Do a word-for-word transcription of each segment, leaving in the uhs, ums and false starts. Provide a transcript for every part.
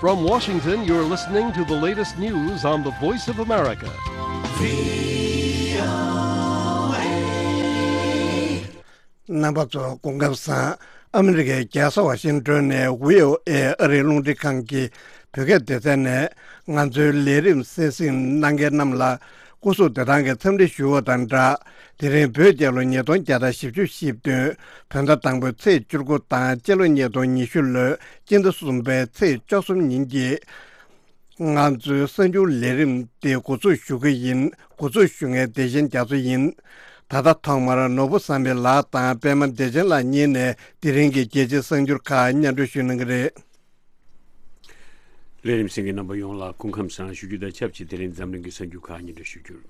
From Washington, you're listening to the latest news on the Voice of America. རྣམ་པ་ཚོ་སྐུ་ཁམས་བཟང་། ཨ་མི་རི་ཀའི་རྒྱལ་ས་ཝ་ཤིང་ཏོན་ནས་ཝི་ཨོ་ཨེ་ཨ་རིའི་རླུང་འཕྲིན་ཁང་གི་བོད་སྐད་སྡེ་ཚན་ནས་ང་ཚོའི་ལས་རིམ་གསན་གཟིགས་གནང་མཁན་རྣམས་ལ་སྐུ་གཟུགས་བདེ་ཐང་གི་འཚམས་འདྲི་ཞུ་བ་དང་སྦྲགས། དེ་རིང་བོད་རྒྱལ་ལོ་ཉིས་སྟོང་བརྒྱ་དང་བཞི་བཅུ་ཞེ་བདུན། བོད་ཟླ་དང་པོའི་ཚེས་བཅུ་དགུ་དང་སྤྱི་ལོ་ཉིས་སྟོང་ཉི་ཤུ་ལོའི་སྤྱི་ཟླ་གསུམ་པའི་ཚེས་བཅུ་གསུམ་ཉིན་གྱི་ང་ཚོའི་གསར་འགྱུར་ལས་རིམ་དེ་འགོ་འཛུགས་ཞུ་གི་ཡིན། འགོ་འཛུགས་ཞུ་མཁན་བདེ་ཆེན་རྒྱ་མཚོ་ཡིན། ད་ལྟ་ཐོག་མར་ནོར་བུ་བསམ་འཕེལ་ལགས་དང་པད་མ་བདེ་ཆེན་ལགས་གཉིས་ནས་དེ་རིང་གི་རྒྱལ་སྤྱིའི་གསར་འགྱུར་ཁག་སྙན་སྒྲོན་ཞུ་གནང་གི་རེད། ལས་རིམ་གསན་མཁན་རྣམ་པ་ཡོངས་ལ་སྐུ་ཁམས་བཟང་ཞུ་རྒྱུ་དང་ཆབས་ཅིག་དེ་རིང་འཛམ་གླིང་གི་གསར་འགྱུར་ཁག་སྙན་སྒྲོན་ཞུ་རྒྱུར།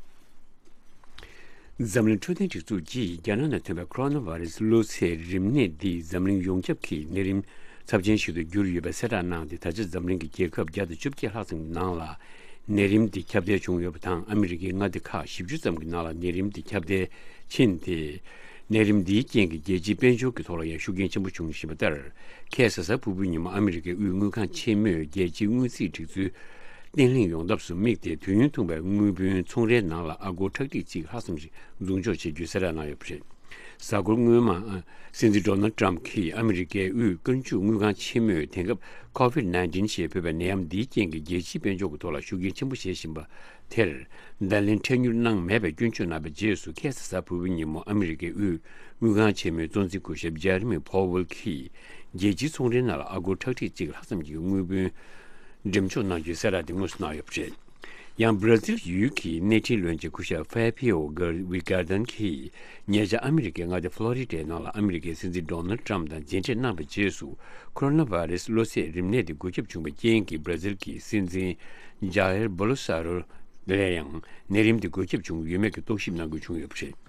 འཛམ་གླིང་འཕྲོད་བསྟེན་སྒྲིག་འཛུགས་ཀྱིས་རྒྱ་ནག་ནང་ཐོན་པའི་ཁོ་རོ་ན་བྷ་རེ་སི་གློ་ཚད་རིམས་ནད་འདིས་འཛམ་གླིང་ཡོངས་ཁྱབ་ཀྱི་ནད་རིམས་ཚབས་ཆེན་ཞིག་ཏུ་གྱུར་ཡོད་པའི་གསལ་བསྒྲགས་གནང་སྟེ། ད་ཆ་འཛམ་གླིང་གི་རྒྱལ་ཁབ་བརྒྱ་དང་བཅོ་བརྒྱད་ལྷག་ཙམ་གྱི་ནང་ལ་ནད་རིམས་འདི་ཁྱབ་གདལ་བྱུང་ཡོད་པ་དང་། ཨ་མི་རི་ཀའི་མངའ་སྡེ་ཁག་བཞི་བཅུ་ཙམ་གྱི་ནང་ལ་ནད་རིམས་འདི་ཁྱབ་གདལ་ཕྱིན་ཏེ། ནད་རིམས་འདིའི་རྐྱེན་གྱིས་རྒྱལ་སྤྱིའི་དཔལ་འབྱོར་གྱི་ཐོག་ལ་ཡང་ཤུགས་རྐྱེན་ཆེན་པོ་བྱུང་བཞིན་པ་ལྟར། ཁ་སང་གཟའ་ཕུར་བུའི་ཉིན་མོ་ཨ་མི་རི་ཀའི་དབུས་དངུལ་ཁང་ཆེན་མོས་རྒྱལ་སྤྱིའི་དངུལ་རྩིས་སྒྲིག་འཛུགས་བརྟན་ལྷིང་ཡོང་ཐབས་སུ་དམིགས་ཏེ། དུས་ཡུན་ཐུང་བའི་དངུལ་བུན་ཚོང་རའི་ནང་ལ་ཨ་སྒོར་ཁྲག་ཁྲིག་གཅིག་ལྷག་ཙམ་ཞིག་འཛུགས་འཇོག་བྱེད་རྒྱུའི་གསལ་བསྒྲགས་གནང་ཡོད་པ་རེད། གཟའ་འཁོར་སྔོན་མ། ཨ། སྲིད་འཛིན་ཌོ་ནལ་ཊམ་གྱིས་ཨ་མི་རི་ཀའི་དབུས་དཀོན་མཆོག་དངུལ་ཁང་ཆེན་མོས་དེང་སྐབས་ཁོ་ཝིད་ནའིན་ཊིན་ཞེས་འབོད་པའི་ནད་ཡམས་འདིའི་རྐྱེན་གྱིས་རྒྱལ་སྤྱིའི་དཔལ་འབྱོར་གྱི་ཐོག་ལ་ཤུགས་རྐྱེན་ཆེན་པོ་བྱེད་བཞིན་པ་དེར་བརྡ་ལན་འཕྲལ་མྱུར་གནང་མེད་པའི་སྐྱོན་བརྗོད་གནང་བའི་རྗེས་སུ། ཁ་སང་གཟའ་ཕུར་བུའི་ཉིན་མོ་ཨ་མི་རི་ཀའི་དབུས་དངུལ་ཁང་ཆེན་མོའི་གཙོ་འཛིན་སྐུ་ཞབས་ཇེ་རེ་མི་ཕོ་ཝེལ་གྱིས་རྒྱལ་སྤྱིའི་ཚོང་རའི་ནང་ལ་ཨ་སྒོར་ཁྲག་ཁྲིག་གཅིག་ལྷག་ཙམ་གྱི་དངུལ་བུན་འགྲེམས་འཇོག་གནང་རྒྱུའི་གསལ་བསྒྲགས་དེ་དངོས་སུ་གནང་ཡོད་པ་རེད། ཡང་། སྦྲ་ཛིལ་ཡུལ་གྱི་གནས་འཕྲིན་བློན་ཆེན་སྐུ་ཞབས་ཧྥེ་ཕིའོ་གྷར་ཝི་གྷར་ཌན་གྱིས་ཉེ་ཆར་ཨ་མི་རི་ཀའི་མངའ་སྡེ་ཕློ་རི་ཌའི་ནང་ལ་ཨ་མི་རི་ཀའི་སྲིད་འཛིན་ཌོ་ནལ་ཊམ་དང་མཇལ་འཕྲད་གནང་བའི་རྗེས་སུ། ཁོ་རོ་ན་བྷ་རེ་སི་གློ་ཚད་རིམས་ནད་དེ་འགོས་ཁྱབ་བྱུང་བའི་རྐྱེན་གྱིས། སྦྲ་ཛིལ་གྱི་སྲིད་འཛིན་ཇཱ་ཡེར་བོ་ལོ་སོ་ནཱ་རོ་ལ་ཡང་ནད་རིམས་དེ་འགོས་ཁྱབ་བྱུང་ཡོད་མེད་ཀྱི་རྟོག་ཞིབ་གནང་དགོས་བྱུང་ཡོད་པ་རེད།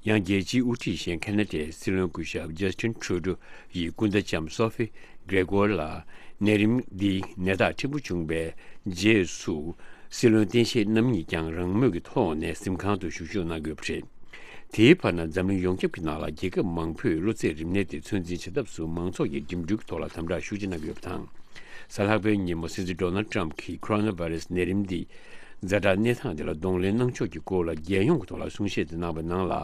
ཡང་། རྒྱལ་སྤྱིའི་དབུ་ཁྲིད་གཞན་ཁེ་ན་ཌའི་སྲིད་བློན་སྐུ་ཞབས་ཇ་སི་ཊིན་ཁྲུ་ཌོ་ཡིས་སྐུ་ཟླ་ལྕམ་སོ་ཧྥི་གྷེ་རེ་གོར་ལ་ནད་རིམས་འདི་ནད་རྟགས་ཕྲན་བུ་བྱུང་བའི་རྗེས་སུ། སྲིད་བློན་བསྟེན་བཤད་རྣམ་གཉིས་ཀྱང་རང་མོས་ཀྱི་ཐོག་ནས་གཟིམ་ཁང་དུ་བཞུགས་ཞུགས་གནང་དགོས་པ་རེད། དེའི་བར་ན། འཛམ་གླིང་ཡོངས་ཁྱབ་ཀྱི་ནང་ལ་རྒྱལ་ཁབ་མང་པོས་གློ་ཚད་རིམས་ནད་དེ་ཚོད་འཛིན་བྱེད་ཐབས་སུ་མང་ཚོགས་ཀྱི་འགྲིམ་འགྲུལ་གྱི་ཐོག་ལ་དམ་དྲག་ཤུགས་ཆེ་གནང་གི་ཡོད་པ་དང་། གཟའ་ལྷག་པའི་ཉིན་མོ་སྲིད་འཛིན་ཌོ་ནལ་ཊམ་གྱིས་ཁོ་རོ་ན་བྷ་རེ་སི་ནད་རིམས་འདི་ཛ་དྲག་གནས་སྟངས་དེ་ལ་གདོང་ལེན་གནང་ཕྱོགས་ཀྱི་སྐོར་ལ་རྒྱལ་ཡོངས་ཀྱི་ཐོག་ལ་གསུང་བཤད་དེ་གནང་བའི་ནང་ལ།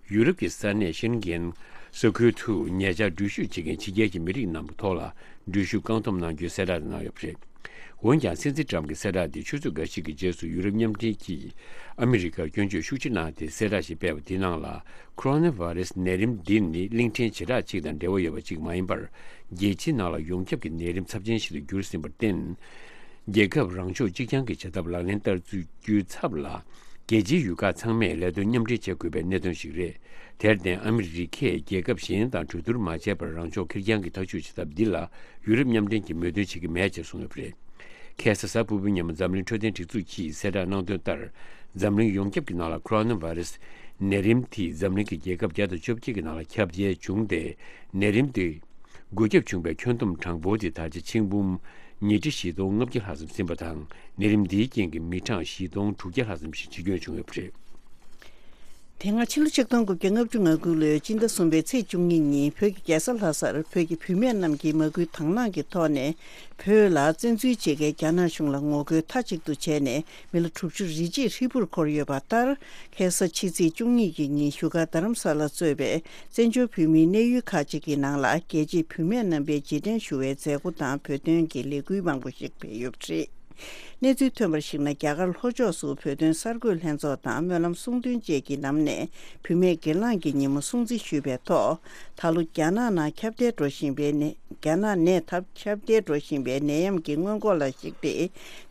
ཡུ་རོབ་ཀྱི་ས་གནས་ཤེན་གྷན་ས་ཁུལ་དུ་ཉེ་ཆར་འགྲུལ་བཞུད་བྱེད་མཁན་ཕྱི་རྒྱལ་གྱི་མི་རིགས་རྣམས་ཐོག་ལ་འགྲུལ་བཞུད་བཀག་སྡོམ་གནང་རྒྱུའི་གསལ་བསྒྲགས་དེ་གནང་ཡོད་པ་རེད། འོན་ཀྱང་། སྲིད་འཛིན་ཊམ་གྱི་གསལ་བསྒྲགས་འདི་ཆུ་ཚོད་འགའ་ཞིག་གི་རྗེས་སུ་ཡུ་རོབ་མཉམ་འབྲེལ་གྱིས་ཨ་མི་རི་ཀར་སྐྱོན་བརྗོད་ཤུགས་ཆེ་གནང་སྟེ། གསལ་བསྒྲགས་ཤིག་སྤེལ་བ་དེའི་ནང་ལ། ཁོ་རོ་ན་བྷ་རེ་སི་ནད་རིམས་འདི་ནི་གླིང་ཕྲན་བྱེ་བྲག་ཅིག་དང་འབྲེལ་བ་ཡོད་པ་ཅིག་མ་ཡིན་པར། རྒྱལ་སྤྱིའི་ནང་ལ་ཡོངས་ཁྱབ་ཀྱི་ནད་རིམས་ཚབས་ཆེན་ཞིག་ཏུ་གྱུར་ཟིན་པར་བརྟེན། རྒྱལ་ཁབ་རང་ཕྱོགས་གཅིག་རྐྱང་གི་བྱ་ཐབས་ལག་ལེན་བསྟར་རྒྱུའི་ཚབ་ལ། རྒྱལ་སྤྱིའི་ཡུལ་ཁག་ཚང་མས་ལས་དོན་མཉམ་འབྲེལ་བྱེད་དགོས་པའི་གནད་དོན་ཞིག་རེད། དེར་བརྟེན། ཨ་མི་རི་ཀས་རྒྱལ་ཁབ་གཞན་དང་གྲོས་བསྡུར་མ་བྱས་པར་རང་ཕྱོགས་ཁེར་རྐྱང་གི་ཐག་གཅོད་བྱེད་ཐབས་འདི་ལ་ཡུ་རོབ་མཉམ་འབྲེལ་གྱིས་མོས་མཐུན་བྱེད་ཀྱི་མེད་ཅེས་གསུངས་ཡོད་པ་རེད། ཁ་སང་གཟའ་ཕུར་བུའི་ཉིན་མོ་འཛམ་གླིང་འཕྲོད་བསྟེན་སྒྲིག་འཛུགས་ཀྱིས་གསལ་བསྒྲགས་གནང་དོན་ལྟར། འཛམ་གླིང་ཡོངས་ཁྱབ་ཀྱི་ནང་ལ་ཁོ་རོ་ན་བྷ་རེ་སི་ནད་རིམས་དེས་འཛམ་གླིང་གི་རྒྱལ་ཁབ་བརྒྱ་དང་བཅོ་བརྒྱད་ཀྱི་ནང་ལ་ཁྱབ་གདལ་བྱུང་སྟེ། ནད་རིམས་དེ་འགོས་ཁྱབ་བྱུང་བའི་ཁྱོན་བསྡོམས་གྲངས་འབོར་དེ་ད་ཆ་ཆིག་འབུམ་ཉིས་ཁྲི་བཞི་སྟོང་ལྔ་བརྒྱ་ལྷག་ཙམ་ཟིན་པ་དང་། ནད་རིམས་འདིའི་རྐྱེན་གྱིས་མི་གྲངས་བཞི་སྟོང་དྲུག་བརྒྱ་ལྷག་ཙམ་ཞིག་འཆི་སྐྱོན་བྱུང་ཡོད་པ་རེད། དེ་སྔ་ཕྱི་ལོ་ཆིག་སྟོང་དགུ་བརྒྱ་ལྔ་བཅུ་ང་དགུ་ལོའི་སྤྱི་ཟླ་གསུམ་པའི་ཚེས་བཅུ་གཉིས་ཉིན། བོད་ཀྱི་རྒྱལ་ས་ལྷ་སར་བོད་ཀྱི་བུད་མེད་རྣམས་ཀྱིས་མ་སྐུལ་དང་བླངས་ཀྱི་ཐོག་ནས། བོད་ལ་བཙན་འཛུལ་བྱེད་མཁན་རྒྱ་ནག་གཞུང་ལ་ངོ་རྒོལ་མཐའ་གཅིག་ཏུ་བྱས་ནས། མི་ལོ་དྲུག་ཅུ་རེ་གཅིག་ཧྲིལ་པོར་འཁོར་ཡོད་པ་ལྟར། ཁ་སང་ཕྱི་ཚེས་བཅུ་གཉིས་ཀྱི་ཉིན། བཞུགས་སྒར་རྡ་རམ་ས་ལ་གཙོས་པའི་བཙན་བྱོལ་བོད་མིའི་གནས་ཡུལ་ཁག་ཅིག་གི་ནང་ལ། རྒྱལ་གཅེས་བུད་མེད་རྣམ་པའི་རྗེས་དྲན་ཞུ་བའི་མཛད་སྒོ་དང་། བོད་དོན་གྱི་ལས་འགུལ་མང་པོ་ཞིག་སྤེལ་ཡོད་པ་རེད། གནས་ཚུལ་ཐོན་པར་གཞིགས་ན། རྒྱ་གར་ལྷོ་ཕྱོགས་སུ་བོད་དོན་གསར་འགོད་ལྷན་ཚོགས་དང་སྨོན་ལམ་གསུང་འདོན་བཅས་ཀྱི་ནང་ནས། བུད་མེད་སྒེར་ལངས་ཀྱི་ཉིན་མོ་སྲུང་བརྩི་ཞུས་པའི་ཐོག་ད་ལོ་རྒྱ་ནག་ནང་ཁྱབ་གདལ་འགྲོ་བཞིན་པའི་ནད། རྒྱ་ནག་ནས་ཁྱབ་གདལ་འགྲོ་བཞིན་པའི་ནད་ཡམས་ཀྱི་སྔོན་འགོག་ལ་གཞིགས་ཏེ།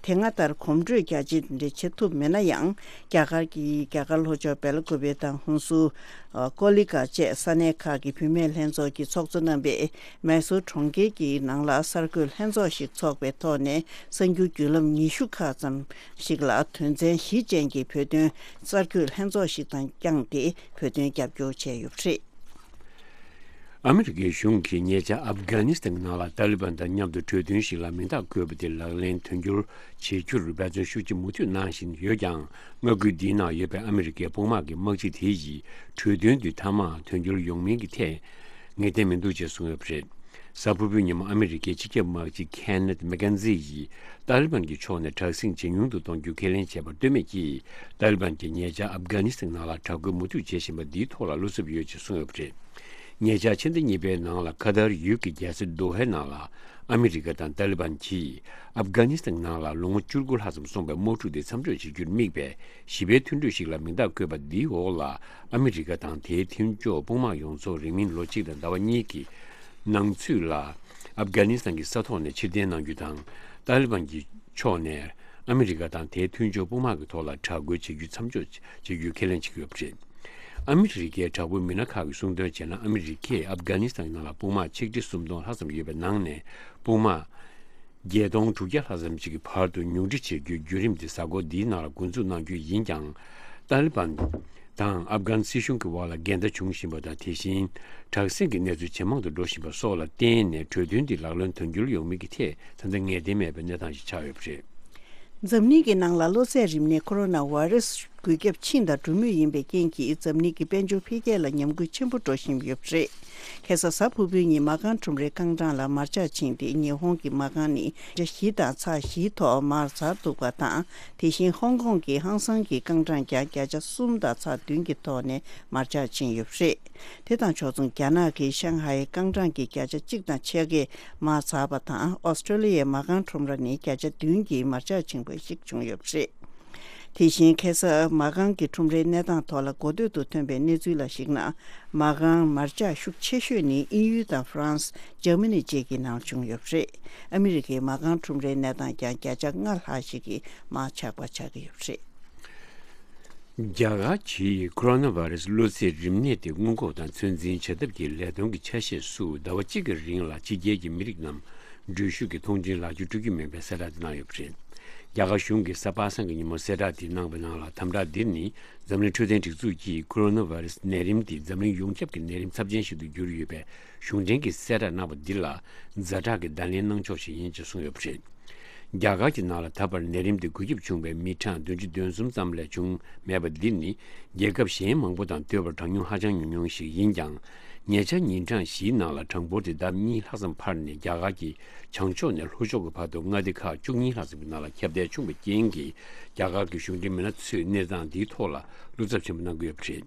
དེ་སྔ་ལྟར་གོམ་བགྲོད་རྒྱ་ཆེ་འདྲ་བྱེད་ཐུབ་མེད་ན་ཡང་། རྒྱ་གར་གྱི་རྒྱ་གར་ལྷོ་ཕྱོགས་སྦེལ་ཀོབ་དང་ཧུན་སུར། ཀོ་ལི་གྷལ་བཅས་ས་གནས་ཁག་གི་བུད་མེད་ལྷན་ཚོགས་ཀྱི་ཚོགས་གཙོ་རྣམ་པས། མེ་སོར་གྲོང་ཁྱེར་གྱི་ནང་ལ་གསར་འགོད་ལྷན་ཚོགས་ཤིག་འཚོགས་པའི་ཐོག་ནས། གསར་འགྱུར་བརྒྱུད་ལམ་ཉི་ཤུ་ཁག་ཙམ་ཞིག་ལ་དོན་ཚན་བཞི་ཅན་གྱི་བོད་དོན་གསར་འགོད་ལྷན་ཚོགས་ཤིག་དང་བསྐྱངས་ཏེ། བོད་དོན་རྒྱབ་སྐྱོར་བྱས་ཡོད་པ་རེད། ཨ་མི་རི་ཀའི་གཞུང་གིས་ཉེ་ཆར་ཨབ་གྷ་ནི་སི་ཐན་ནང་ལ་ཏཱ་ལི་བན་དང་མཉམ་དུ་གྲོས་མཐུན་ཞིག་ལ་མིང་རྟགས་བཀོད་པ་དེ་ལག་ལེན་དོན་འཁྱོལ་བྱེད་རྒྱུར་འབད་བརྩོན་ཤུགས་ཆེ་མུ་མཐུད་གནང་བཞིན་ཡོད་ཀྱང་། མངའ་ཁུལ་འདིའི་ནང་ཡོད་པའི་ཨ་མི་རི་ཀའི་དཔུང་དམག་གི་དམག་སྤྱི་དེ་ཡིས་གྲོས་མཐུན་དེ་མཐའ་མ་དོན་འཁྱོལ་ཡོང་མིན་གྱི་ཐད་ངེས་གཏན་མི་འདུག་ཅེས་གསུངས་ཡོད་པ་རེད། གཟའ་ཕུར་བུའི་ཉིན་མོ་ཨ་མི་རི་ཀའི་སྤྱི་ཁྱབ་དམག་སྤྱི་ཁེ་ནེཐ་མེག་ཀེན་ཛི་ཡིས་ཏཱ་ལི་བན་གྱི་ཕྱོགས་ནས་དྲག་ཟིང་ཇེ་ཉུང་དུ་གཏོང་རྒྱུ་ཁས་ལེན་བྱས་པར་ལྟོས་མེད་ཀྱིས། ཏཱ་ལི་བན་གྱིས་ཉེ་ཆར་ཨབ་གྷ་ནི་སི་ཐན་ནང་ལ་དྲག་རྒོལ་མུ་མཐུད་བྱེད་བཞིན་པ་འདིའི་ཐོག་ལ་བློ་འཚབ་ཡོད་ཅེས་གསུངས་ཡོད་པ་རེད། ཉེ་ཆར་ཕྱི་ཟླ་གཉིས་པའི་ནང་ལ་ཁ་ཐར་ཡུལ་གྱི་རྒྱལ་ས་དོ་ཧའི་ནང་ལ་ཨ་མི་རི་ཀ་དང་ཏཱ་ལི་བན་གྱིས་ཨབ་གྷ་ནི་སི་ཐན་ནང་ལ་ལོ་ངོ་བཅུ་དགུ་ལྷག་ཙམ་སོང་བའི་དམག་འཁྲུག་དེ་མཚམས་འཇོག་བྱེད་རྒྱུར་དམིགས་པའི་ཞི་བའི་མཐུན་གྲོས་ཤིག་ལ་མིང་རྟགས་བཀོད་པ་འདིའི་འོག་ལ་ཨ་མི་རི་ཀ་དང་དེའི་མཐུན་ཕྱོགས་དཔུང་དམག་ཡོངས་རྫོགས་རིང་མིན་ལོ་གཅིག་དང་ཟླ་བ་གཉིས་ཀྱི་ནང་ཚུད་ལ་ཨབ་གྷ་ནི་སི་ཐན་གྱི་ས་ཐོག་ནས་ཕྱིར་འཐེན་གནང་རྒྱུ་དང་། ཏཱ་ལི་བན་གྱི་ཕྱོགས་ནས་ཨ་མི་རི་ཀ་དང་དེའི་མཐུན་ཕྱོགས་དཔུང་དམག་གི་ཐོག་ལ་དྲག་རྒོལ་བྱེད་རྒྱུ་མཚམས་འཇོག་བྱེད་རྒྱུའི་ཁས་ལེན་བྱེད་ཀྱི་ཡོད་པ་རེད། ཨ་མི་རི་ཀའི་དྲག་པོའི་མི་སྣ་ཁག་གིས་གསུངས་དོན་བྱས་ན། ཨ་མི་རི་ཀས་ཨབ་གྷ་ནི་སི་ཐན་ནང་ལ་དཔུང་དམག་ཆིག་ཁྲི་སུམ་སྟོང་ལྷག་ཙམ་ཡོད་པའི་ནང་ནས་དཔུང་དམག་བརྒྱད་སྟོང་དྲུག་བརྒྱ་ལྷག་ཙམ་ཞིག་གི་བར་དུ་ཉུང་འཕྲི་བྱེད་རྒྱུའི་བརྒྱུད་རིམ་དེ་གཟའ་འཁོར་འདིའི་ནང་ལ་འགོ་འཛུགས་གནང་རྒྱུ་ཡིན་ཀྱང་། ཏཱ་ལི་བན་དང་ཨབ་གྷན་སྲིད་གཞུང་གི་དབར་ལ་འགལ་ཟླ་བྱུང་བཞིན་པ་དང་། དེ་བཞིན་དྲག་ཟིང་གི་གནས་ཚུལ་ཇེ་མང་དུ་འགྲོ་བཞིན་པ་སོགས་ལ་བརྟེན་ནས་གྲོས་མཐུན་འདི་ལག་ལེན་དོན་འཁྱོལ་ཡོང་མིན་གྱི་ཐད་ད་ལྟ་ངེས་གཏན་མེད་པའི་གནས་སྟངས་ཤིག་ཆགས་ཡོད་པ་རེད། འཛམ་གླིང་གི་ནང་ལ་གློ་ཚད་རིམས་ནད་ཁོ་རོ་ན་བྷ་རེ་སི་འགོས་ཁྱབ་ཕྱིན་དང་འགྲོ་མུས་ཡིན་པའི་རྐྱེན་གྱིས་འཛམ་གླིང་གི་དཔལ་འབྱོར་འཕེལ་རྒྱས་ལ་ཉམས་རྒུད་ཆེན་པོ་འགྲོ་བཞིན་ཡོད་པ་རེད། ཁ་སང་གཟའ་ཕུར་བུའི་ཉིན་མ་རྐང་ཁྲོམ་རའི་རྐང་གྲངས་ལ་མར་ཆག་ཕྱིན་ཏེ། ཉི་ཧོང་གི་མ་རྐང་ནི་བརྒྱ་བཞི་དང་ཚེག་བཞིའི་ཐོག་མར་ཚར་འདུག་པ་དང་། དེ་བཞིན་ཧོང་ཀོང་གི་ཧང་སང་གི་རྐང་གྲངས་ཀྱང་བརྒྱ་ཆ་གསུམ་དང་ཚེག་བདུན་གྱི་ཐོག་ནས་མར་ཆག་ཕྱིན་ཡོད་པ་རེད། དེ་དང་ཕྱོགས་མཚུངས་རྒྱ་ནག་གི་ཤང་ཧའི་རྐང་གྲངས་ཀྱི་བརྒྱ་ཆ་གཅིག་དང་ཕྱེད་ཀས་མར་ཚར་བ་དང་། ཨོ་སི་ཀྲོ་ལི་ཡའི་མ་རྐང་ཁྲོམ་ར་ནི་བརྒྱ་ཆ་བདུན་གྱིས་མར་ཆག་ཕྱིན་པ་ཞིག་བྱུང་ཡོད་པ་རེད། དེ་བཞིན་ཁ་སང་མ་རྐང་གི་ཁྲོམ་རའི་གནས་སྟངས་ཐོག་ལ་གོ་ཐོས་དུ་ཐོན་པའི་གནས་ཚུལ་ལ་གཞིགས་ན། མ་རྐང་མར་ཆག་ཤུགས་ཆེ་ཤོས་ནི་དབྱིན་ཡུལ་དང་ཧྥ་རན་སི། འཇར་མ་ནི་བཅས་ཀྱི་ནང་བྱུང་ཡོད་པ་རེད། ཨ་མི་རི་ཀའི་མ་རྐང་ཁྲོམ་རའི་གནས་སྟངས་ཀྱང་བརྒྱ་ཆ་ལྔ་ལྷག་ཞིག་གིས་མར་ཆག་པ་ཆགས་ཀྱི་ཡོད་པ་རེད། རྒྱ་གར་གྱིས་ཁོ་རོ་ན་བྷ་རེ་སི་གློ་ཚད་རིམས་ནད་དེ་སྔོན་འགོག་དང་ཚོད་འཛིན་བྱ་ཐབས་ཀྱི་ལས་དོན་གྱི་ཆ་ཤས་སུ་ཟླ་བ་གཅིག་གི་རིང་ལ་ཕྱི་རྒྱལ་གྱི་མི་རིགས་རྣམས་འགྲུལ་བཞུད་ཀྱི་ཐོངས་མཆན་ལག་འཁྱེར་སྤྲོད་ཀྱི་མིན་པའི་གསལ་བསྒྲགས་དེ་གནང་ཡོད་པ་རེད། རྒྱ་གར་གཞུང་གིས་གཟའ་པ་སངས་ཀྱི་ཉིན་མོ་གསལ་བསྒྲགས་དེ་གནང་བའི་ནང་ལ། དམ་བསྒྲགས་འདིར་ནི་འཛམ་གླིང་འཕྲོད་བསྟེན་སྒྲིག་འཛུགས་ཀྱིས་ཁོ་རོ་ན་བྷ་རེ་སི་ནད་རིམས་དེ་འཛམ་གླིང་ཡོངས་ཁྱབ་ཀྱི་ནད་རིམས་ཚབས་ཆེན་ཞིག་ཏུ་གྱུར་ཡོད་པའི་གཞུང་འབྲེལ་གྱི་གསལ་བསྒྲགས་གནང་བ་འདི་ལ་ཛ་དྲག་གི་བརྡ་ལན་གནང་ཕྱོགས་ཤིག་ཡིན་ཅེས་གསུངས་ཡོད་པ་རེད། རྒྱ་གར་གྱི་ནང་ལ་ད་བར་ནད་རིམས་དེ་འགོས་ཁྱབ་བྱུང་བའི་མི་གྲངས་བདུན་ཅུ་དོན་གསུམ་ཙམ་ལས་བྱུང་མེད་པ་འདི་ནི་རྒྱལ་ཁབ་གཞན་མང་པོ་དང་བསྟུན་པར་གྲངས་ཉུང་ཧ་ཅང་ཉུང་ཉུང་ཞིག་ཡིན་ཀྱང་། ཉེ་ཆར་ཉིན་གྲངས་བཞིའི་ནང་ལ་གྲངས་འབོར་དེ་ལྡབ་གཉིས་ལྷག་ཙམ་འཕར་ནས། རྒྱ་གར་གྱི་བྱང་ཕྱོགས་ནས་ལྷོ་ཕྱོགས་ཀྱི་བར་དུ་མངའ་སྡེ་ཁག་བཅུ་གཉིས་ལྷག་ཙམ་གྱི་ནང་ལ་ཁྱབ་གདལ་བྱུང་བའི་རྐྱེན་གྱིས། རྒྱ་གར་གྱི་གཞུང་འབྲེལ་མི་སྣ་ཚོས་གནས་སྟངས་འདིའི་ཐོག་ལ་བློ་འཚབ་ཆེན་པོ་གནང་གི་ཡོད་པ་རེད།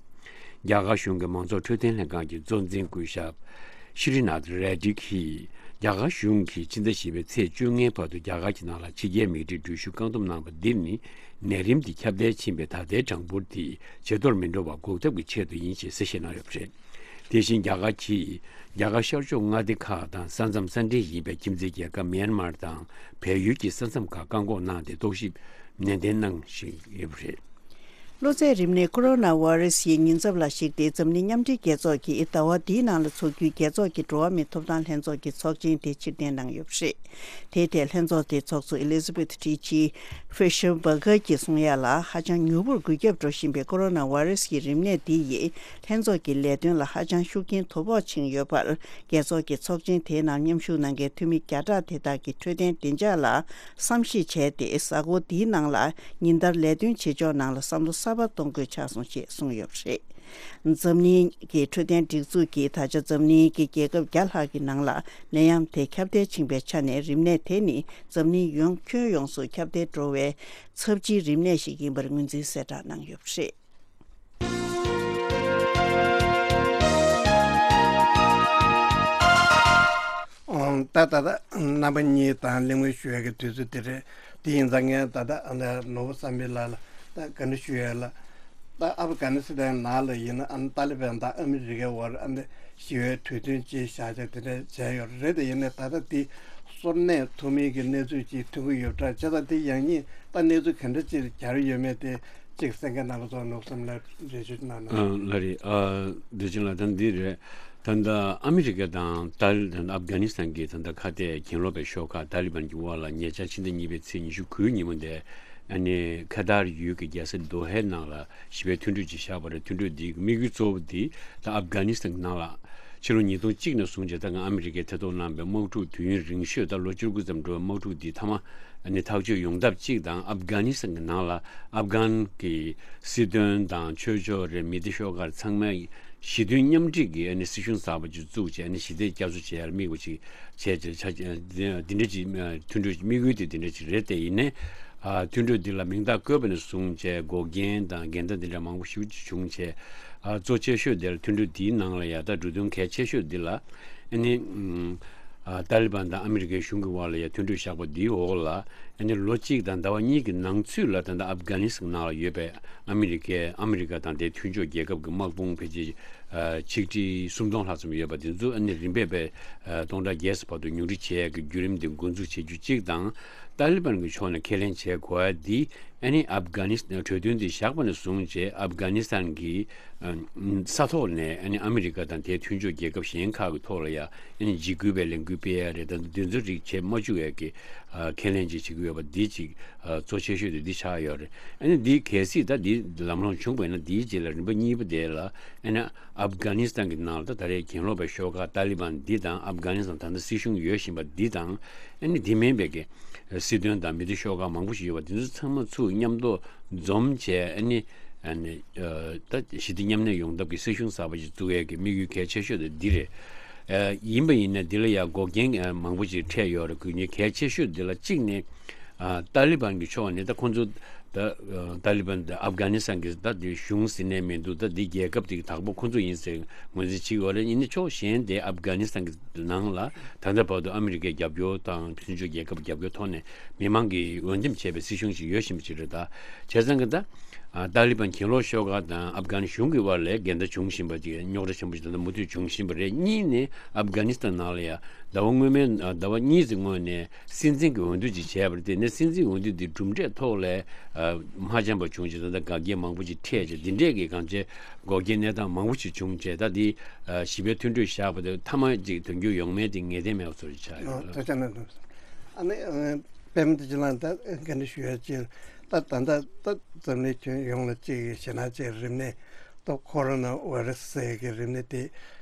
རྒྱ་གར་གཞུང་གི་མང་ཚོགས་འཕྲོད་བསྟེན་ལྷན་ཁང་གི་གཙོ་འཛིན་སྐུ་ཞབས་ཤྲི་ནཱཐ་རེ་ཌི་གིས། རྒྱ་གར་གཞུང་གིས་ཕྱི་ཟླ་བཞི་པའི་ཚེས་བཅོ་ལྔའི་བར་དུ་རྒྱ་གར་གྱི་ནང་ལ་ཕྱི་རྒྱལ་མི་རིགས་འགྲུལ་བཞུད་བཀག་སྡོམ་གནང་བ་འདི་ནི། ནད་རིམས་འདི་ཁྱབ་གདལ་ཕྱིན་པའི་ད་ལྟའི་གྲངས་འབོར་འདི་ཇེ་མཐོར་མི་འགྲོ་བ་འགོག་ཐབས་ཀྱི་ཆེད་དུ་ཡིན་ཞེས་གསལ་བཤད་གནང་ཡོད་པ་རེད། དེ་བཞིན་རྒྱ་གར་གྱིས་རྒྱ་གར་ཤར་ཕྱོགས་མངའ་སྡེ་ཁག་དང་ས་མཚམས་ས་འབྲེལ་ཡིན་པའི་ཁྱིམ་མཚེས་རྒྱལ་ཁབ་མྱན་མར་དང་བལ་ཡུལ་གྱི་ས་མཚམས་ཁག་བཀག་འགོག་གནང་སྟེ། རྟོག་ཞིབ་ནན་ཏན་གནང་བཞིན་ཡོད་པ་རེད། གློ་ཚད་རིམས་ནད་ཁོ་རོ་ན་བྷ་རེ་སི་ཡི་ཉེན་ཚབས་ལ་གཞིགས་ཏེ། འཛམ་གླིང་མཉམ་འབྲེལ་རྒྱལ་ཚོགས་ཀྱིས་ཟླ་བ་འདིའི་ནང་ལ་འཚོགས་རྒྱུའི་རྒྱལ་ཚོགས་ཀྱི་འགྲོ་བ་མིའི་ཐོབ་ཐང་ལྷན་ཚོགས་ཀྱི་ཚོགས་ཆེན་དེ་ཕྱིར་འཐེན་གནང་ཡོད་པ་རེད། དེའི་ཐད་ལྷན་ཚོགས་དེའི་ཚོགས་གཙོ་ཨེ་ལི་ཛ་བེཐ་ཊི་ཇི་ཧྥི་ཤར་བྷ་གྷར་གྱིས་གསུང་ཡ་ལ། ཧ་ཅང་མྱུར་པོར་འགོས་ཁྱབ་འགྲོ་བཞིན་པའི་ཁོ་རོ་ན་བྷ་རེ་སི་ཡི་རིམས་ནད་འདི་ཡིས་ལྷན་ཚོགས་ཀྱི་ལས་དོན་ལ་ཧ་ཅང་ཤུགས་རྐྱེན་དོ་ཕོག་ཕྱིན་ཡོད་པར། རྒྱལ་ཚོགས་ཀྱི་ཚོགས་ཆེན་དེའི་ནང་མཉམ་ཞུགས་གནང་མཁན་འཐུས་མི་བརྒྱ་ཕྲག་དེ་དག་གི་འཕྲོད་བསྟེན་བདེ་འཇགས་ལ་བསམ་གཞིག་བྱས་ཏེ། གཟའ་འཁོར་འདིའི་ནང་ལ་ཉིན་ལྟར་ལས་དོན་བྱེད་ཕྱོགས་ནང་ལ་བསམ་བློ་གསར་པ་གཏོང་དགོས་ཆགས་སོང་ཞེས་གསུངས་ཡོད་པ་རེད། འཛམ་གླིང་གི་འཕྲོད་བསྟེན་སྒྲིག་འཛུགས་ཀྱིས་ད་ཆ་འཛམ་གླིང་གི་རྒྱལ་ཁབ་བརྒྱ་ལྷག་གི་ནང་ལ་ནད་ཡམས་དེ་ཁྱབ་གདལ་ཕྱིན་པའི་ཆ་ནས། རིམས་ནད་དེ་ནི་འཛམ་གླིང་ཡོངས་ཁྱོན་ཡོངས་སུ་ཁྱབ་གདལ་འགྲོ་བའི་ཚབས་ཆེའི་རིམས་ནད་ཞིག་ཡིན་པར་ངོས་འཛིན་གསལ་བསྒྲགས་གནང་ཡོད་པ་རེད། ཨང་། ད་ད་ལྟ་རྣམ་པ་གཉིས་དང་གླེང་མོལ་ཞུ་ཡག་གི་དུས་ཚོད་དེ་རེད། དེ་ཡིན་ཙང་ངས་ད་ལྟ་ཨ་ནི་ནོར་བུ་བསམ་འཕེལ་ལགས་ལ་ད་བཀའ་འདྲི་ཞུ་ཡག་ལ། ད་ཨབ་གྷ་ནི་སི་ཐན་ནང་ལ་ཡིན་ན། ཨ་ནི་ཏཱ་ལི་བན་དང་ཨ་མི་རི་ཀའི་དབར་ཨ་ནི་ཞི་བའི་གྲོས་མཐུན་ཅིག་བཞག་ཆགས་དེ་འདྲ་བྱས་ཡོད་རེད། དེ་ཡིན་ནའི་ད་ལྟ་དེ་སོར་གནས་ཐུབ་མིན་གྱི་གནས་ཚུལ་ཅིག་ཐོན་གྱི་ཡོད་འདྲ། བྱས་ཙང་དེ་ཡང་སྙིང་ད་གནས་ཚུལ་ག་འདྲ་ཅིག་གྱར་ཡོད་མེད་དེ། གཅིག་གསན་མཁན་རྣམ་པ་ཚོ་ནོར་བུ་བསམ་ལ་འགྲེལ་བརྗོད་གནང་ན། ཨ། ལགས་རེད། ཨ། བདེ་ཆེན་ལགས། ད་འདི་རེད། ད་ལྟ་ཨ་མི་རི་ཀ་དང་ཏཱ་ལི་ད་ལྟ་ཨབ་གྷ་ནི་སི་ཐན་གྱི་ད་ལྟ་ཁ་གཏད་གྱེན་ལོག་པའི་ཤོག་ཁག་ཏཱ་ལི་བན་གྱི་དབར་ལ་ཉེ་ཆར་ཕྱི་ཟླ་གཉིས་པའི་ཚེས་ཉི་ཤུ་དགུའི་ཉིན་མོ་དེ། ཨ་ནི་ཁ་ཏར་ཡུལ་གྱི་རྒྱལ་ས་དོ་ཧའི་ནང་ལ་ཞི་བའི་མཐུན་གྲོས་ཅིག་བཞག་པ་རེད། མཐུན་གྲོས་འདིའི་དམིགས་ཡུལ་གཙོ་བོ་འདི་ད་ཨབ་གྷ་ནི་སི་ཐན་གྱི་ནང་ལ། ཕྱི་ལོ་ཉིས་སྟོང་གཅིག་ནས་བཟུང་བྱས་ད་སྔ་ཨ་མི་རི་ཀས་ཐེ་གཏོགས་གནང་བའི་དམག་འཁྲུག་དུས་ཡུན་རིང་ཤོས། ད་ལོ་བཅུ་དགུ་ཙམ་འགྲོ་བའི་དམག་འཁྲུག་འདི་མཐའ་མ་ཨ་ནི་ཐག་གཅོད་ཡོང་ཐབས་གཅིག་དང་། ཨབ་གྷ་ནི་སི་ཐན་གྱི་ནང་ལ་ཨབ་གྷན་གྱི་སྲིད་དོན་དང་ཆོས་ཕྱོགས་རེད། མི་སྡེ་ཤོག་ཁག་ཚང་མས་ ཞི་མཐུན་མཉམ་འབྲེལ་གྱི་ཨ་ནི་སྲིད་གཞུང་གསར་པ་ཅིག་བཙུགས་བྱས། ཨ་ནི་ཞི་བདེ་བསྐྱར་གསོ་བྱེད་ཡར་དམིགས་པ་ཅིག་བྱས་བྱས། འདི་འདྲ་ཅིག་མཐུན་གྲོས་དམིགས་ཡུལ་དེ་འདི་འདྲ་ཅིག་རེད། དེ་ཡིན་ནའི་ཨ་མཐུན་གྲོས་འདི་ལ་མིང་རྟགས་བཀོད་པ་ནས་བཟུང་བྱས་འགོག་རྐྱེན་དང་འགལ་ཟླ་འདི་འདྲ་མང་པོ་ཞེ་པོ་ཅིག་བྱུང་བྱས། ཨ་གཙོ་ཆེ་ཤོས་དེ་ལ་མཐུན་གྲོས་འདིའི་ནང་ལ་ཡ་ད་འབྲུ་དོན་གལ་ཆེ་ཤོས་འདི་ལ་ཨ་ནི་ཨ་ཏཱ་ལི་བན་དང་ཨ་མི་རི་ཀའི་གཞུང་གི་དབར་ལ་ཡ་མཐུན་གྲོས་བཞག་པ་འདིའི་འོག་ལ་ཨ་ནི་ལོ་གཅིག་དང་ཟླ་བ་གཉིས་ཀྱི་ནང་ཚུད་ལ་ད་ལྟ་ཨབ་གྷ་ནི་སི་ཐན་ནང་ལ་ཡོད་པའི་ཨ་མི་རི་ཀའི་ཨ་མི་རི་ཀ་དང་དེའི་མཐུན་ཕྱོགས་རྒྱལ་ཁབ་ཀྱི་དམག་དཔུང་ཕལ་ཆེར་ཆིག་ཁྲི་སུམ་སྟོང་ལྷག་ཙམ་ཡོད་པ་དེ་ཚོ་ཨ་ནི་རིམ་པས་པའི་སྟོང་ཕྲག་བརྒྱད་ཙམ་བར་དུ་ཉུང་འཕྲི་བྱེད་ཡག་གི་བརྒྱུད་རིམ་དེ་འགོ་འཛུགས་བྱེད་རྒྱུ་གཅིག་དང་། ཏཱ་ལི་བན་གྱི་ཕྱོགས་ནས་ཁས་ལེན་བྱེད་དགོས་ཡ་འདི་ཨ་ནི་ཨབ་གྷ་ནི་སི་ཐན་གྲོས་མཐུན་དེ་བཞག་པ་ནས་བཟུང་བྱས་ཨབ་གྷ་ནི་སི་ཐན་གྱི་ས་ཐོག་ནས་ཨ་ནི་ཨ་མི་རི་ཀ་དང་དེའི་མཐུན་ཕྱོགས་རྒྱལ་ཁབ་གཞན་ཁག་གི་ཐོག་ལ་ཡ་ཨ་ནི་འཇིགས་སྐུལ་བའི་ལས་འགུལ་སྤེལ་ཡ་རེད། ད་དུང་དེ་ཚོ་རིགས་བྱེད་མ་བཅུག་ཡ་གི་ཁས་ལེན་ཅིག་བྱེད་ཀྱི་ཡོད་པ་འདི་ཅིག་གཙོ་ཆེ་ཤོས་དེ་འདི་ཆགས་ཡོད་རེད། ཨ་ནི་འདི་གལ་སྲིད་ད་འདི་ལམ་ལྷོང་བྱུང་བ་ཡིན་ན་འདིའི་རྗེས་ལ་རིམ་པ་གཉིས་པ་དེ་ལ་ཨ་ནི་ཨབ་གྷ་ནི་སི་ཐན་གྱི་ནང་ལ་ད་ད་རེས་གྱེན་ལོག་པའི་ཤོག་ཁག་ཏཱ་ལི་བན་འདི་དང་ཨབ་གྷ་ནི་སི་ཐན་ད་ལྟ་སྲིད་གཞུང་ཡོད་བཞིན་པ་འདི་དང་ཨ་ནི་འདི་མིན་པའི་གི་སྲིད་དོན་དང་མི་སྡེ་ཤོག་ཁག་མང་པོ་ཞིག་ཡོད་པ་འདི་ཚོ་ཚང་མ་ཚུར་མཉམ་དུ་འཛོམས་བྱས་ཨ་ནི་ཨ་ནི་ད་ཞི་བདེ་མཉམ་གནས་ཡོང་ཐབས་ཀྱི་སྲིད་གཞུང་གསར་པ་ཞིག་བཙུགས་ཡས་ཀྱི་དམིགས་ཡུལ་གལ་ཆེ་ཤོས་དེ་འདི་རེད། ཡིན་པ་ཡིན་ན་འདི་ལ་ཡང་འགོག་རྐྱེན་མང་པོ་ཞིག་འཕྲད་ཡོད་རེད། དགོས་ངེས་གལ་ཆེ་ཤོས་འདི་ལ་གཅིག་ནི་ཏཱ་ལི་བན་གྱི་ཕྱོགས་ནས་ད་ཁོང་ཚོ་ད་ཏཱ་ལི་བན་ད་ཨབ་གྷ་ནི་སི་ཐན་གྱི་ད་འདི་གཞུང་ཟེར་ནས་མི་འདུག་ད་འདི་རྒྱལ་ཁབ་དེ་གི་བདག་པོ་ཁོང་ཚོ་ཡིན་ཟེར་ངོས་འཛིན་བྱེད་ཀྱི་ཡོད་རེད། ཡིན་ནའི་ཕྱོགས་གཞན་དེ་ཨབ་གྷ་ནི་སི་ཐན་གྱི་ནང་ལ་ད་ལྟ་བར་དུ་ཨ་མི་རི་ཀའི་རྒྱབ་སྐྱོར་དང་མཐུན་ཕྱོགས་རྒྱལ་ཁབ་རྒྱབ་སྐྱོར་ཐོག་ནས་མི་མང་གིས་འོས་འདེམས་བྱས་པའི་སྲིད་གཞུང་ཞིག་ཡོད་བཞིན་པ་ཅིག་རེད། ད་བྱས་ཙང་གི་ད་ཨ་ཏཱ་ལི་བན་གྱེན་ལོག་ཤོག་ཁག་དང་ཨབ་གྷ་ནི་གཞུང་གི་དབར་ལ་འགལ་ཟླ་བྱུང་བཞིན་པ་ཅིག་རྙོག་དྲ་ཆེན་པོ་ཞིག་ད་ལྟ་མུ་མཐུད་བྱུང་བཞིན་པ་རེད། གཉིས་ནས་ཨབ་གྷ་ནི་སི་ཐན་ནང་ལ་ཡང་ཟླ་བ་སྔོན་མའི་ཟླ་བ་གཉིས་ཙམ་སྔོན་ནས་སྲིད་འཛིན་གྱི་འོས་བསྡུ་ཅིག་བྱས་པ་རེད། དེ་ནས་སྲིད་འཛིན་འོས་བསྡུ་འདི་གྲུབ་འབྲས་ཐོག་ལ་མ་འཆམ་པ་བྱུང་ཅིག་ད་ལྟ་འགལ་རྐྱེན་མང་པོ་ཅིག་འཕྲད་ཅིག་འདི་འདྲས་ཀྱི་གང་ཅི་འགོག་རྐྱེན་གནས་སྟངས་མང་པོ་ཅིག་བྱུང་བྱས། ད་འདི་ཞི་བའི་མཐུན་གྲོས་བཞག་པ་དེ་མཐའ་མ་ཅིག་དོན་འཁྱོལ་ཡོང་མེད་དེ་ངེས་གཏན་མེད་པ་ཚོ་ཆགས་ཡོད། ཨ་ནི་པད་མ་བདེ་ཆེན་ལགས་ད་བཀའ་འདྲི་ཞུ་ཡ་ཅིག་ད་ད་ལྟ་ད་འཛམ་གླིང་ཁྱོན་ཡོངས་ལ་ཅིག་ཞེད་སྣང་ཅིག་རིམས་ནད་ད་ཁོ་རོ་ན་ཝེ་ར་སི་ཟེར་གྱི་རིམས་ནད་དེ་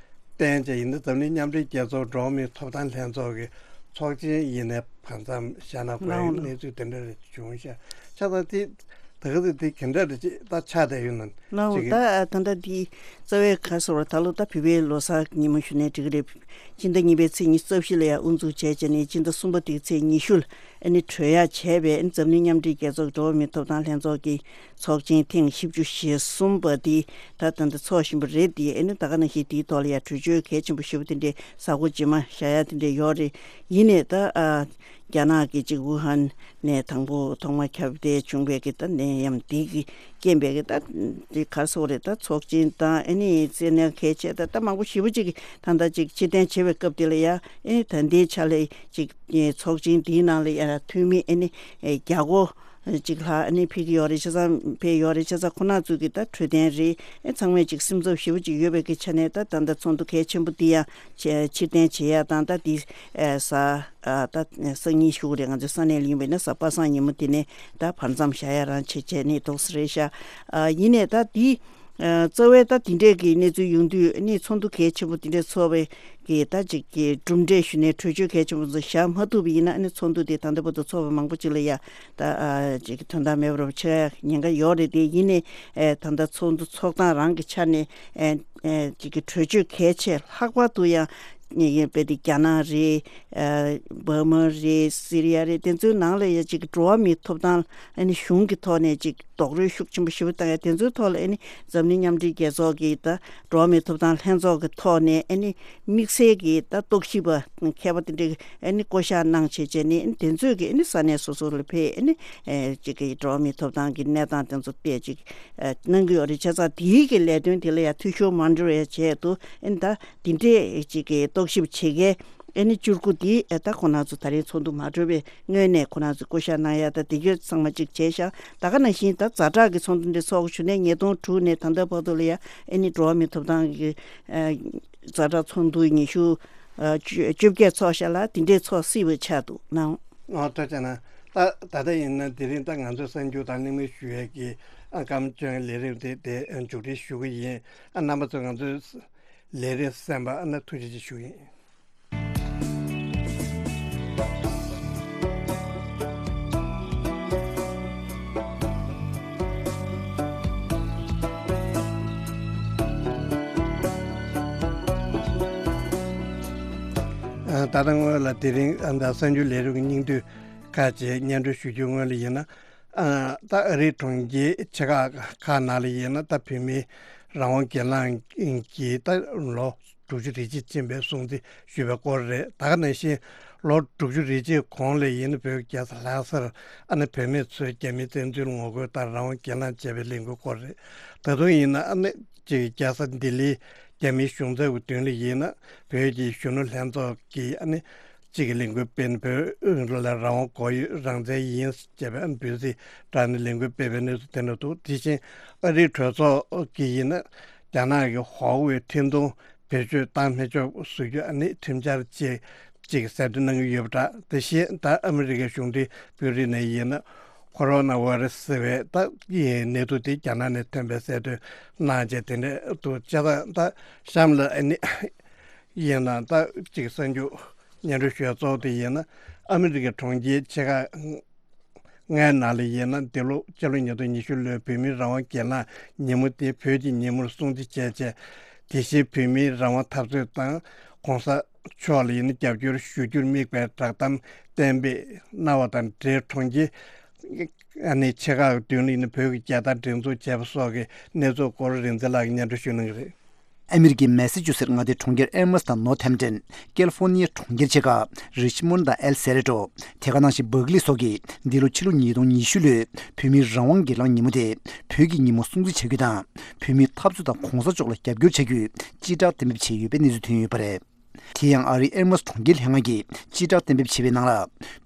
བསྟན་བྱས་ཡིན་ན་འཛམ་གླིང་མཉམ་འབྲེལ་རྒྱལ་ཚོགས་འགྲོ་བ་མིའི་ཐོབ་ཐང་ལྷན་ཚོགས་ཀྱི་ཚོགས་ཆེན་ཡིན་ནའི་བར་མཚམས་བཞག་ན་དགོས་ཡ་གནས་ཚུལ་དེ་འདྲ་རེ་བྱུང་ཤག་ཆ་ཚང་དེ་ད་ག་ཚོད་དེ་ག་འདྲ་རེ་ཅིག་ད་ཆགས་བསྡད་ཡོད་ན་ལའོ། ཅིག་ད་ད་ལྟ་དེ་རྩ་བའི་ཁ་སོ་བར་ད་ལོ་ད་བོད་པའི་ལོ་གསར་ཉིན་མོ་ཞུ་ནས་འགྲིག་གི་རེད། སྤྱི་ཟླ་གཉིས་པའི་ཚེས་ཉི་ཤུ་རྩ་བཞི་ལ་ཡང་དབུ་འཛུགས་བྱས་བྱས་ནས་སྤྱི་ཟླ་གསུམ་པ་དེའི་ཚེས་ཉི་ཤུ་ལ་ཨ་ནི་གྲོལ་ཡག་བྱས་པའི་ཨ་ནི་འཛམ་གླིང་མཉམ་འབྲེལ་རྒྱལ་ཚོགས་འགྲོ་བ་མིའི་ཐོབ་ཐང་ལྷན་ཚོགས་ཀྱི་ཚོགས་ཆེན་ཐེངས་བཞི་བཅུ་ཞེ་གསུམ་པ་དེ་ད་ད་ལྟ་འཚོགས་བཞིན་པ་རེད། དེ་ཨ་ནི་ད་ག་ནང་བཞིན་དེའི་ཐོག་ལ་ཡང་གྲོས་ཆོད་གལ་ཆེན་པོ་ཞེ་པོ་དེ་འདྲའི་གཟའ་འཁོར་རྗེས་མ་བཞག་ཡག་དེ་འདྲ་ཡོད་རེད། ཡིན་ནའི་ད་ཨ་རྒྱ་ནག་གི་ཅིག་ཝུ་ཧན་ནས་དང་པོ་ཐོག་མ་ཁྱབ་གདལ་བྱུང་བའི་གི་ད་ནད་ཡམས་འདི་གི་རྐྱེན་པས་གི་ད་འདི་ག་རེ་ཟེར་དགོས་རེད། ད་ཚོགས་ཆེན་དང་ཨ་ནི་བཙན་གནོན་གལ་ཆེ་ད་ད་མང་པོ་ཞེ་པོ་ཅིག་གི་ད་ལྟ་ཅིག་ཕྱིར་འཐེན་བྱེད་པའི་སྐབས་དེ་ལ་ཡ་ཨ་ནི་ད་ལྟའི་ཆ་ལ་ཅིག་ཚོགས་ཆེན་འདིའི་ནང་ལ་ཡ་འཐུས་མི་ཨ་ནི་བརྒྱ་སྐོར་ཅིག་ལྷག་ཨ་ནི་ཕེབས་ཀྱི་ཡོད་རེད། བྱས་ཙང་ཕེབས་ཡོད་རེད། བྱས་ཙང་ཁོ་རང་ཚོ་གི་ད་འཕྲོད་བསྟེན་རེད། ཨ་ཚང་མས་ཅིག་སེམས་འཚབ་ཞེ་པོ་ཅིག་ཡོད་པའི་གི་ཆ་ནས་ད་ད་ལྟ་ཚོགས་འདུ་གལ་ཆེན་པོ་འདི་ཡང་ཕྱིར་འཐེན་བྱེད་ཡ་དང་ད་འདི་གཟའ་ཨ་ད་སང་ཉིན་ཞུ་གི་རེད། ང་ཚོའི་ས་གནས་ལ་ཡིན་པས་ན་གཟའ་པ་སངས་ཉིན་མོ་དེ་ནས་ད་བར་མཚམས་བཞག་ཡ་རང་བྱེད་བྱས་ནས་འདུག་སེ་རེད་ཤག་ཨ་ཡིན་ནའི་ད་འདི་ཨ་རྩ་བའི་ད་འདི་འདྲས་ཀྱི་གནས་ཚུལ་ཡོང་དུས་ཨ་ནི་ཚོགས་འདུ་གལ་ཆེན་པོ་འདི་འདྲས་ཚོགས་པའི་གི་ད་ཅིག་གི་གྲུབ་འབྲས་ཞུ་ནས་གྲོས་ཆོད་གལ་ཆེན་པོ་ཚོ་བཞག་མ་ཐུབ་པ་ཡིན་ན་ཨ་ནི་ཚོགས་འདུ་དེ་ད་ལྟ་བར་དུ་ཚོགས་པ་མང་པོ་ཅིག་ལ་ཡ་ད་ཨ་ཅིག་གི་དོན་དག་མེད་པར་ཆགས་ཉེན་ཁ་ཡོད་རེད། དེ་ཡིན་ནའི་ཨ་ད་ལྟ་ཚོགས་འདུ་ཚོགས་སྟངས་རང་གི་ཆ་ནས་ཨ་ཨ་ཅིག་གི་གྲོས་ཆོད་གལ་ཆེ་ལྷག་པར་དུ་ཡང་ངེས་ངེས་དཔེ་དེ་རྒྱ་ནག་རེད། ཨ་འབར་མ་རེད། སི་རི་ཡ་རེད། དེ་ཚོའི་ནང་ལ་ཡ་ཅིག་འགྲོ་བ་མིའི་ཐོབ་ཐང་ཨ་ནི་གཞུང་གི་ཐོག་ནས་ཅིག་རྡོག་རོལ་ཤུགས་ཆེན་པོ་ཞེ་པོ་བཏང་ཡ་དེ་ཚོའི་ཐོག་ལ་ཨ་ནི་འཛམ་གླིང་མཉམ་འབྲེལ་རྒྱལ་ཚོགས་ཀྱི་ད་འགྲོ་བ་མིའི་ཐོབ་ཐང་ལྷན་ཚོགས་ཀྱི་ཐོག་ནས་ཨ་ནི་དམིགས་བསལ་གྱི་ད་རྟོག་ཞིབ་པ་མཁས་པ་དེ་འདྲ་ཨ་ནི་བསྐོ་བཞག་གནང་བྱས་བྱས་ནས་ཨ་ནི་དེ་ཚོས་ཀྱི་ཨ་ནི་ས་གནས་སོ་སོ་ལ་ཕེབས་ཨ་ནི་ཨ་ཅིག་གི་འགྲོ་བ་མིའི་ཐོབ་ཐང་གི་གནས་སྟངས་དེ་ཚོ་བལྟས་ཅིག་ཨ་གནང་གི་ཡོད་རེད། བྱས་ཙང་དེའི་གི་ལས་དོན་དེ་ལ་ཡ་འཐུས་ཤོར་མ་འགྲོ་བའི་ཆེད་དུ་ཨ་ནི་ད་འདི་འདྲས་ཅིག་གི་རྟོག་ཞིབ་བྱེད་མཁན་ཨ་ནི་བཅུ་དགུ་འདི་ཨ་ད་ཁོ་རང་ཚོ་ད་རེས་ཚོགས་འདུ་མ་གྲོལ་བའི་སྔོན་ནས་ཁོ་རང་ཚོ་བསྐོ་བཞག་གནང་ཡ་ད་དེ་གྱོད་ཚང་མ་གཅིག་བྱས་ཤག་ད་ག་ནང་བཞིན་ད་ཛ་དྲག་གི་ཚོགས་འདུ་འདི་ཚོགས་ཞུ་ནས་ཉིས་སྟོང་དྲུག་ནས་ད་ལྟ་བར་དུ་ལ་ཡ་ཨ་ནི་འགྲོ་བ་མིའི་ཐོབ་ཐང་གི་ཨ་ཛ་དྲག་ཚོགས་འདུ་ཉི་ཤུ་ཨ་བཅོ་བརྒྱད་ཚོགས་ཤག་ལ་དེ་འདྲས་ཚོགས་སྲིད་པ་ཆགས་འདུག་ནའོ། ཨོ་ཐུགས་རྗེ་གནང་། ད་ད་ལྟ་ཡིན་ན་དེ་རིང་ད་ང་ཚོའི་གསར་འགྱུར་དང་གླེང་མོལ་ཞུ་ཡས་ཀྱི་ཨ་སྐར་མ་བཅོ་ལྔའི་ལས་རིམ་དེ་དེ་མཇུག་སྒྲིལ་ཞུ་གི་ཡིན། ཨ་རྣམ་པ་ཚོས་ང་ཚོའི་ལས་རིམ་གསན་པ་ཨ་ན་ཐུགས་རྗེ་ཆེ་ཞུ་གི་ཡིན། ད་སྔོན་ལ་དེ་རིང་ཨ་ད་གསར་འགྱུར་ལས་རིམ་གྱི་སྙིང་བསྡུས་ཁག་ཅིག་སྙན་སྒྲོན་ཞུ་རྒྱུའི་སྔོན་ལ་ཡིན་ན། ཨ་ད་ཨ་རིའི་གྲོང་ཁྱེར་ཆེ་ཁག་ཁག་ནང་ལ་ཡིན་ན་ད་བོད་མིའི་རང་དབང་སྒེར་ལངས་ཀྱི་ད་ལོ་དྲུག་ཅུ་རེ་གཅིག་ཕྱིན་པའི་སྲུང་བརྩི་ཞུས་པའི་སྐོར་རེད། ད་ག་ནང་བཞིན་ལོ་དྲུག་ཅུ་རེ་གཅིག་གོང་ལ་ཡིན་ན་བོད་ཀྱི་རྒྱལ་ས་ལྷ་སར་ཨ་ནི་བོད་མི་ཚོས་རྒྱ་མིའི་བཙན་འཛུལ་ངོ་རྒོལ་དང་རང་དབང་སྒེར་ལངས་བྱས་པའི་ལས་འགུལ་སྐོར་རེད། ད་དུང་ཡིན་ན་ཨ་ནི་ཅིག་རྒྱལ་ས་ལྡི་ལིའི་རྒྱ་མིའི་གཞུང་ཚབ་ཀྱི་མདུན་ལ་ཡིན་ན་བོད་ཀྱི་གཞོན་ནུ་ལྷན་ཚོགས་ཀྱིས་ཨ་ནི་གཅིག་གི་ལས་འགུལ་སྤེལ་ནས་བོད་ལ་རང་དབང་དགོས་ཡོད། རང་བཙན་ཡིན་ཅེས་པའི་ཨ་ནི་འབོད་ཚིག་བསྒྲགས་ནས་ལས་འགུལ་སྤེལ་བའི་གནས་ཚུལ་དེ་འདྲ་འདུག་དེ་བཞིན་ཨ་རིའི་གྲོས་ཚོགས་ཀྱིས་ཡིན་ན་རྒྱ་ནག་གི་ཧྭ་ཝེ་འཕྲིན་གཏོང་བེད་སྤྱོད་བཏང་མི་ཆོག་བཟོ་རྒྱུ་ཨ་ནི་ཁྲིམས་འཆར་ཅིག་ཅིག་གསལ་སྟོན་གནང་གི་ཡོད་པ་འདྲ། དེ་བཞིན་ད་ཨ་མི་རི་ཀའི་གཞུང་འབྲེལ་དཔོན་རིགས་ནས་ཡིན་ན་ཁོ་རོ་ན་ཝེ་རུ་སི་ཟེར་བའི་ད་ཡི་ནད་དུག་དེ་རྒྱ་ནག་ནས་ཐོན་པའི་གསལ་སྟོན་གནང་བྱས་དེ་འདྲ་འདུག་བྱས་ཙང་ད་གཤམ་ལ་ཨ་ནི་ཡིན་ན་ད་ཅིག་གསར་འགྱུར་སྙན་སྒྲོན་ཞུ་ཡ་གཙོ་བོ་དེ་ཡིན་ན་ཨ་མི་རི་ཀའི་གྲོང་ཁྱེར་ཆེ་ཁག་ལྔའི་ནང་ལ་ཡིན་ན་འདི་ལོ་ཕྱི་ལོ་ཉིས་སྟོང་ཉི་ཤུ་ལོའི་བོད་མིའི་རང་དབང་སྒེར་ལངས་ཉིན་མོ་དེ་བོད་ཀྱི་ཉིན་མོར་སྲུང་བརྩི་བྱས་བྱས། དེ་བཞིན་བོད་མིའི་རང་དབང་འཐབ་རྩོད་དང་གོང་ས་མཆོག་ལ་ཡིན་ན་རྒྱབ་སྐྱོར་ཞུ་རྒྱུར་དམིགས་པའི་བསྒྲགས་གཏམ་གཏན་འབེབས་གནང་བ་དང་འབྲེལ། གྲོང་ཁྱེར་ཨ་ནི་ཆེ་ཁག་གི་མདུན་ལ་ཡིན་ན་བོད་ཀྱི་རྒྱལ་དར་སྒྲེང་འཛུགས་བྱས་པ་སོགས་ཀྱི་གནས་ཚུལ་སྐོར་རིག་འཛིན་ལགས་ཀྱིས་སྙན་སྒྲོན་ཞུ་གནང་གི་རེད། ཨ་མི་རི་ཀའི་མེ་སི་ཅུ་སེད་མངའ་སྡེའི་གྲོང་ཁྱེར་ཨེ་མོས་དང་ནོར་ཐེམ་ཏན། ཀེ་ལི་ཧྥོར་ནི་ཡའི་གྲོང་ཁྱེར་ཆེ་ཁག་རི་ཆི་མོན་དང་ཨེལ་སེ་རེ་ཏོ། དེ་ག་ནང་བཞིན་སྦག་ལི་སོགས་ཀྱིས་འདི་ལོ་ཕྱི་ལོ་ཉིས་སྟོང་ཉི་ཤུ་ལོའི་བོད་མིའི་རང་དབང་སྒེར་ལངས་ཉིན་མོ་དེ་བོད་ཀྱི་ཉིན་མོ་སྲུང་བརྩི་བྱ་རྒྱུ་དང་། བོད་མིའི་འཐབ་རྩོད་དང་གོང་ས་མཆོག་ལ་རྒྱབ་སྐྱོར་བྱ་རྒྱུའི་སྤྱི་བསྒྲགས་གཏན་འབེབས་བྱས་ཡོད་པའི་གནས་ཚུལ་ཐོན་ཡོད་པ་རེད། དེ་ཡང་ཨ་རིའི་ཨེ་མོས་གྲོང་ཁྱེར་ལྷན་ཁང་གིས་སྤྱི་བསྒྲགས་གཏན་འབེབས་བྱས་པའི་ནང་ལ།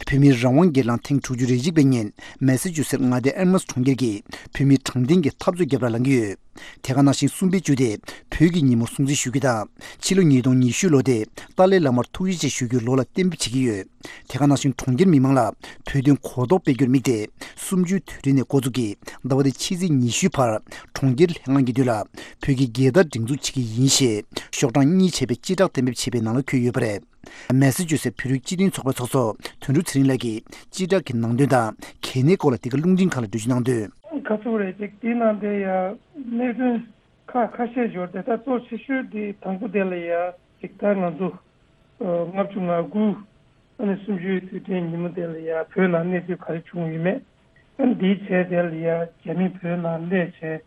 བོད་མིའི་རང་དབང་སྒེར་ལངས་ཐེངས་དྲུག་ཅུ་རེ་གཅིག་པའི་ཉིན་མེ་སི་ཅུ་སེད་མངའ་སྡེའི་ཨེ་མོས་གྲོང་ཁྱེར་གྱིས་བོད་མིའི་དྲང་བདེན་གྱི་འཐབ་རྩོད་རྒྱབ་ལ་ལངས་ཀྱི་ཡོད། དེ་ག་ནང་བཞིན་གསུམ་པའི་བཅུ་དེ་བོད་ཀྱི་ཉིན་མོ་སྲུང་བརྩི་ཞུ་རྒྱུ་དང་། ཕྱི་ལོ་ཉིས་སྟོང་ཉི་ཤུ་ལོ་དེ་ཏཱ་ལའི་བླ་མར་ཐུགས་རྗེ་ཆེ་ཞུ་རྒྱུའི་ལོ་ལ་གཏན་འབེབས་བྱེད་ཀྱི་ཡོད། དེ་ག་ནང་བཞིན་གྲོང་ཁྱེར་མི་མང་ལ་བོད་དོན་གོ་རྟོགས་སྤེལ་རྒྱུར་དམིགས་ཏེ། གསུམ་བཅུའི་དུས་དྲན་ནས་འགོ་འཛུགས་ཀྱིས་ཟླ་བ་འདིའི་ཕྱི་ཚེས་ཉི་ཤུའི་བར་གྲོང་ཁྱེར་ལྷན་ཁང་གི་མདུན་ལ་བོད་ཀྱི་རྒྱལ་དར་སྒྲེང་འཛུགས་བྱེད་ཀྱི་ཡིན་ཞེས་ཤོག་གྲངས་གཉིས་བྱས་པའི་སྤྱི་བསྒྲགས་གཏན་འབེབས་བྱས་པའི་ནང་ལ་འཁོད་ཡོད་པ་རེད། མེ་སི་ཅུ་སེ་བོད་རིགས་སྤྱི་མཐུན་ཚོགས་པའི་ཚོགས་གཙོ་དོན་གྲུབ་ཚེ་རིང་ལགས་ཀྱིས་སྤྱི་བསྒྲགས་ཀྱི་ནང་དོན་དང་གལ་གནད་སྐོར་ལ་འདི་ག་རླུང་འཕྲིན་ཁང་ལ་འགྲེལ་བརྗོད་གནང་དོན། ག་ཚོད་རེད་ཅིག་དེའི་ནང་དེ་ཡ་གནད་དོན་ཁ་ཁ་ཤས་འབྱོར་ཏེ། ད་གཙོ་ཆེ་ཤོས་དེ་དང་པོ་དེ་ལ་ཡ་ཅིག་ད་ང་ཚོ་ལྔ་བཅུ་ང་དགུ་ཨ་ནི་གསུམ་བཅུའི་དུས་དྲན་ཉིན་མོ་དེ་ལ་ཡ་བོད་ནང་གནས་ཚུལ་ག་རེ་བྱུང་ཡོད་མེད། ཨ་ནི་དེའི་རྗེས་དེ་ལ་ཡ་རྒྱ་མི་བོད་ནང་སླེབས་བྱས་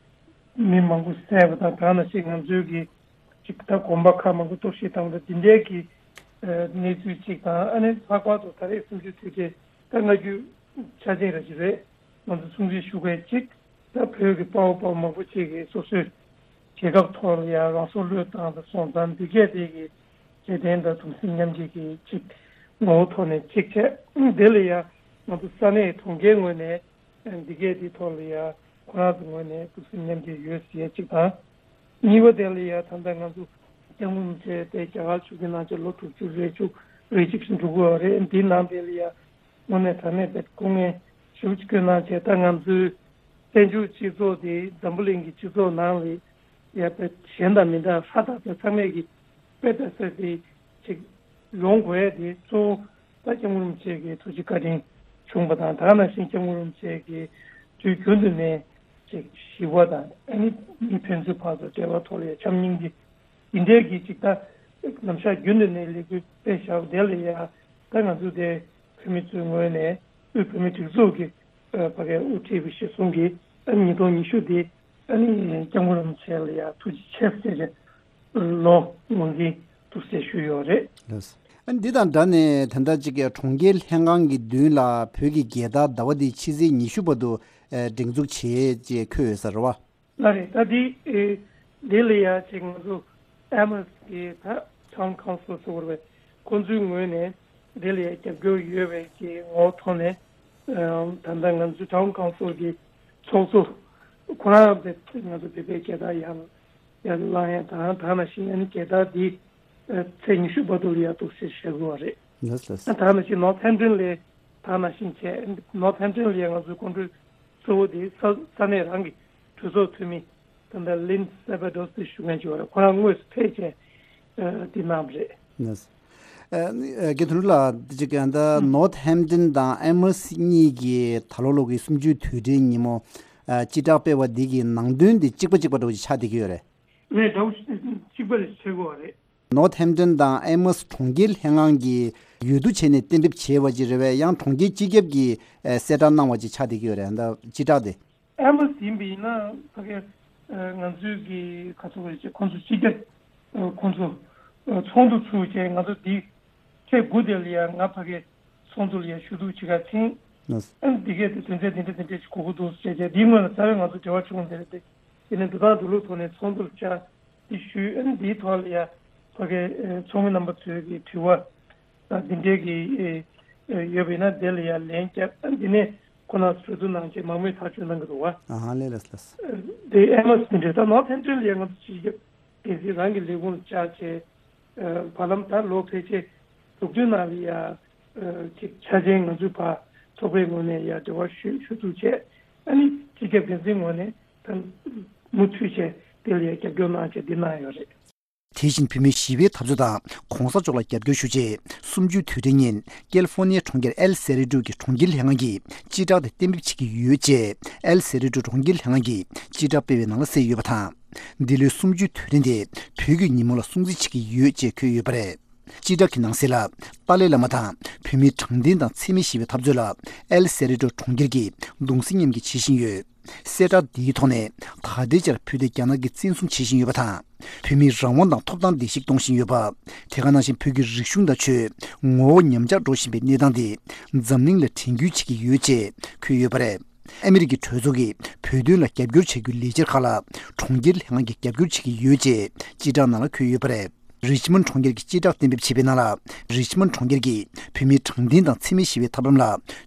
མི་མང་པོ་བསད་པ་དང་། དེ་ནང་བཞིན་ང་ཚོའི་གི་ཅིག་ད་དགོན་པ་ཁག་མང་པོ་གཏོར་བཤིག་བཏང་པ་དང་། འདི་འདྲའི་གི་ཨ་གནས་ཚུལ་ཅིག་དང་། ཨ་ནི་ལྷག་པར་དུ་ད་རེས་གསུམ་བཅུའི་དུས་དྲན་ད་སྔ་རྒྱུན་འཆར་ཅན་ར་ཅིག་རེད། ང་ཚོ་སྲུང་བརྩི་ཞུ་མཁན་ཅིག་ད་བོད་ཀྱི་དཔའ་བོ་དཔའ་མོ་མང་པོ་ཅིག་གིས་སོ་སོའི་རྒྱལ་ཁབ་ཐོག་ལ་ཡང་རང་སྲོག་བློས་བཏང་དང་སོང་ཙང་། འདི་གས་དེ་གི་རྗེས་དྲན་དང་གདུང་སེམས་མཉམ་སྐྱེད་ཀྱི་ཅིག་ངོ་བོ་ཐོག་ནས་ཅིག་བྱས། དེ་ལ་ཡང་ང་ཚོ་ས་གནས་གྲོང་ཁྱེར་ངོས་ནས་འདི་གས་དེ་ཐོག་ལ་ཡང་ཁོ་རང་ཚོ་ངོས་ནས་གདུང་སེམས་མཉམ་སྐྱེད་ཡོད་ཟེར་ཡས་ཅིག་དང་། གཉིས་པ་དེ་ལ་ཡང་ད་ལྟ་ང་ཚོ་སྐྱབས་མགོན་རིན་པོ་ཆེ་དེ་རྒྱ་གར་ཆིབས་བསྒྱུར་གནང་བྱས་ལོ་དྲུག་ཅུ་རེ་བཅུ་རེ་གཅིག་ཙམ་འགྲོ་གི་ཡོད་རེད། འདིའི་ནང་དེ་ལ་ཡང་དངོས་གནས་དྲང་གནས་དཔེ་སྐུ་ངལ་ཞེ་པོ་ཅིག་བསྐྱོན་གནང་བྱས། ད་ང་ཚོའི་བཙན་བྱོལ་སྤྱི་ཚོགས་དེ་འཛམ་བུ་གླིང་གི་སྤྱི་ཚོགས་ནང་ལ་ཡ་དཔེ་གཞན་དང་མི་འདྲ་ཧྲ་ཏག་ཏག་ཚང་མས་ཀྱི་དཔེ་ལྟ་ས་དེ་ཅིག་ཡོང་དགོས་ཡ་དེ་གཙོ་བོ་ད་སྐྱབས་མགོན་རིན་པོ་ཆེ་གི་ཐུགས་རྗེ་བཀའ་དྲིན་བྱུང་བ་དང་། ད་ག་ནང་བཞིན་སྐྱབས་མགོན་རིན་པོ་ཆེ་གི་དུས་རྒྱུན་དུ་ནས་ཅིག་ཞི་བ་དང་། ཨ་ནི་མི་ཕན་ཚུན་བར་དུ་འབྲེལ་བ་ཐོག་ལ་ཡ་འཆམ་མཉམ་གྱི་འདི་འདྲའི་གི་ཅིག་ད་ནམ་ཞག་རྒྱུན་དུ་ནས་ལས་འགུལ་སྤེལ་བཞག་པ་དེ་ལ་ཡ། ད་ང་ཚོ་དེ་བོད་མི་ཚོའི་ངོས་ནས་དབུས་བོད་མིའི་སྒྲིག་འཛུགས་ཀྱི་ཨ་ཕ་གིའི་དབུ་ཁྲིད་པ་གཞིར་བཟུང་གིས་ཨ་ཉིས་སྟོང་ཉི་ཤུ་དེ་ཨ་ནི་སྐྱབས་མགོན་རིན་པོ་ཆེ་ལ་ཡ་ཐུགས་རྗེ་ཆེ་ཟེར་བྱས་ལོ་ངོས་འཛིན་ཐུགས་སྲས་ཞུས་ཡོད་རེད། ལགས། ཨ་ནི་འདི་དང་འདྲ་ནས་ད་ལྟ་ཅིག་གྲོང་ཁྱེར་ལྷན་ཁང་གི་མདུན་ལ་བོད་ཀྱི་རྒྱལ་དར་ཟླ་བ་འདིའི་ཕྱི་ཚེས་ཉི་ཤུ་བར་དུ་ཨ་སྒྲེང་འཛུགས་བྱེད་ཅེས་འཁོད་ཡོད་ས་རེད་བ། ལགས་རེད། ད་འདི་ཨེ་འདི་ལ་ཡ་ཅིག་ང་ཚོ་ཨེ་མོས་ཀྱི་ད་ཊའུན་ཀའུན་སིལ་ཟེར་བ་རེད་པས། ཁོང་ཚོའི་ངོས་ནས་འདི་ལ་ཡ་རྒྱབ་སྐྱོར་ཡོད་པའི་གི་ངོ་བོ་ཐོག་ནས། ཨ་ད་ལྟ་ང་ཚོའི་ཊའུན་ཀའུན་སིལ་གྱི་ཚོགས་གཙོ་ཁོ་རང་དེ་ང་ཚོ་བོད་པའི་རྒྱལ་དར་ཡར་ཡར་བླངས་ཡ་དང་། ད་ནང་བཞིན་ཨ་ནི་རྒྱལ་དར་འདི་ཨ་ཚེས་ཉི་ཤུ་བར་དུ་ལ་ཡ་འདུག་སེ་བཞག་དགོས་པ་རེད། ལགས་ལགས། ཨ་ད་ནང་བཞིན་ནོར་ཐེམ་ཏོན་ལ་ད་ནང་བཞིན་བྱས། ནོར་ཐེམ་ཏོན་ལ་ཡ་ང་ཚོའི་སྐུ་མགྲོན་གཙོ་བོ་དེ་ས་ས་གནས་རང་གི་གྲོས་ཚོགས་འཐུས་མི་ད་ལྟ་ལིན་སེ་བྷ་ཌོ་སི་ཞུ་མཁན་ཅིག་ཡོད་རེད། ཁོ་རང་དངོས་སུ་ཕེབས་བྱས་ཨ་དེ་གནང་བ་རེད། ལགས། ཨ་ནི་ཨ་རྒན་དོན་གྲུབ་ལགས། འདི་ཅིག་ད་ལྟ་ནོར་ཐེམ་ཏོན་དང་ཨེ་མོས་གཉིས་ཀྱིས་ད་ལོ་ལོ་གི་གསུམ་བཅུའི་དུས་དྲན་ཉིན་མོ་ཨ་སྤྱི་བསྒྲགས་སྤེལ་བ་འདི་གི་ནང་དོན་འདི་གཅིག་པ་གཅིག་པ་འདྲ་བོ་ཅིག་ཆགས་བསྡད་ཀྱི་ཡོད་རེད། ངས་འདྲ་བོ་གཅིག་པ་རེད་ཟེར་གྱི་ཡོད་རེད། ནོར་ཐེམ་ཏོན་དང་ཨེ་མོས་གྲོང་ཁྱེར་ལྷན་ཁང་གི་འོས་བསྡུ་བྱས་ནས་གཏན་འབེབས་བྱས་པ་ཅིག་རེད་པས། ཡང་གྲོང་ཁྱེར་སྤྱི་ཁྱབ་ཀྱིས་ཨེ་གསལ་བསྒྲགས་གནང་བ་ཅིག་ཆགས་བསྡད་ཀྱི་ཡོད་རེད། ད་སྤྱི་བསྒྲགས་དེ། ཨེ་མོས་ཡིན་པ་ཡིན་ན་ཕ་གི་ཨ་ང་ཚོའི་གི་ག་ཚོད་རེད་ཅེ། ཁོང་ཚོ་སྤྱི་ཁྱབ་ཨ་ཁོང་ཚོ་ཨ་ཚོགས་འདུ་ཚུགས་བྱས། ང་ཚོ་འདི་ཚེས་དགུ་དེ་ལ་ཡ་ང་ཕ་གི་ཚོགས་འདུ་ལ་ཡ་ཞུ་གཏུག་བྱེད་ག་ཕྱིན། ལགས། ཨ་ནི་འདི་གས་དེ་དོན་ཚན་འདི་འདྲ་འདི་འདྲ་ཞིག་དགོས་ཀྱི་འདུག་ཟེར་བྱས། འདིའི་སྔོན་ལ་རྩ་བའི་ང་ཚོ་འབྲེལ་བ་བྱུང་བ་དེ་རེད་དེ། དེ་ནས་འདུག་སྟངས་འདུག་ལུགས་ཐོག་ནས་ཚོགས་འདུ་ལ་བཅར་འདི་ཞུས། ཨ་ནི་འདིའི་ཐོག་ལ་ཡ་ཕ་གི་ཨ་ཚོགས་མི་རྣམ་པ་ཚོས་ཀྱི་དྲི་བ་ད་འདི་འདྲའི་གི་ཨེ་ཨེ་ཡོད་པ་ཡིན་ན་དེ་ལ་ཡ་ལན་བརྒྱབ། ཨ་འདི་ནས་ཁོ་རང་ཚོ་གྲོས་བསྡུར་གནང་བྱས་མང་མོས་ཐག་གཅོད་གནང་གི་འདུག་བ། ཨ་ཧ་ལས། ལགས་ལགས། དེ་ཨེ་མོས་འདི་འདྲ། ད་ནོར་ཐེམ་ཏོན་ལ་ཡ་ང་ཚོ་སྤྱི་ཁྱབ་སྡེ་སྲིད་རང་གི་ལས་ཁུངས་ལ་བཅར་བྱས། ཨ་བར་ལམ་ད་ལོ་ཕལ་ཆེར་དྲུག་བདུན་ནང་ལ་ཡ་ཨ་ཅིག་འཆར་ཅན་ང་ཚོའི་བར་ཚོགས་པའི་ངོས་ནས་ཡ་འབྲེལ་བ་ཞུ་ཞུ་ཐུབ་བྱས། ཨ་ནི་སྤྱི་ཁྱབ་འགན་འཛིན་ངོས་ནས་ད་མུ་མཐུད་བྱས་དེ་ལ་ཡ་རྒྱབ་སྐྱོར་གནང་བྱས་འདི་གནང་ཡོད་རེད། དེ་བཞིན་བོད་མིའི་ཞི་བའི་འཐབ་རྩོད་དང་གོང་ས་མཆོག་ལ་རྒྱབ་སྐྱོར་ཞུ་ཆེད་གསུམ་བཅུའི་དུས་དྲན་ཉིན་ཀེ་ལི་ཧྥོ་ནི་ཡའི་གྲོང་ཁྱེར་ཨེལ་སེ་རི་ཏྲོ་གི་གྲོང་ཁྱེར་ལྷན་ཁང་གིས་སྤྱི་བསྒྲགས་དེ་གཏན་འབེབས་བྱེད་ཀྱི་ཡོད་ཅེས་ཨེལ་སེ་རི་ཏྲོ་གྲོང་ཁྱེར་ལྷན་ཁང་གིས་སྤྱི་བསྒྲགས་སྤེལ་བའི་ནང་ལ་གསལ་ཡོད་པ་དང་། འདི་ལོའི་གསུམ་བཅུའི་དུས་དྲན་དེ་བོད་ཀྱི་ཉིན་མོ་ལ་སྲུང་བརྩི་བྱེད་ཀྱི་ཡོད་ཅེས་འཁོད་ཡོད་པ་རེད། སྤྱི་བསྒྲགས་ཀྱི་ནང་གསལ་ལ་ཏཱ་ལའི་བླ་མ་དང་བོད་མིའི་དྲང་བདེན་དང་འཚེ་མེད་ཞི་བའི་འཐབ་རྩོད་ལ་ཨེལ་སེ་རི་ཏྲོ་གྲོང་ཁྱེར་གྱིས་གདུང་སེམས་མཉམ་སྐྱེད་བྱེད་བཞིན་ཡོད། གསལ་བསྒྲགས་འདིའི་ཐོག་ནས་ད་ལྟའི་ཆར་བོད་དེ་རྒྱ་ནག་གིས་བཙན་བཟུང་བྱེད་བཞིན་ཡོད་པ་དང་། བོད་མིའི་རང་དབང་དང་ཐོབ་ཐང་བརྡལ་བཤིག་གཏོང་བཞིན་ཡོད་པ། དེ་ག་ནང་བཞིན་བོད་ཀྱི་རིག་གཞུང་དང་ཆོས་ངོ་བོ་ཉམས་ཆག་འགྲོ་བཞིན་པའི་གནས་སྟངས་དེ་འཛམ་གླིང་ལ་དྲན་སྐུལ་བྱེད་ཀྱི་ཡོད་ཅེས་འཁོད་ཡོད་པ་རེད། ཨ་མི་རི་ཀའི་གྲོས་ཚོགས་ཀྱིས་བོད་དོན་ལ་རྒྱབ་སྐྱོར་བྱ་རྒྱུའི་ལས་འཆར་ཁག་ལ་གྲོང་ཁྱེར་ལྷན་ཁང་གིས་རྒྱབ་སྐྱོར་བྱེད་ཀྱི་ཡོད་ཅེས་སྤྱི་བསྒྲགས་ནང་ལ་འཁོད་ཡོད་པ་རེད། རི་ཆི་མོན་གྲོང་ཁྱེར་གྱིས་སྤྱི་བསྒྲགས་གཏན་འབེབས་བྱས་པའི་ནང་ལ། རི་ཆི་མོན་གྲོང་ཁྱེར་གྱིས་བོད་མིའི་དྲང་བདེན་དང་འཚེ་མེད་ཞི་བའི་ཐབས་ལམ་ལ་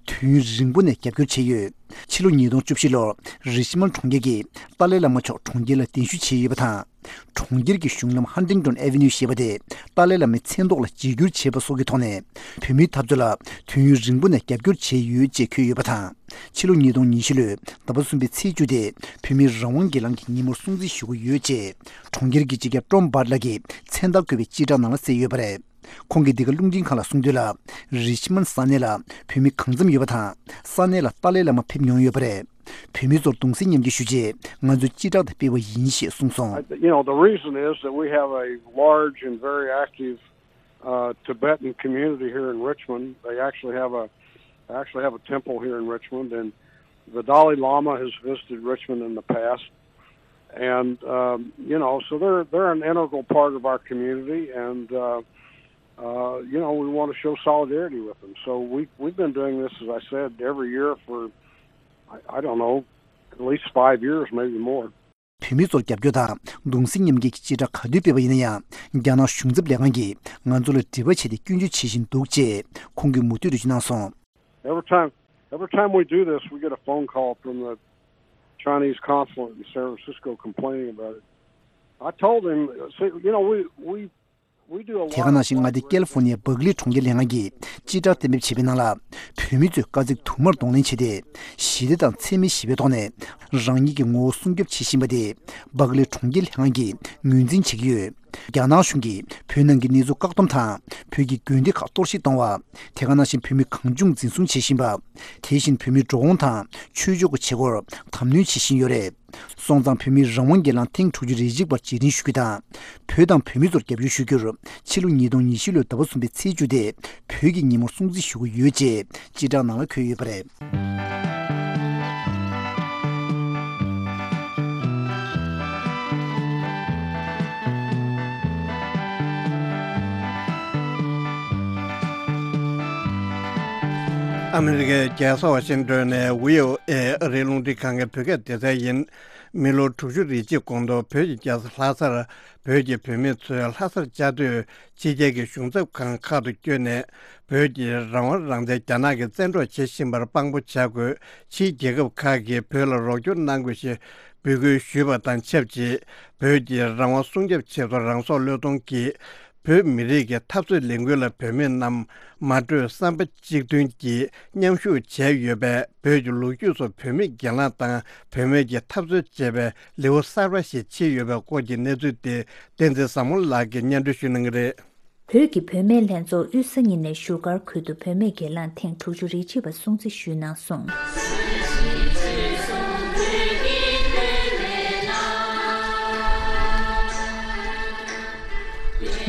དུས་ཡུན་རིང་པོ་ནས་རྒྱབ་སྐྱོར་བྱས་ཡོད། ཕྱི་ལོ་ཉིས་སྟོང་བཅུ་བཞི་ལོར་རི་ཆི་མོན་གྲོང་ཁྱེར་གྱིས་ཏཱ་ལའི་བླ་མ་མཆོག་གྲོང་ཁྱེར་ལ་གདན་ཞུ་བྱས་ཡོད་པ་དང་། གྲོང་ཁྱེར་གྱི་གཞུང་ལམ་ཧན་ཏིང་ཏོན་ཨེ་ཝེ་ནིའུ་ཞེས་པ་དེ་ཏཱ་ལའི་བླ་མའི་མཚན་ཐོག་ལ་བརྗེ་བསྒྱུར་བྱས་པ་སོགས་ཀྱི་ཐོག་ནས་བོད་མིའི་འཐབ་རྩོད་ལ་དུས་ཡུན་རིང་པོ་ནས་རྒྱབ་སྐྱོར་བྱས་ཡོད་ཅེས་འཁོད་ཡོད་པ་དང་། ཕྱི་ལོ་ཉིས་སྟོང་ཉི་བཞི་ལོའི་ཟླ་བ་གསུམ་པའི་ཚེས་བཅུ་དེ་བོད་མིའི་རང་དབང་སྒེར་ལངས་ཀྱི་ཉིན་མོར་སྲུང་བརྩི་ཞུ་གི་ཡོད་ཅེས་གྲོང་ཁྱེར་གྱི་སྤྱི་ཁྱབ་ཀྲོམ་སྦར་ལགས་ཀྱིས་མཚན་རྟགས་བཀོད་པའི་སྤྱི་བསྒྲགས་ནང་ལ་གསལ་ཡོད་པ་རེད། ཁོང་གིས་འདི་ག་རླུང་འཕྲིན་ཁང་ལ་གསུངས་དོན་ལ། རི་ཆི་མོན་ས་གནས་ལ་བོད་མི་གང་འཚམ་ཡོད་པ་དང་། ས་གནས་ལ་ཏཱ་ལའི་བླ་མ་ཕེབས་མྱོང་ཡོད་པ་རེད། བོད་མི་ཚོར་གདུང་སེམས་མཉམ་སྐྱེད་ཞུ་ཆེད་ང་ཚོས་སྤྱི་བསྒྲགས་དེ་སྤེལ་བ་ཡིན་ཞེས་གསུངས་སོང་། I, you know, the reason is that we have a large and very active uh, Tibetan community here in Richmond. They actually have a they actually have a temple here in Richmond, and the Dalai Lama has visited Richmond in the past, and um, you know, so they're they're an integral part of our community, and uh, uh, you know, we want to show solidarity with them. So we we've been doing this, as I said, every year for I, I don't know, at least five years, maybe more. བོད་མི་ཚོར་རྒྱབ་སྐྱོར་དང་གདུང་སེམས་མཉམ་སྐྱེད་ཀྱི་སྤྱི་བསྒྲགས་ག་དུས་སྤེལ་བ་ཡིན་ན་ཡང་། རྒྱ་ནག་གཞུང་ཚབ་ལས་ཁང་གིས་ང་ཚོ་ལ་དྲི་བ་བྱས་ཏེ་སྐྱོན་བརྗོད་བྱེད་བཞིན་འདུག་ཅེས་ཁོང་གིས་མུ་མཐུད་འགྲེལ་བརྗོད་གནང་སོང་། Every time, every time we do this, we get a phone call from the Chinese consulate in San Francisco complaining about it. I told him, see, you know, we, we དེ་ག་ནང་བཞིན་མངའ་སྡེ་ཀེ་ལི་ཧྥོ་ནི་ཡའི་སྦག་ལི་གྲོང་ཁྱེར་ལྷན་ཁང་གིས་སྤྱི་བསྒྲགས་གཏན་འབེབས་བྱས་པའི་ནང་ལ། བོད་མི་ཚོས་དཀའ་ཚེགས་དུ་མར་གདོང་ལེན་བྱས་ཏེ། ཞི་བདེ་དང་འཚེ་མེད་ཞི་བའི་ཐོག་ནས་རང་ཉིད་ཀྱི་ངོ་བོ་སྲུང་སྐྱོབ་བྱེད་བཞིན་པ་དེ་སྦག་ལི་གྲོང་ཁྱེར་ལྷན་ཁང་གིས་ངོས་འཛིན་བྱེད་ཀྱི་ཡོད། རྒྱ་ནག་གཞུང་གིས་བོད་ནང་གི་གནས་ཚུལ་བཀག་སྡོམ་དང་། བོད་ཀྱི་དགོན་སྡེ་ཁག་གཏོར་བཤིག་གཏོང་བ། དེ་ག་ནང་བཞིན་བོད་མི་གང་བྱུང་འཛིན་བཟུང་བྱེད་བཞིན་པ། དེ་བཞིན་བོད་མིའི་འགྲོ་འོང་དང་ཆོས་ཕྱོགས་ཀྱི་བྱེད་སྒོར་དམ་གནོན་བྱེད་བཞིན་ཡོད་རེད། སོང་ཙང་བོད་མིའི་རང་དབང་སྒེར་ལངས་ཐེངས་དྲུག་ཅུ་རེ་གཅིག་པར་རྗེས་དྲན་ཞུ་རྒྱུ་དང་། བོད་དང་བོད་མི་ཚོར་རྒྱབ་སྐྱོར་ཞུ་རྒྱུར། ཕྱི་ལོ་ཉིས་སྟོང་ཉི་བཞི་ལོའི་ཟླ་བ་གསུམ་པའི་ཚེས་བཅུ་དེ་བོད་ཀྱི་ཉིན་མོར་སྲུང་བརྩི་ཞུ་གི་ཡོད་ཅེས་སྤྱི་བསྒྲགས་ནང་ལ་འཁོད་ཡོད་པ་རེད། ཨ་མི་རི་ཀའི་རྒྱལ་ས་ཝ་ཤིང་ཏོན་ནས་བྷི་ཨོ་ཨེ་ཨ་རིའི་རླུང་འཕྲིན་ཁང་གི་བོད་སྐད་སྡེ་ཚན་ཡིན། མི་ལོ་དྲུག་ཅུ་རེ་གཅིག་གོང་དུ་བོད་ཀྱི་རྒྱལ་ས་ལྷ་སར་བོད་ཀྱི་བུད་མེད་ཚོས་ལྷ་སར་བཅའ་སྡོད་ཕྱི་རྒྱལ་གྱི་གཞུང་ཚབ་ཁང་ཁག་ཏུ་བསྐྱོད་ནས། བོད་ཀྱི་རང་དབང་རང་བཙན་རྒྱ་ནག་གིས་བཙན་འཕྲོག་བྱེད་བཞིན་པར་དཔང་པོ་བྱ་དགོས། ཕྱིའི་རྒྱལ་ཁབ་ཁག་གིས་བོད་ལ་རོགས་སྐྱོར་གནང་དགོས་ཞེས་འབོད་སྐུལ་ཞུས་པ་དང་ཆབས་ཅིག་བོད་ཀྱི་རང་དབང་སྲུང་སྐྱོབ་ཆེད་དུ་རང་སྲོག་བློས་གཏོང་གིས་བོད་མི་རིགས་ཀྱི་འཐབ་རྩོད་ལས་འགུལ་ལ་བོད་མི་རྣམས་མ་གྲོས་བསམ་པ་གཅིག་མཐུན་གྱིས་མཉམ་ཞུགས་བྱས་ཡོད་པས། བོད་ཀྱི་ལོ་རྒྱུས་སུ་བུད་མེད་གྱེན་ལངས་དང་བུད་མེད་ཀྱི་འཐབ་རྩོད་ཅེས་པའི་ལེའུ་གསར་པ་ཞིག་ཕྱེ་ཡོད་པའི་སྐོར་གྱི་གནས་ཚུལ་དེ་བསྟན་འཛིན་བཟང་མོ་ལགས་ཀྱིས་སྙན་སྒྲོན་ཞུ་གནང་གི་རེད། བོད་ཀྱི་བུད་མེད་ལྷན་ཚོགས་དབུས་ས་གཉིས་ནས་བཞུགས་སྒར་ཁུལ་དུ་བུད་མེད་གྱེན་ལངས་ཐེངས་དྲུག་ཅུ་རེ་གཅིག་པ་སྲུང་བརྩི་ཞུས་གནང་སོང་།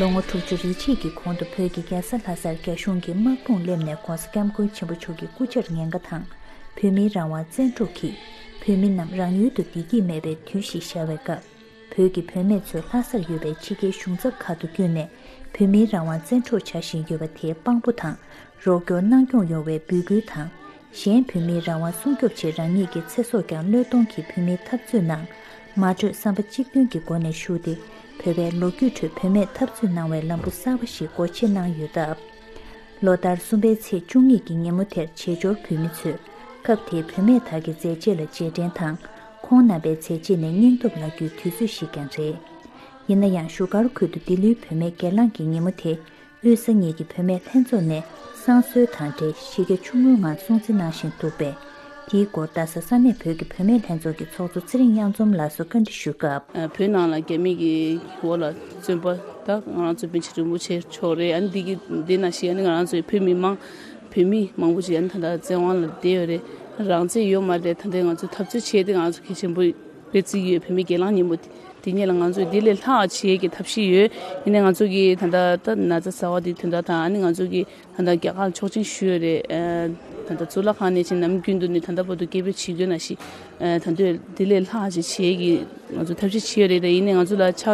ལོ་ངོ་དྲུག་ཅུ་རེ་གཅིག་གི་གོང་དུ་བོད་ཀྱི་རྒྱལ་ས་ལྷ་སར་རྒྱ་གཞུང་གིས་དམག་དཔུང་སླེབས་ནས་༸གོང་ས་༸སྐྱབས་མགོན་ཆེན་པོ་མཆོག་གི་སྐུ་ཕྱྭར་ཉེན་ཁ་དང་བོད་མིའི་རང་དབང་བཙན་འཕྲོག་གིས་བོད་མི་རྣམས་རང་ཡུལ་དུ་བདེ་སྐྱིད་མེད་པའི་དུས་ཤིག་ཤར་བའི་སྐབས། བོད་ཀྱི་བུད་མེད་ཚོས་ལྷ་སར་ཡོད་པའི་ཕྱི་རྒྱལ་གཞུང་ཚབ་ཁག་ཏུ་བསྐྱོད་ནས་བོད་མིའི་རང་དབང་བཙན་འཕྲོག་བྱ་བཞིན་ཡོད་པ་དེ་དཔང་པོ་དང་རོགས་སྐྱོར་གནང་སྐྱོང་ཡོང་བའི་འབོད་སྐུལ་དང་། གཞན་བོད་མིའི་རང་དབང་སྲུང་སྐྱོབ་ཆེད་རང་ཉིད་ཀྱི་ཚེ་སྲོག་ཀྱང་བློས་གཏོང་གིས་བོད་མིའི་འཐབ་རྩོད་ནང་མ་བགྲོས་བསམ་པ་གཅིག་མཐུན་གྱི་སྒོ་ནས་ཞུགས་ཏེ། བོད་པའི་ལོ་རྒྱུས་ཁྲོད་བུད་མེད་འཐབ་རྩོད་གནང་བའི་ལམ་བུ་གསར་པ་ཞིག་སྒོ་ཕྱེ་གནང་ཡོད་སྟབས། ལོ་ལྟར་གསུམ་པའི་ཚེས་བཅུ་གཉིས་ཀྱི་ཉིན་མོ་དེར་བྱེས་འབྱོར་བོད་མི་ཚོས་སྐབས་དེའི་བུད་མེད་དག་གི་མཛད་རྗེས་ལ་རྗེས་དྲན་དང་། ཁོང་རྣམ་པའི་མཛད་རྗེས་ནས་སྙིང་སྟོབས་ལ་རྒྱུའི་དུས་ཚོད་ཞིག་ཀྱང་རེད། ཡིན་ན་ཡང་བཞུགས་སྒར་ཁུལ་དུ་ལྡི་ལིའི་བུད་མེད་སྒེར་ལངས་ཀྱི་ཉིན་མོ་དེ། དབུས་ས་གཉིས་ཀྱི་བུད་མེད་ལྷན་ཚོགས་ནས་བསང་གསོལ་དང་འབྲེལ་གཞི་རྒྱ་ཆུང་ངུའི་ངང་སྲུང་བརྩི་གནང་བཞིན་འདུག་པས། དེའི་སྐོར་རྡ་ས་ས་གནས་བོད་ཀྱི་བུད་མེད་ལྷན་ཚོགས་ཀྱི་ཚོགས་གཙོ་ཚེ་རིང་གཡང་འཛོམས་ལགས་སུ་བཀའ་འདྲི་ཞུས་སྐབས། བོད་ནང་ལ་རྒྱ་མི་གི་འོག་ལ་བཙོན་པ་དང་ང་རང་ཚོ་པཎ་ཆེན་རིན་པོ་ཆེ་མཆོག་རེད། ཨ་ནི་འདི་གི་འདི་ནང་བཞིན་ཨ་ནི་ང་རང་ཚོའི་བོད་མི་མང་བོད་མི་མང་པོ་ཅིག་ཨ་ནི་ད་ལྟ་བཙོན་དབང་ལ་བསྡད་ཡོད་རེད། རང་བཙན་ཡོད་མ་རེད། ད་ལྟ་ང་ཚོ་འཐབ་རྩོད་བྱས་ཏེ་ང་ཚོ་གལ་ཆེན་པོ་རེད་བརྩི་གི་ཡོད། བོད་མི་སྒེར་ལངས་ཉིན་མོ་དེ། དེ་ཉིད་ལ་ང་ཚོས་འདི་ལས་ལྷག་བྱེད་ཀྱི་ཐབས་ཤེས་ཡོད། ཡིན་ནའི་ང་ཚོ་གིས་ད་ལྟ་ད་ན་ཚ་ཟ་བ་དེ་དོན་དག་དང་ཨ་ནི་ང་ཚོ་གིས་ད་ལྟ་རྒྱ་གར་ལ་ཆོག་མཆན་ཞུས་ཡོད་རེད། ད་ལྟ་གཙུག་ལག་ཁང་ནས་ཕྱིན་ནམ་རྒྱུན་དུ་ནས་ད་ལྟ་བར་དུ་སྐད་འབོད་བྱེད་དགོས་ན་ཞིག་ད་ལྟ་འདི་ལས་ལྷག་ཅིག་བྱེད་ཀྱི་ང་ཚོ་ཐབས་ཤེས་བྱེད་ཡོད་རེད། ད་ཡིན་ནའི་ང་ཚོ་ལ་ཆ་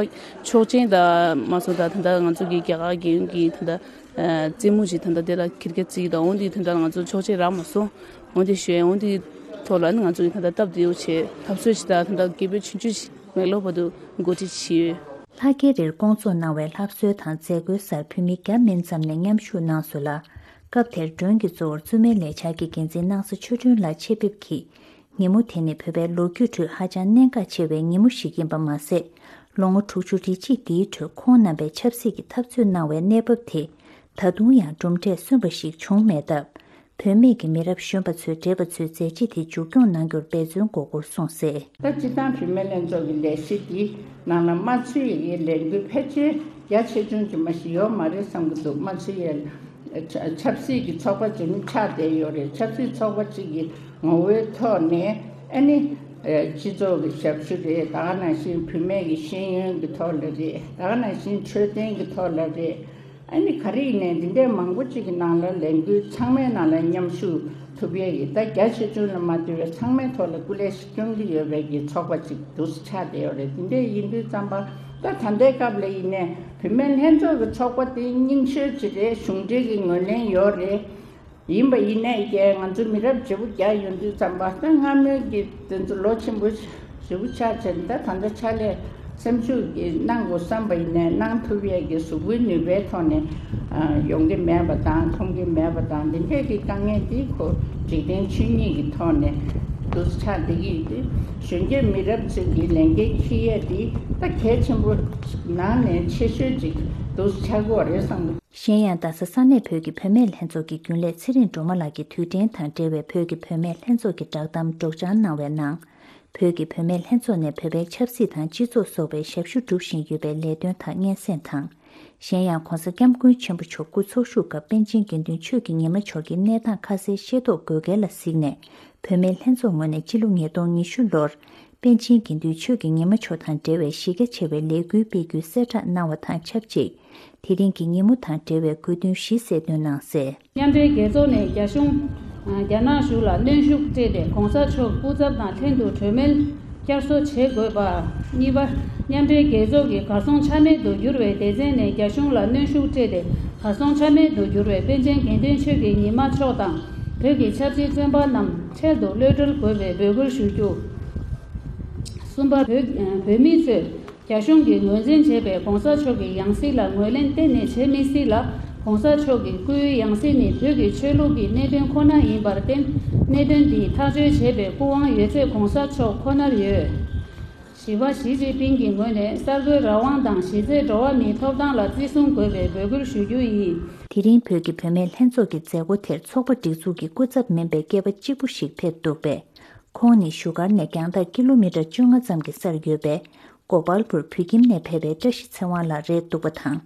ཆོག་མཆན་དང་མ་སོང་ད་ད་ལྟ་ང་ཚོ་གི་རྒྱ་གར་རྒྱལ་ཡོངས་ཀྱི་ད་ལྟ་རྩེད་མོ་ཞིག་ད་ལྟ་དེ་ལ་ཁེར་རྐྱང་བརྩི་གི་དང་འོན་ཏེ་ད་ལྟ་ང་ཚོ་ཆོག་མཆན་རག་མ་སོང་། འོན་ཏེ་ཞུ་ཡ་འོན་ཏེ་ཐོག་ལ་ནི་ང་ཚོ་གི་ད་ལྟ་སྟབས་བདེ་བོ་བྱེད་ཐབས་ཚོད་ཅིག་དང་ད་ལྟ་སྐད་འབོད་ཆུང་ཆུང་ཞིག་མེག་ལོར་བར་དུ་འགོ་ཁྲིད་བྱས་ཡོད། ལྷག་དཀར་རིར་བསྐོང་ཚོགས་གནང་བའི་ལྷ་གསོལ་དང་མཛད་སྒོའི་སར་བོད་མི་བརྒྱ་མིན་ཙམ་ནས་མཉམ་ཞུགས་གནང་སོང་ལ། སྐབས་དེར་མགྲོན་གྱི་གཙོ་བོར་བཙུན་མའི་ལས་འཆར་གྱི་འགན་འཛིན་སྣང་ས་ཆོས་སྒྲོན་ལགས་ཆེད་ཕེབས་ཀྱིས། ཉིན་མོ་དེ་ནི་བོད་པའི་ལོ་རྒྱུས་ཁྲོད་ཧ་ཅང་གནད་འགག་ཆེ་བའི་ཉིན་མོ་ཞིག་ཡིན་པ་མ་ཟད། ལོ་ངོ་དྲུག་ཅུ་རེ་གཅིག་འདིའི་ཁྲོད་ཁོང་རྣམ་པའི་ཆབ་སྲིད་ཀྱི་འཐབ་རྩོད་གནང་བའི་གནས་བབ་དེ། ད་དུང་ཡང་གྲུབ་འབྲས་སོན་པ་ཞིག་བྱུང་མེད་སྟབས། བུད་མེད་ཀྱི་མི་རབས་གཞོན་པ་ཚོས་བགྲེས་པ་ཚོའི་མཛད་རྗེས་དེ་མཇུག་སྐྱོང་གནང་རྒྱུར་འབད་བརྩོན་དགོས་སྐོར་གསུངས་གསལ། ད་སྤྱིར་བཏང་བུད་མེད་ལྷན་ཚོགས་ཀྱི་ལས་གཞི་འདི་ནང་ལ་མ་ཚུད་ཡའི་ལས་འགུལ་ཕལ་ཆེར་རྒྱ་ཆེ་ཆུང་ཅིག་མ་ཞིག་ཡོད་མ་རེད་བསམ་གྱི་འདུག་མ་ཚུད་ཡའི་ཆབ་སྲིད་ཀྱི་ཚོགས་པ་ཅིག་ནི་ཆགས་བསྡད་ཡོད་རེད། ཆབ་སྲིད་ཚོགས་པ་ཅིག་གི་ངོ་བོའི་ཐོག་ནས་ཨ་ནི་སྤྱི་ཚོགས་ཀྱི་ཞབས་ཞུ་རེད། ད་ག་ནང་བཞིན་བུད་མེད་ཀྱི་ཤེས་ཡོན་གྱི་ཐོག་ལ་རེད། ད་ག་ནང་བཞིན་འཕྲོད་བསྟེན་གྱི་ཐོག་ལ་རེད། ཨ་ནི་ག་རེ་ཡིན་ནའི་འདི་འདྲའི་མང་པོ་ཅིག་གི་ནང་ལ་ལས་འགུལ་ཚང་མའི་ནང་ལ་མཉམ་ཞུགས་ཐུབ་ཡས་ཀྱི་ད་རྒྱ་ཆེ་ཆུང་ལ་མ་ལྟོས་པའི་ཚང་མའི་ཐོག་ལ་སྐུ་ལས་ཤིག་སྐྱོང་གི་ཡོད་པའི་གི་ཚོགས་པ་ཅིག་འདུག་སེ་ཆགས་བསྡད་ཡོད་རེད། འདི་འདྲའི་ཡིན་དུས་ཙམ་པ་ད་ད་ལྟའི་སྐབས་ལ་ཡིན་ནའི་བུད་མེད་ལྷན་ཚོགས་ཀྱི་ཚོགས་པ་དེ་རྙིང་ཤོས་ཅིག་རེད། གཞུང་འབྲེལ་གྱི་ངོས་ལེན་ཡོད་རེད། ཡིན་པ་ཡིན་ནའི་ཀྱེ་ང་ཚོ་མི་རབས་བརྗེ་པོ་རྒྱག་ཡོང་དུས་ཙམ་པ་ད་སྔ་མོའི་གི་དེ་ཚོ་ལོ་ཆེན་པོ་ཞེ་པོ་ཆགས་བྱས་ནས་ད་ད་ལྟ་ཕྱག་ལས་སེམས་ཤུགས་ཀྱིས་གནང་དགོས་བསམ་པ་ཡིན་ནའི་གནང་ཐུབ་ཡས་ཀྱི་གཟུགས་པོའི་ནུས་པའི་ཐོག་ནས་ཡོང་གི་མེད་པ་དང་མཐོང་གི་མེད་པ་དང་འདི་འདྲས་ཀྱི་དཀའ་ངལ་འདི་ཁོ་འཇིག་རྟེན་ཆོས་ཉིད་ཀྱི་ཐོག་ནས་འདུག་སེ་ཆགས་བསྡད་ཀྱི་ཡོད་དུས་གཞོན་སྐྱེས་མི་རབས་ཚོས་ཀྱི་ལས་འགན་འཁྱེར་ཡས་འདི་ད་གལ་ཆེན་པོ་ནང་ནས་ཆེ་ཤོས་ཅིག་འདུག་སེ་ཆགས་ཀྱི་ཡོད་རེད་བསམ་གྱི། གཞན་ཡང་རྡ་ས་ས་གནས་བོད་ཀྱི་བུད་མེད་ལྷན་ཚོགས་ཀྱི་རྒྱུན་ལས་ཚེ་རིང་སྒྲོལ་མ་ལགས་ཀྱིས་དུས་དྲན་དང་འབྲེལ་བའི་བོད་ཀྱི་བུད་མེད་ལྷན་ཚོགས་ཀྱི་བསྒྲགས་གཏམ་སྒྲོག་སྦྱང་གནང་བའི་ནང་། བོད་ཀྱི་བུད་མེད་ལྷན་ཚོགས་ནས་བོད་པའི་ཆབ་སྲིད་དང་སྤྱི་ཚོགས་སོགས་པའི་ཞབས་ཞུ་སྒྲུབ་བཞིན་ཡོད་པའི་ལས་དོན་དག་སྙན་སེང་དང་། གཞན་ཡང་༸གོང་ས་༸སྐྱབས་མགོན་ཆེན་པོ་མཆོག་སྐུ་འཚོ་བཞུགས་སྐབས་པཎ་ཆེན་དགེ་འདུན་ཆོས་ཀྱི་ཉི་མ་མཆོག་གི་གནས་སྟངས་ཁ་གསལ་ཤེས་རྟོགས་དགོས་གལ་ལ་གཟིགས་ནས། བུད་མེད་ལྷན་ཚོགས་ངོས་ནས་སྤྱི་ལོ་ཉིས་སྟོང་ཉི་ཤུ་ལོར་པཎ་ཆེན་དགེ་འདུན་ཆོས་ཀྱི་ཉི་མ་མཆོག་དང་འབྲེལ་བའི་གཞི་རྒྱ་ཆེ་བའི་ལས་འགུལ་སྤེལ་རྒྱུའི་གསལ་བསྒྲགས་གནང་བ་དང་ཆབས་ཅིག་དེ་རིང་གི་ཉིན་མོ་དང་འབྲེལ་བའི་དགོས་འདུན་བཞི་གསལ་སྟོན་གནང་གསལ། མཉམ་འབྲེལ་རྒྱལ་ཚོགས་ནས་རྒྱ་གཞུང་། རྒྱ་ནག་གཞུང་ལ་གནོན་ཤུགས་སྤྲད་དེ་གོང་ས་མཆོག་སྐུ་ཚབ་དང་ལྷན་དུ་གྲོས་མོལ་བསྐྱར་གསོ་བྱེད་དགོས་པ། གཉིས་པ། མཉམ་འབྲེལ་རྒྱལ་ཚོགས་ཀྱི་གར་སོང་ཆ་མེད་དུ་གྱུར་བའི་སྡེ་ཚན་ནས་རྒྱ་གཞུང་ལ་གནོན་ཤུགས་སྤྲད་དེ་གར་སོང་ཆ་མེད་དུ་གྱུར་བའི་པཎ་ཆེན་དགེ་འདུན་ཆོས་ཀྱི་ཉི་མ་མཆོག་དང་བོད་ཀྱི་ཆབ་སྲིད་བཙོན་པ་རྣམས་འཕྲལ་དུ་གློད་གྲོལ་དགོས་པའི་འབོད་སྐུལ་ཞུ་རྒྱུ། གསུམ་པ། བོད་བོད་མི་ཚོས་རྒྱ་གཞུང་གིས་ངོས་འཛིན་བྱས་པའི་གོང་ས་མཆོག་གི་ཡང་སྲིད་ལ་ངོས་ལེན་གཏན་ནས་བྱེད་མི་སྲིད་ལ། གོང་ས་མཆོག་གི་སྐུའི་ཡང་སྲིད་ནི་བོད་ཀྱི་ཆོས་ལུགས་ཀྱི་གནད་དོན་ཁོ་ན་ཡིན་པར་བརྟེན། གནད་དོན་འདི་ཐག་གཅོད་བྱེད་པའི་སྐུ་དབང་ཡོད་ཚད་གོང་ས་མཆོག་ཁོ་ནར་ཡོད། བཞི་པ། ཞི་ཅིན་ཕིང་གི་ངོས་ནས་གསར་འགོད་རང་དབང་དང་གཞི་རྩའི་འགྲོ་བ་མིའི་ཐོབ་ཐང་ལ་བརྩི་སྲུང་དགོས་པའི་འབོད་སྐུལ་ཞུ་རྒྱུ་ཡིན། དེ་རིང་བོད་ཀྱི་བུད་མེད་ལྷན་ཚོགས་ཀྱི་མཛད་སྒོ་དེར་ཚོགས་པ་སྒྲིག་འཛུགས་ཀྱི་སྐུ་ཚབ་མིན་པའི་སྐྱེས་པ་གཅིག་པུ་ཞིག་ཕེབས་འདུག་པས། ཁོང་ནི་བཞུགས་སྒར་ནས་རྒྱང་ཐག་ཀི་ལོ་མི་ཊར་བཅོ་ལྔ་ཙམ་གྱི་སར་ཡོད་པའི་གོ་པལ་པུར་བོད་ཁྱིམ་ནས་ཕེབས་པའི་བཀྲ་ཤིས་ཚེ་དབང་ལགས་རེད་འདུག་པ་དང་།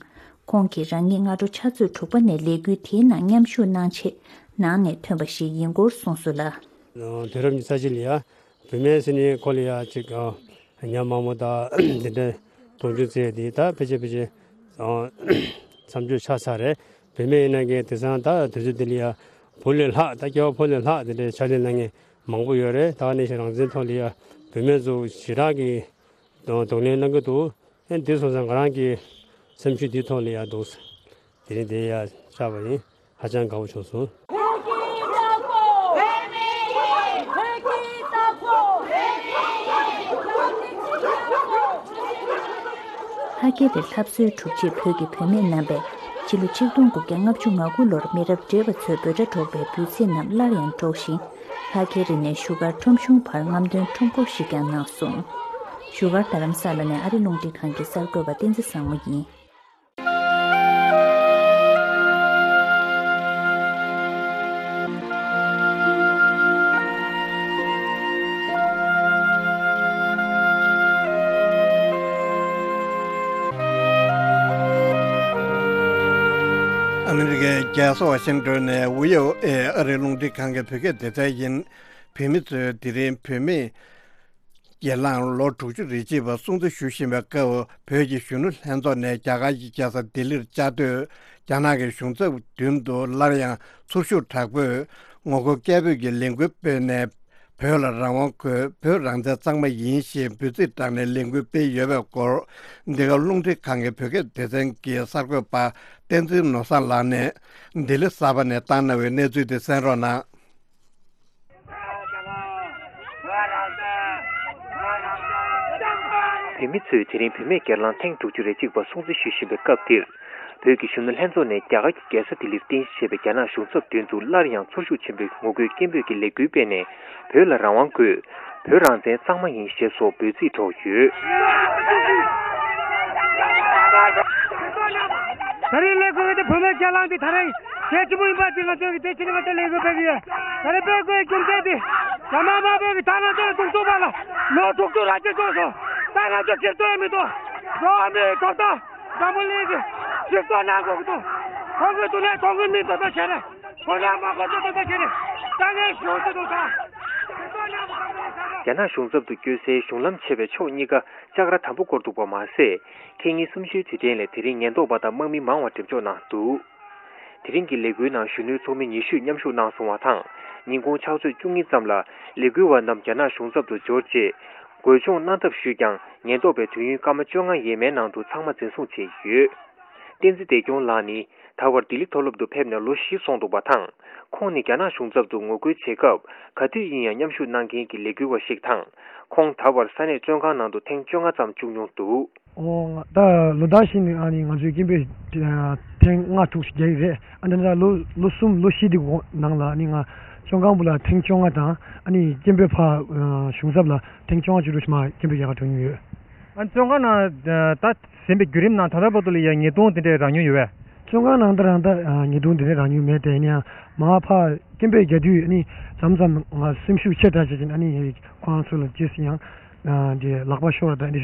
ཁོང་གིས་རང་ཉིད་སྔ་དྲོ་ཕྱག་ཚོད་དྲུག་པ་ནས་ལས་འགུལ་དེའི་ནང་མཉམ་ཞུགས་གནང་ཆེད་ནང་ནས་ཐོན་པ་ཞིག་ཡིན་སྐོར་གསུངས་སོང་ལ། དུས་རབས་ཉི་ཤུ་རྩ་གཅིག་ལ་ཡ་བུད་མེད་ཟེར་ནས་ཁོ་ལ་ཡ་ཅིག་ཉམས་མང་པོ་དང་འདི་འདྲའི་གདུང་རྒྱུད་བརྩེ་དེ་ད་ཕལ་ཆེར་ཕལ་ཆེར་ མཚམས་གཅོད་ཆགས་ཚར་རེད། བུད་མེད་ཡིན་ན་ངས་དེང་སང་ད་དུས་ཚོད་འདི་ལ་ཡ་བུ་ལས་ལྷག་ད་སྐྱེ་བ་ཕོ་ལས་ལྷག་དེ་འདྲའི་ཕྱག་ལས་གནང་མཁན་མང་པོ་ཡོད་རེད། ད་ག་ནང་བཞིན་རང་བཙན་ཐོག་ལ་ཡ་བུད་མེད་ཚོ་ཞེ་དྲག་གི་གདོང་ལེན་གནང་གི་འདུག་ཨེ་འདི་སོང་ཙང་ང་རང་གི་སེམས་ཤུགས་འདིའི་ཐོག་ལ་ཡ་འདུག་དེ་རིང་འདིར་ཡ་བཅར་བ་ཡིན། ཧ་ཅང་དགའ་པོ་བྱུང་སོང་། ལྷ་རྒྱལ་པའི་ལྷ་གསོལ་དྲུག་རྗེས་བོད་ཀྱི་བུད་མེད་རྣམ་པས་ཕྱི་ལོ་ཆིག་སྟོང་དགུ་བརྒྱ་ལྔ་བཅུ་ང་དགུ་ལོར་མི་རབས་བགྲེས་པ་ཚོས་འབོད་སྒྲ་སྒྲོག་པའི་འབོད་ཚིག་རྣམས་སླར་ཡང་སྒྲོག་ཅིང་། ལྷ་རྒྱལ་རི་ནས་བཞུགས་སྒར་ཁྲོམ་གཞུང་བར་རྔམ་སྟོན་ཁྲོམ་སྐོར་ཞིག་ཀྱང་གནང་སོང་། བཞུགས་སྒར་རྡ་རམ་ས་ལ་ནས་ཨ་རི་རླུང་འཕྲིན་ཁང་གི་གསར་འགོད་པ་བསྟན་འཛིན་བཟང་མོ་ཡིན། ཨ་མི་རི་ཀའི་རྒྱལ་ས་ཝ་ཤིང་ཏོན་ནས་བྷི་ཨོ་ཨེ་ཨ་རིའི་རླུང་འཕྲིན་ཁང་གི་བོད་སྐད་སྡེ་ཚན་ཡིན། བོད་མི་ཚོས་དེ་རིང་བུད་མེད་སྒེར་ལངས་ལོ་དྲུག་ཅུ་རེ་གཅིག་པ་སྲུང་བརྩི་ཞུ་བཞིན་པའི་སྐབས། བོད་ཀྱི་གཞོན་ནུ་ལྷན་ཚོགས་ནས་རྒྱ་གར་གྱི་རྒྱལ་ས་ལྡི་ལིར་བཅའ་སྡོད་རྒྱ་ནག་གི་གཞུང་ཚབ་མདུན་དུ་སླར་ཡང་ཚོར་ཤུགས་དྲག་པོས་ངོ་རྒོལ་སྐད་འབོད་ཀྱི་ལས་འགུལ་སྤེལ་ནས། བོད་ལ་རང་དབང་དགོས། བོད་རང་བཙན་གཙང་མ་ཡིན་ཞེས་འབོད་ཚིག་བསྒྲགས་ནས་ལས་འགུལ་སྤེལ་ཡོད་པའི་སྐོར། འདི་ག་རླུང་འཕྲིན་ཁང་གི་བོད་སྐད་སྡེ་ཚན་གྱི་གསར་འགོད་པ་བསྟན་འཛིན་ནོར་བཟང་ལགས་ནས་ལྡི་ལི་གསར་པ་ནས་བཏང་གནང་བའི་གནས་ཚུལ་དེ་གསན་རོགས་གནང་། བོད་མི་ཚོས་དེ་རིང་བུད་མེད་སྒེར་ལངས་ཐེངས་དྲུག་ཅུ་རེ་གཅིག་པ་སྲུང་བརྩི་ཞུ་བཞིན་པའི་སྐབས་འདིར། བོད་ཀྱི་གཞོན་ནུ་ལྷན་ཚོགས་ནས་རྒྱ་གར་གྱི་རྒྱལ་ས་ལྡི་ལིར་རྟེན་གཞི་བྱས་པའི་རྒྱ་ནག་གཞུང་ཚབ་མདུན་དུ་སླར་ཡང་ཚོར་ཤུགས་ཆེན་པོས་ངོ་རྒོལ་སྐད་འབོད་ཀྱི་ལས་འགུལ་སྤེལ་ནས། བོད་ལ་རང་དབང་དགོས། བོད་རང་བཙན་གཙང་མ་ཡིན་ཞེས་སོགས་འབོད་ཚིག་སྒྲོག་ཡོད། ད་རེས་ལས་འགུལ་དེ་བོད་མིའི་སྒེར་ལངས་དེ་ད་རེས་གལ་ཆེན་པོ་ཡིན་པ་དེ་ང་ཚོས་ཀྱི་དེ་བྱས་ནས་ང་ཚོས་ལས་འགུལ་སྤེལ་གྱི་ཡོད། ད་རེས་སྤེལ་དགོས་རྒྱུ་མཚན་དེ་རྒྱ་ནག་དམར་པོས་ཀྱི་ད་ང་ཚོ་ལ་སྡུག་སྦྱོང་བ་ལ་ལོ་དྲུག་ཅུ་རེ་གཅིག་སོང་སོང་། ད་ང་ཚོ་སྒེར་དོན་མི་འདུག་འགྲོ་བ་མིའི་ཐོབ་ཐང་འཛམ་བུ་གླིང་གི་སྒྲིག་འཛུགས་ནང་དགོས་ཀྱི་འདུག་ཁོང་གི་སྡུག་བསྔལ་ཁོང་གི་མིང་དོན་དག་བྱས་ནས་ཁོང་རང་མ་ཁོ་ཚོ་དོན་དག་བྱས་ནས་དཀའ་ངལ་ཞུ་གི་འདུག་ད། རྒྱ་ནག་གཞུང་ཚབ་ཏུ་བསྐྱོད་སའི་གཞུང་ལམ་ཆེ་བའི་ཕྱོགས་གཉིས་ཀ་ལྕགས་ར་དམ་པོ་བསྐོར་འདུག་པ་མ་ཟད། ཁེ་ཉིན་གསུམ་བཞིའི་དུས་དྲན་ལས་དེ་རིང་ཉེན་རྟོག་པ་དང་དམག་མི་མང་བ་འགྲེམས་འཇོག་གནང་འདུག་དེ་རིང་གི་ལས་འགུལ་ནང་གཞོན་ནུའི་ཚོགས་མི་ཉི་ཤུས་མཉམ་ཞུགས་གནང་སོང་བ་དང་། ཉིན་གུང་ཕྱག་ཚོད་བཅུ་གཉིས་ཙམ་ལ་ལས་འགུལ་བ་རྣམས་རྒྱ་ནག་གཞུང་ཚབ་ཏུ་འབྱོར་རྗེས། འགོག་སྦྱོང་གནང་ཐབས་ཞུས་ཀྱང་། ཉེན་རྟོག་པས་དུས་ཡུན་སྐར་མ་བཅོ་ལྔ་ཡས་མའི་ནང་དུ་ཚང་མ་འཛིན་བཟུང་བྱས་ཡོད། བསྟན་འཛིན་བདེ་སྐྱོང་ལགས་ནི་ད་བར་ལྡི་ལི་མཐོ་སློབ་ཏུ་ཕེབས་ནས་ལོ་བཞི་སོང་འདུག་པ་དང་། ཁོང་ནི་རྒྱ་ནག་གཞུང་ཚབ་ཏུ་ངོ་རྒོལ་བྱེད་སྐབས་ག་དུས་ཡིན་ཡང་མཉམ་ཞུགས་གནང་མཁན་གྱི་ལས་འགུལ་བ་ཞིག་དང་། ཁོང་ད་བར་ས་གནས་བཙོན་ཁང་ནང་དུ་ཐེངས་བཅོ་ལྔ་ཙམ་བཅུག་མྱོང་འདུག་ཨོ། ང་ད་ལོ་ཟླ་བཞི་ནས་ཨ་ནི་ང་ཚོའི་སྐད་འབོད་ཐེངས་ལྔ་དྲུག་ཞིག་རྒྱག་གི་རེད། ཨ་ནི་ད་ལོ་ལོ་གསུམ་ལོ་བཞི་དེ་གོང་ནང་ལ་ཨ་ནི་ང་བཙོན་ཁང་བུ་ལ་ཐེངས་བཅོ་ལྔ་དང་ཨ་ནི་སྐད་འབོད་ཕར་གཞུང་ཚབ་ལ་ཐེངས་བཅོ་ལྔ་བཅུ་དྲུག་ཞིག་མར་སྐད་འབོད་རྒྱག་གར་འགྲོ་མྱོང་ཡོད། ཨ་ནི་བཙོན་ཁང་ནང་ད་ཟིན་པའི་བརྒྱུད་རིམ་ནང་ད་ལྟ་བར་དུ་ལ་ཡང་ཉེས་རྡུང་དེ་འདྲས་རག་མྱོང་ཡོད་པས། བཙོན་ཁང་ནང་ད་རང་ད་ཉེས་རྡུང་དེ་འདྲས་རག་མྱོང་མེད་དེ། ཡིན་ཡང་མར་ཕར་སྐད་འབོད་རྒྱག་དུས་ཨ་ནི་མཚམས་མཚམས་ང་སེམས་ཤུགས་ཆེ་དྲགས་བྱས་ཀྱིན་ཨ་ནི་ཁོང་ཚོ་ལ་རྗེས་སུ་ཡང་དེ་ལག་པ་ཤོར་བ་དང་དེ་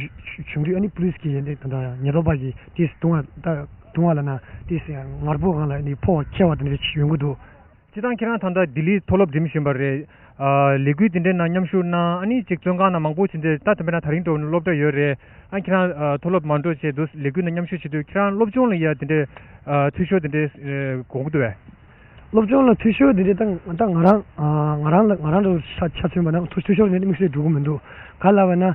བྱུང་དུས་ཨ་ནི་པུ་ལིས་ཀྱི་དེ་ད་ཉེན་རྟོག་པ་གིས་དེ་རྡུང་བ་ད་རྡུང་བ་ལབ་ན་དེ་ངར་པོ་སྒང་ལ་ཨ་ནི་ཕོ་བ་འཁེལ་བ་དེ་འདྲས་ཡོང་གི་འདུག་སྤྱིར་བཏང་ཁྱེད་རང་ད་ལྟ་ལྡི་ལིའི་མཐོ་སློབ་འགྲིམ་བཞིན་པ་རེད། ཨ། ལས་འགུལ་འདི་འདྲའི་ནང་མཉམ་ཞུགས་གནང་། ཨ་ནི་ཅིག་བཙོན་ཁང་ནང་མང་པོ་ཕྱིན་ཏེ་ད་དེ་འདྲ་ན་ད་རིང་འགྲོ་བ་ནི་སློབ་གྲྭ་ཡོད་རེད། ཨ་ཁྱེད་རང་ཨ་མཐོ་སློབ་མ་འགྲོ་བྱས་འདུག་ལས་འགུལ་ནང་མཉམ་ཞུགས་བྱེད་དུས་ཁྱེད་རང་སློབ་སྦྱོང་ལ་ཡ་དེ་འདྲའི་ཨ་འཐུས་ཤོར་དེ་འདྲའི་ཨ་དགོངས་ཀྱི་འདུག་བས། སློབ་སྦྱོང་ལ་འཐུས་ཤོར་དེ་འདྲའི་ད་ད་ང་རང་ཨ་ང་རང་ལ་ང་རང་ལ་ཆ་ཆ་མཚོན་པ་ན་འཐུས་འཐུས་ཤོར་དེ་འདྲའི་དམིགས་བསལ་འགྲོ་གི་མི་འདུག་ག་ལབ་པ་ན།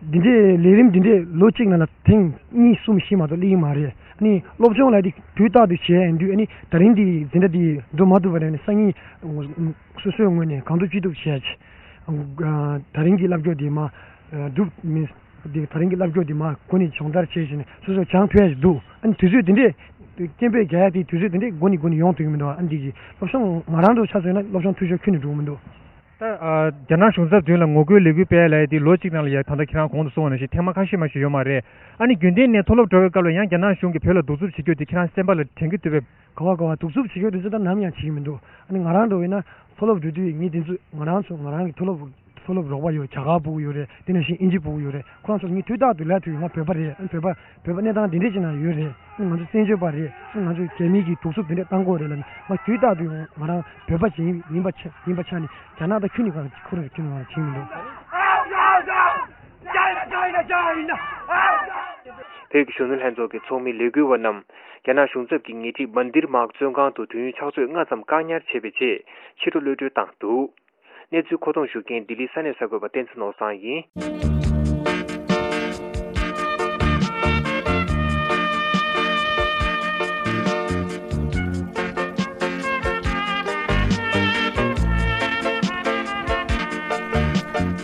འདི་འདྲའི་ལས་རིམ་འདི་འདྲའི་ལོ་གཅིག་ནང་ལ་ཐེངས་གཉིས་གསུམ་བཞི་མ་གཏོགས་སླེབས་ཀྱི་མ་རེད། ཨ་ནི་སློབ་སྦྱོང་ལ་འདི་དུས་རྟག་ཏུ་བྱས་ཡིན་དུས་ཨ་ནི་ད་རིང་འདི་འཛིན་གྲྭ་འདི་འགྲོ་མ་ཐུབ་པ་རེད། ཨ་ནི་སང་ཉིན་སོ་སོའི་ངོས་ནས་གང་ཐུབ་ཅི་ཐུབ་བྱས། ད་རིང་གི་བསླབ་སྐྱོར་འདི་མ་སྒྲུབ་མིན། འདི་ད་རིང་གི་བསླབ་སྐྱོར་འདི་མ་འགོ་ནས་སྦྱོང་བརྡར་བྱས་བྱས་ནས་སོ་སོ་སྦྱང་ཐུབ་ཡ་ཞིག་འདུག་ཨ་ནི་དུས་ཚོད་འདི་འདྲས་སྐད་འབོད་རྒྱག་ཡ་དེ་དུས་ཚོད་འདི་འདྲས་འགོ་ནས་འགོ་ནས་ཡོང་ཐུབ་ཀྱི་མི་འདུག་ཨ་ནི་འདི་གི་སློབ་སྦྱོང་ང་རང་ཚོ་ཆ་མཚོན་ན་སློབ་སྦྱོང་འཐུས་ཤོར་ཁྱོན་ནས་འགྲོ་གི་མི་འདུག་ད་ཨ་རྒྱ་ནག་གཞུང་ཚབ་མདུན་ལ་ངོ་རྒོལ་ལས་འགུལ་སྤེལ་ཡ་ལབ་ཡ་དེ་ལོ་གཅིག་ནང་ལ་ཡ་ད་ལྟ་ཁྱེད་རང་གོང་དུ་སོང་བ་ནང་བཞིན་ཐེངས་མ་ཁ་ཤས་མ་ཞིག་ཡོད་མ་རེད། ཨ་ནི་རྒྱུན་ལྡན་ནས་མཐོ་སློབ་འགྲོ་བའི་སྐབས་ལ་ཡང་རྒྱ་ནག་གཞུང་གིས་བོད་ལ་གདུག་རྩུབ་བྱེད་རྒྱུ་དེ་ཁྱེད་རང་སེམས་པ་ལ་དྲན་གྱི་འདུག་པས། ག་བ་ག་བ་གདུག་རྩུབ་བྱེད་རྒྱུ་དེ་ཚོ་ད་ནམ་ཡང་བྱེད་ཀྱི་མི་འདུག་ཨ་ནི་ང་རང་འགྲོ་བས་ན་མཐོ་སློབ་འགྲོ་དུས་ངས་དེ་ཚོ་ང་རང་ཚོ་ང་རང་གི་མཐོ་སློབ་མཐོ་སློབ་རོགས་པ་ཡོད། རྒྱ་གར་ཕྲུ་གུ་ཡོད་རེད། དེ་ནང་བཞིན་དབྱིན་ཇི་ཕྲུ་གུ་ཡོད་རེད། ཁོ་རང་ཚོ་ངས་དུས་རྟག་ཏུ་ལབ་ཐུབ་ཡོད། ང་བོད་པ་རེད། ཨ་ནི་བོད་པ་བོད་པ་གནས་སྟངས་འདི་འདྲས་ཅིག་ནང་ཡོད་རེད། ཨ་ནི་ང་ཚོ་བཙན་བྱོལ་པ་རེད། ཨ་ནི་ང་ཚོ་རྒྱ་མི་གིས་གདུག་རྩུབ་འདི་འདྲས་བཏང་གི་ཡོད་རེད་ལབ་ནས་ང་དུས་རྟག་ཏུ་ང་རང་བོད་པ་ཅིག་ཡིན་པ་ཆ་ཡིན་པ་ཆ་ནས་རྒྱ་ནག་དང་ཁྱོན་ནས་ཁོ་རང་ཁྱོན་ནས་ང་བྱེད་མི་འདུག་བོད་ཀྱི་གཞོན་ནུ་ལྷན་ཚོགས་ཀྱི་ཚོགས་མི་ལས་འགུལ་བ་རྣམས་རྒྱ་ནག་གཞུང་ཚབ་ཀྱི་ཉེ་འཁྲིས་མན་དིར་མཱག་བཙོན་ཁང་དུ་དུས་ཡུན་ཕྱག་ཚོད་ལྔ་ཙམ་བཀག་ཉར་བྱས་པའི་རྗེས་ཕྱི་དྲོ་གློད་གྲོལ་བཏང་འདུག། གནས་ཚུལ་མཁོ་གཏོང་ཞུ་མཁན་ལྡི་ལི་ས་གནས་གསར་འགོད་པ་བསྟན་འཛིན་ནོར་བཟང་ཡིན།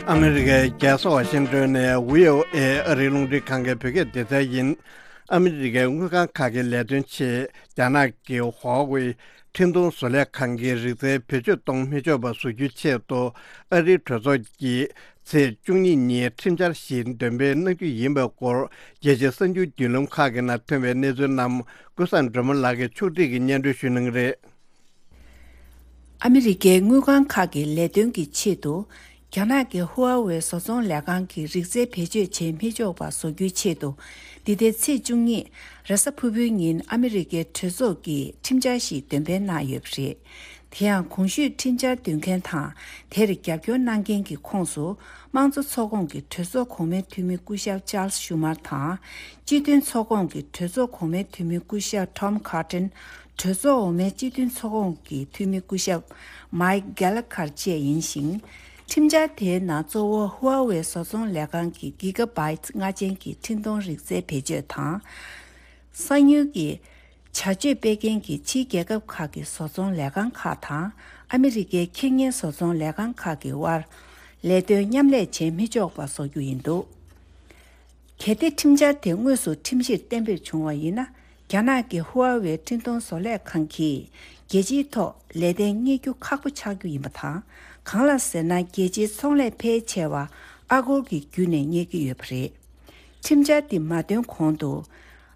ཨ་མི་རི་ཀའི་རྒྱལ་ས་ཝ་ཤིང་ཏོན་ནས་བྷི་ཨོ་ཨེ་ཨ་རིའི་རླུང་འཕྲིན་ཁང་གི་བོད་སྐད་སྡེ་ཚན་ཡིན། ཨ་མི་རི་ཀའི་དངུལ་ཁང་ཁག་གི་ལས་དོན་ཆེད་རྒྱ་ནག་གི་ཧྭ་ཝེ་འཕྲིན་གཏོང་བཟོ་ལས་ཁང་གི་རིག་རྩལ་བེད་སྤྱོད་གཏོང་མི་ཆོག་པ་བཟོ་རྒྱུའི་ཆེད་དུ་ཨ་རིའི་གྲོས་ཚོགས་ཀྱིས་ཚེས་བཅུ་གཉིས་ཉིན་ཁྲིམས་འཆར་ཞིག་འདོན་སྤེལ་གནང་རྒྱུ་ཡིན་པའི་སྐོར་རྒྱལ་སྤྱིའི་གསར་འགྱུར་བརྒྱུད་ལམ་ཁག་གི་ནང་ཐོན་པའི་གནས་ཚུལ་རྣམས་ཀུན་བཟང་སྒྲོལ་མ་ལགས་ཀྱིས་ཕྱོགས་སྒྲིག་གིས་སྙན་སྒྲོན་ཞུ་གནང་གི་རེད། ཨ་མི་རི་ཀའི་དངུལ་ཁང་ཁག་གི་ལས་དོན་གྱི་ཆེད་དུ། རྒྱ་ནག་གི་ཧུའེ་ཝེ་བཟོ་ཚོང་ལས་ཁང་གི་རིག་རྩལ་བེད་སྤྱོད་བྱེད་མི་ཆོག་པ་བཟོ་རྒྱུའི་ཆེད་དུ། འདི་ཟླའི་ཚེས་བཅུ་གཉིས། རེས་གཟའ་ཕུར་བུའི་ཉིན་ཨ་མི་རི་ཀའི་གྲོས་ཚོགས་ཀྱིས་ཁྲིམས་འཆར་ཞིག་འདོན་སྤེལ་གནང་ཡོད་པ་རེད། དེ་ཡང་གོང་ཞུས་ཁྲིམས་འཆར་འདོན་མཁན་དང་། དེར་རྒྱབ་སྐྱོར་གནང་མཁན་གྱི་ཁོངས་སུ། དམངས་གཙོ་ཚོགས་ཁོངས་ཀྱི་གྲོས་ཚོགས་གོང་མའི་འཐུས་མི་སྐུ་ཞབས་ཅཱལ་སི་ཤུ་མར་དང་། སྤྱི་མཐུན་ཚོགས་ཁོངས་ཀྱི་གྲོས་ཚོགས་གོང་མའི་འཐུས་མི་སྐུ་ཞབས་ཊོམ་ཁར་ཏན། གྲོས་ཚོགས་འོག་མའི་སྤྱི་མཐུན་ཚོགས་ཁོངས་ཀྱི་འཐུས་མི་སྐུ་ཞབས་མའིག་གྷེ་ལ་ཁར་བཅས་ཡིན་ཞིང་། ཁྲིམས་འཆར་དེའི་ནང་གཙོ་བོ་ཧུའེ་ཝེ་བཟོ་ཚོང་ལས་ཁང་གི་གི་ག་བྷའེ་ཊི་ལྔ་ཅན་གྱི་འཕྲིན་གཏོང་རིག་རྩལ་བེད་སྤྱོད་དང་། གསང་ཉུལ་གྱི་བྱ་སྤྱོད་སྤེལ་མཁན་གྱི་ཕྱིའི་རྒྱལ་ཁབ་ཁག་གི་བཟོ་ཚོང་ལས་ཁང་ཁག་དང་། ཨ་མི་རི་ཀའི་ཁེ་གཉེར་བཟོ་ཚོང་ལས་ཁང་ཁག་གི་དབར་ལས་དོན་མཉམ་ལས་བྱེད་མི་ཆོག་པ་བཟོ་རྒྱུ་ཡིན་འདུག། གལ་ཏེ་ཁྲིམས་འཆར་དེ་དངོས་སུ་ཁྲིམས་གཞིར་གཏན་འབེབས་བྱུང་བ་ཡིན་ན། རྒྱ་ནག་གི་ཧུའེ་ཝེ་འཕྲིན་གཏོང་བཟོ་ལས་ཁང་གིས་རྒྱལ་སྤྱིའི་ཐོག་ལས་དོན་གཉེར་རྒྱུ་ཁག་པོ་ཆགས་རྒྱུ་ཡིན་པ་དང་། གང་ལ་ཟེར་ན། རྒྱལ་སྤྱིའི་ཚོང་ལས་ཕལ་ཆེ་བ་ཨ་སྒོར་གྱི་བརྒྱུད་ནས་གཉེར་གྱི་ཡོད་པ་རེད། ཁྲིམས་འཆར་འདི་མ་འདོན་གོང་དུ།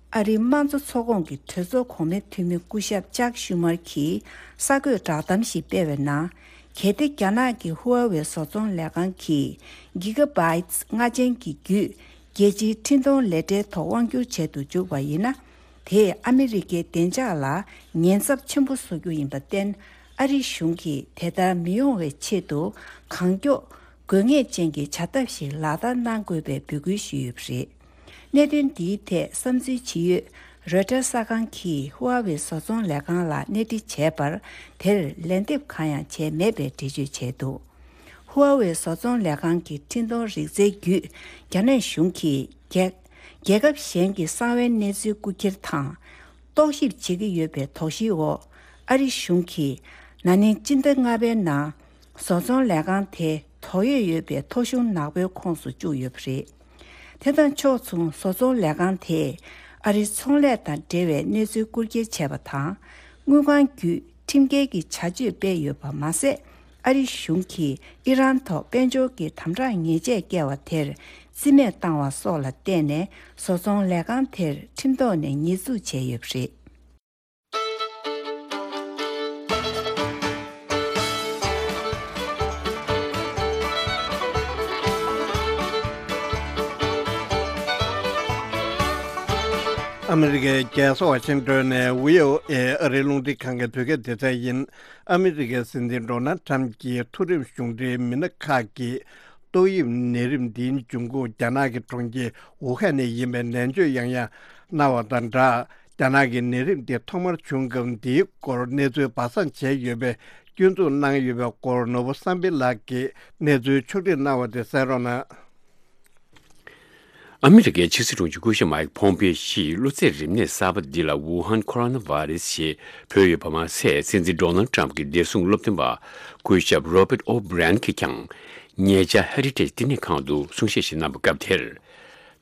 ཨ་རིའི་དམངས་གཙོ་ཚོགས་ཁོངས་ཀྱི་གྲོས་ཚོགས་གོང་མའི་འཐུས་མི་སྐུ་ཞབས་ཅཱག་ཤུ་མར་གྱིས་གསར་འགོད་བསྒྲགས་གཏམ་ཞིག་སྤེལ་བའི་ནང་། གལ་ཏེ་རྒྱ་ནག་གི་ཧུའེ་ཝེ་བཟོ་ཚོང་ལས་ཁང་གིས་གི་ག་བྷའེ་ཊི་ལྔ་ཅན་གྱི་བརྒྱུད་རྒྱལ་སྤྱིའི་འཕྲིན་གཏོང་ལས་གྲྭའི་ཐོག་དབང་སྒྱུར་བྱེད་དུ་འཇུག་པ་ཡིན་ན། དེས་ཨ་མི་རི་ཀའི་བདེ་འཇགས་ལ་ཉེན་ཚབས་ཆེན་པོ་བཟོ་རྒྱུ་ཡིན་པར་བརྟེན། ཨ་རི་གཞུང་གིས་དེ་ལྟར་མི་ཡོང་བའི་ཆེད་དུ་གང་མགྱོགས་དགོས་ངེས་ཅན་གྱི་བྱ་ཐབས་ཤིག་ལག་བསྟར་གནང་དགོས་པའི་འབོད་སྐུལ་ཞུས་ཡོད་པ་རེད། གནད་དོན་འདིའི་ཐད་བསམ་ཚུལ་ཇི་ཡོད། རོའི་ཊར་གསར་ཁང་གིས་ཧུའེ་ཝེ་བཟོ་ཚོང་ལས་ཁང་ལ་གནས་འདྲི་བྱས་པར། དེར་ལན་འདེབས་གང་ཡང་བྱས་མེད་པའི་འགྲེལ་བརྗོད་བྱས་འདུག། ཧུའེ་ཝེ་བཟོ་ཚོང་ལས་ཁང་གི་འཕྲིན་གཏོང་རིག་རྩལ་བརྒྱུད། རྒྱ་ནག་གཞུང་གིས་རྒྱལ་རྒྱལ་ཁབ་གཞན་གྱི་གསང་བའི་གནས་ཚུལ་རྐུ་འཁྱེར་དང་། རྟོག་ཞིབ་བྱེད་ཀྱི་ཡོད་པའི་དོགས་གཞིའི་འོག། ཨ་རི་གཞུང་གིས་ན་ནིང་སྤྱི་ཟླ་ལྔ་པའི་ནང་། བཟོ་ཚོང་ལས་ཁང་དེ་དོགས་ཡོད་ཡོད་པའི་ཐོ་གཞུང་ནག་པོའི་ཁོངས་སུ་བཅུག་ཡོད་པ་རེད། དེ་དང་ཕྱོགས་མཚུངས། བཟོ་ཚོང་ལས་ཁང་དེས་ཨ་རིའི་ཚོང་ལས་དང་འབྲེལ་བའི་གནས་ཚུལ་རྐུ་འཁྱེར་བྱས་པ་དང་། དངུལ་ཁང་བརྒྱུད་ཁྲིམས་འགལ་གྱི་བྱ་སྤྱོད་སྤེལ་ཡོད་པ་མ་ཟད། ཨ་རི་གཞུང་གིས་ཨི་རན་ཐོག་དཔལ་འབྱོར་གྱི་དམ་དྲག་ཉེས་ཆད་བཀལ་བ་དེར་རྩིས་མེད་བཏང་བ་སོགས་ལ་བརྟེན་ནས། བཟོ་ཚོང་ལས་ཁང་དེར་ཁྲིམས་ཐོག་ནས་ཉེས་འཛུགས་བྱས་ཡོད་པ་རེད། ཨ་མི་རི་ཀའི་རྒྱལ་ས་ཝ་ཤིང་ཏོན་ནས་བྷི་ཨོ་ཨེ་ཨ་རིའི་རླུང་འཕྲིན་ཁང་གི་བོད་སྐད་སྡེ་ཚན་ཡིན། ཨ་མི་རི་ཀའི་སྲིད་འཛིན་ཌོ་ནལ་ཊམ་གྱི་མཐོ་རིམ་གཞུང་འབྲེལ་མི་སྣ་ཁག་གིས། ཏོག་དབྱིབས་ནད་རིམས་འདིའི་འབྱུང་ཁུངས་རྒྱ་ནག་གི་གྲོང་ཁྱེར་ཝུ་ཧན་ནས་ཡིན་པའི་ནན་བརྗོད་ཡང་ཡང་གནང་བ་དང་སྦྲགས། རྒྱ་ནག་གི་ནད་རིམས་འདི་ཐོག་མར་བྱུང་སྐབས་འདིའི་སྐོར་གནས་ཚུལ་སྦ་གསང་བྱས་ཡོད་པའི་སྐྱོན་འཛུགས་གནང་ཡོད་པའི་སྐོར། ནོར་བུ་བསམ་འཕེལ་ལགས་ཀྱིས་གནས་ཚུལ་ཕྱོགས་སྒྲིག་གནང་བ་དེ་གསན་རོགས་གནང་། ཨ་མི་རི་ཀའི་ཕྱི་སྲིད་དྲུང་ཆེ་སྐུ་ཞབས་མའིག་ཕོམ་པེ་ཡོ་ཡིས་གློ་ཚད་རིམས་ནད་གསར་པ་འདི་ལ་ཝུ་ཧན་ཁོ་རོ་ན་བྷ་རེ་སི་ཞེས་འབོད་ཡོད་པ་མ་ཟད། སྲིད་འཛིན་ཌོ་ནལ་ཊམ་གྱི་བདེ་སྲུང་སློབ་སྟོན་པ་སྐུ་ཞབས་རོ་བརྟ་ཨོ་བྷི་རན་གྱིས་ཀྱང་ཉེ་ཆར་ཧེ་རི་ཊེཇ་བསྟི་གནས་ཁང་དུ་གསུང་བཤད་ཞིག་གནང་བའི་སྐབས་དེར།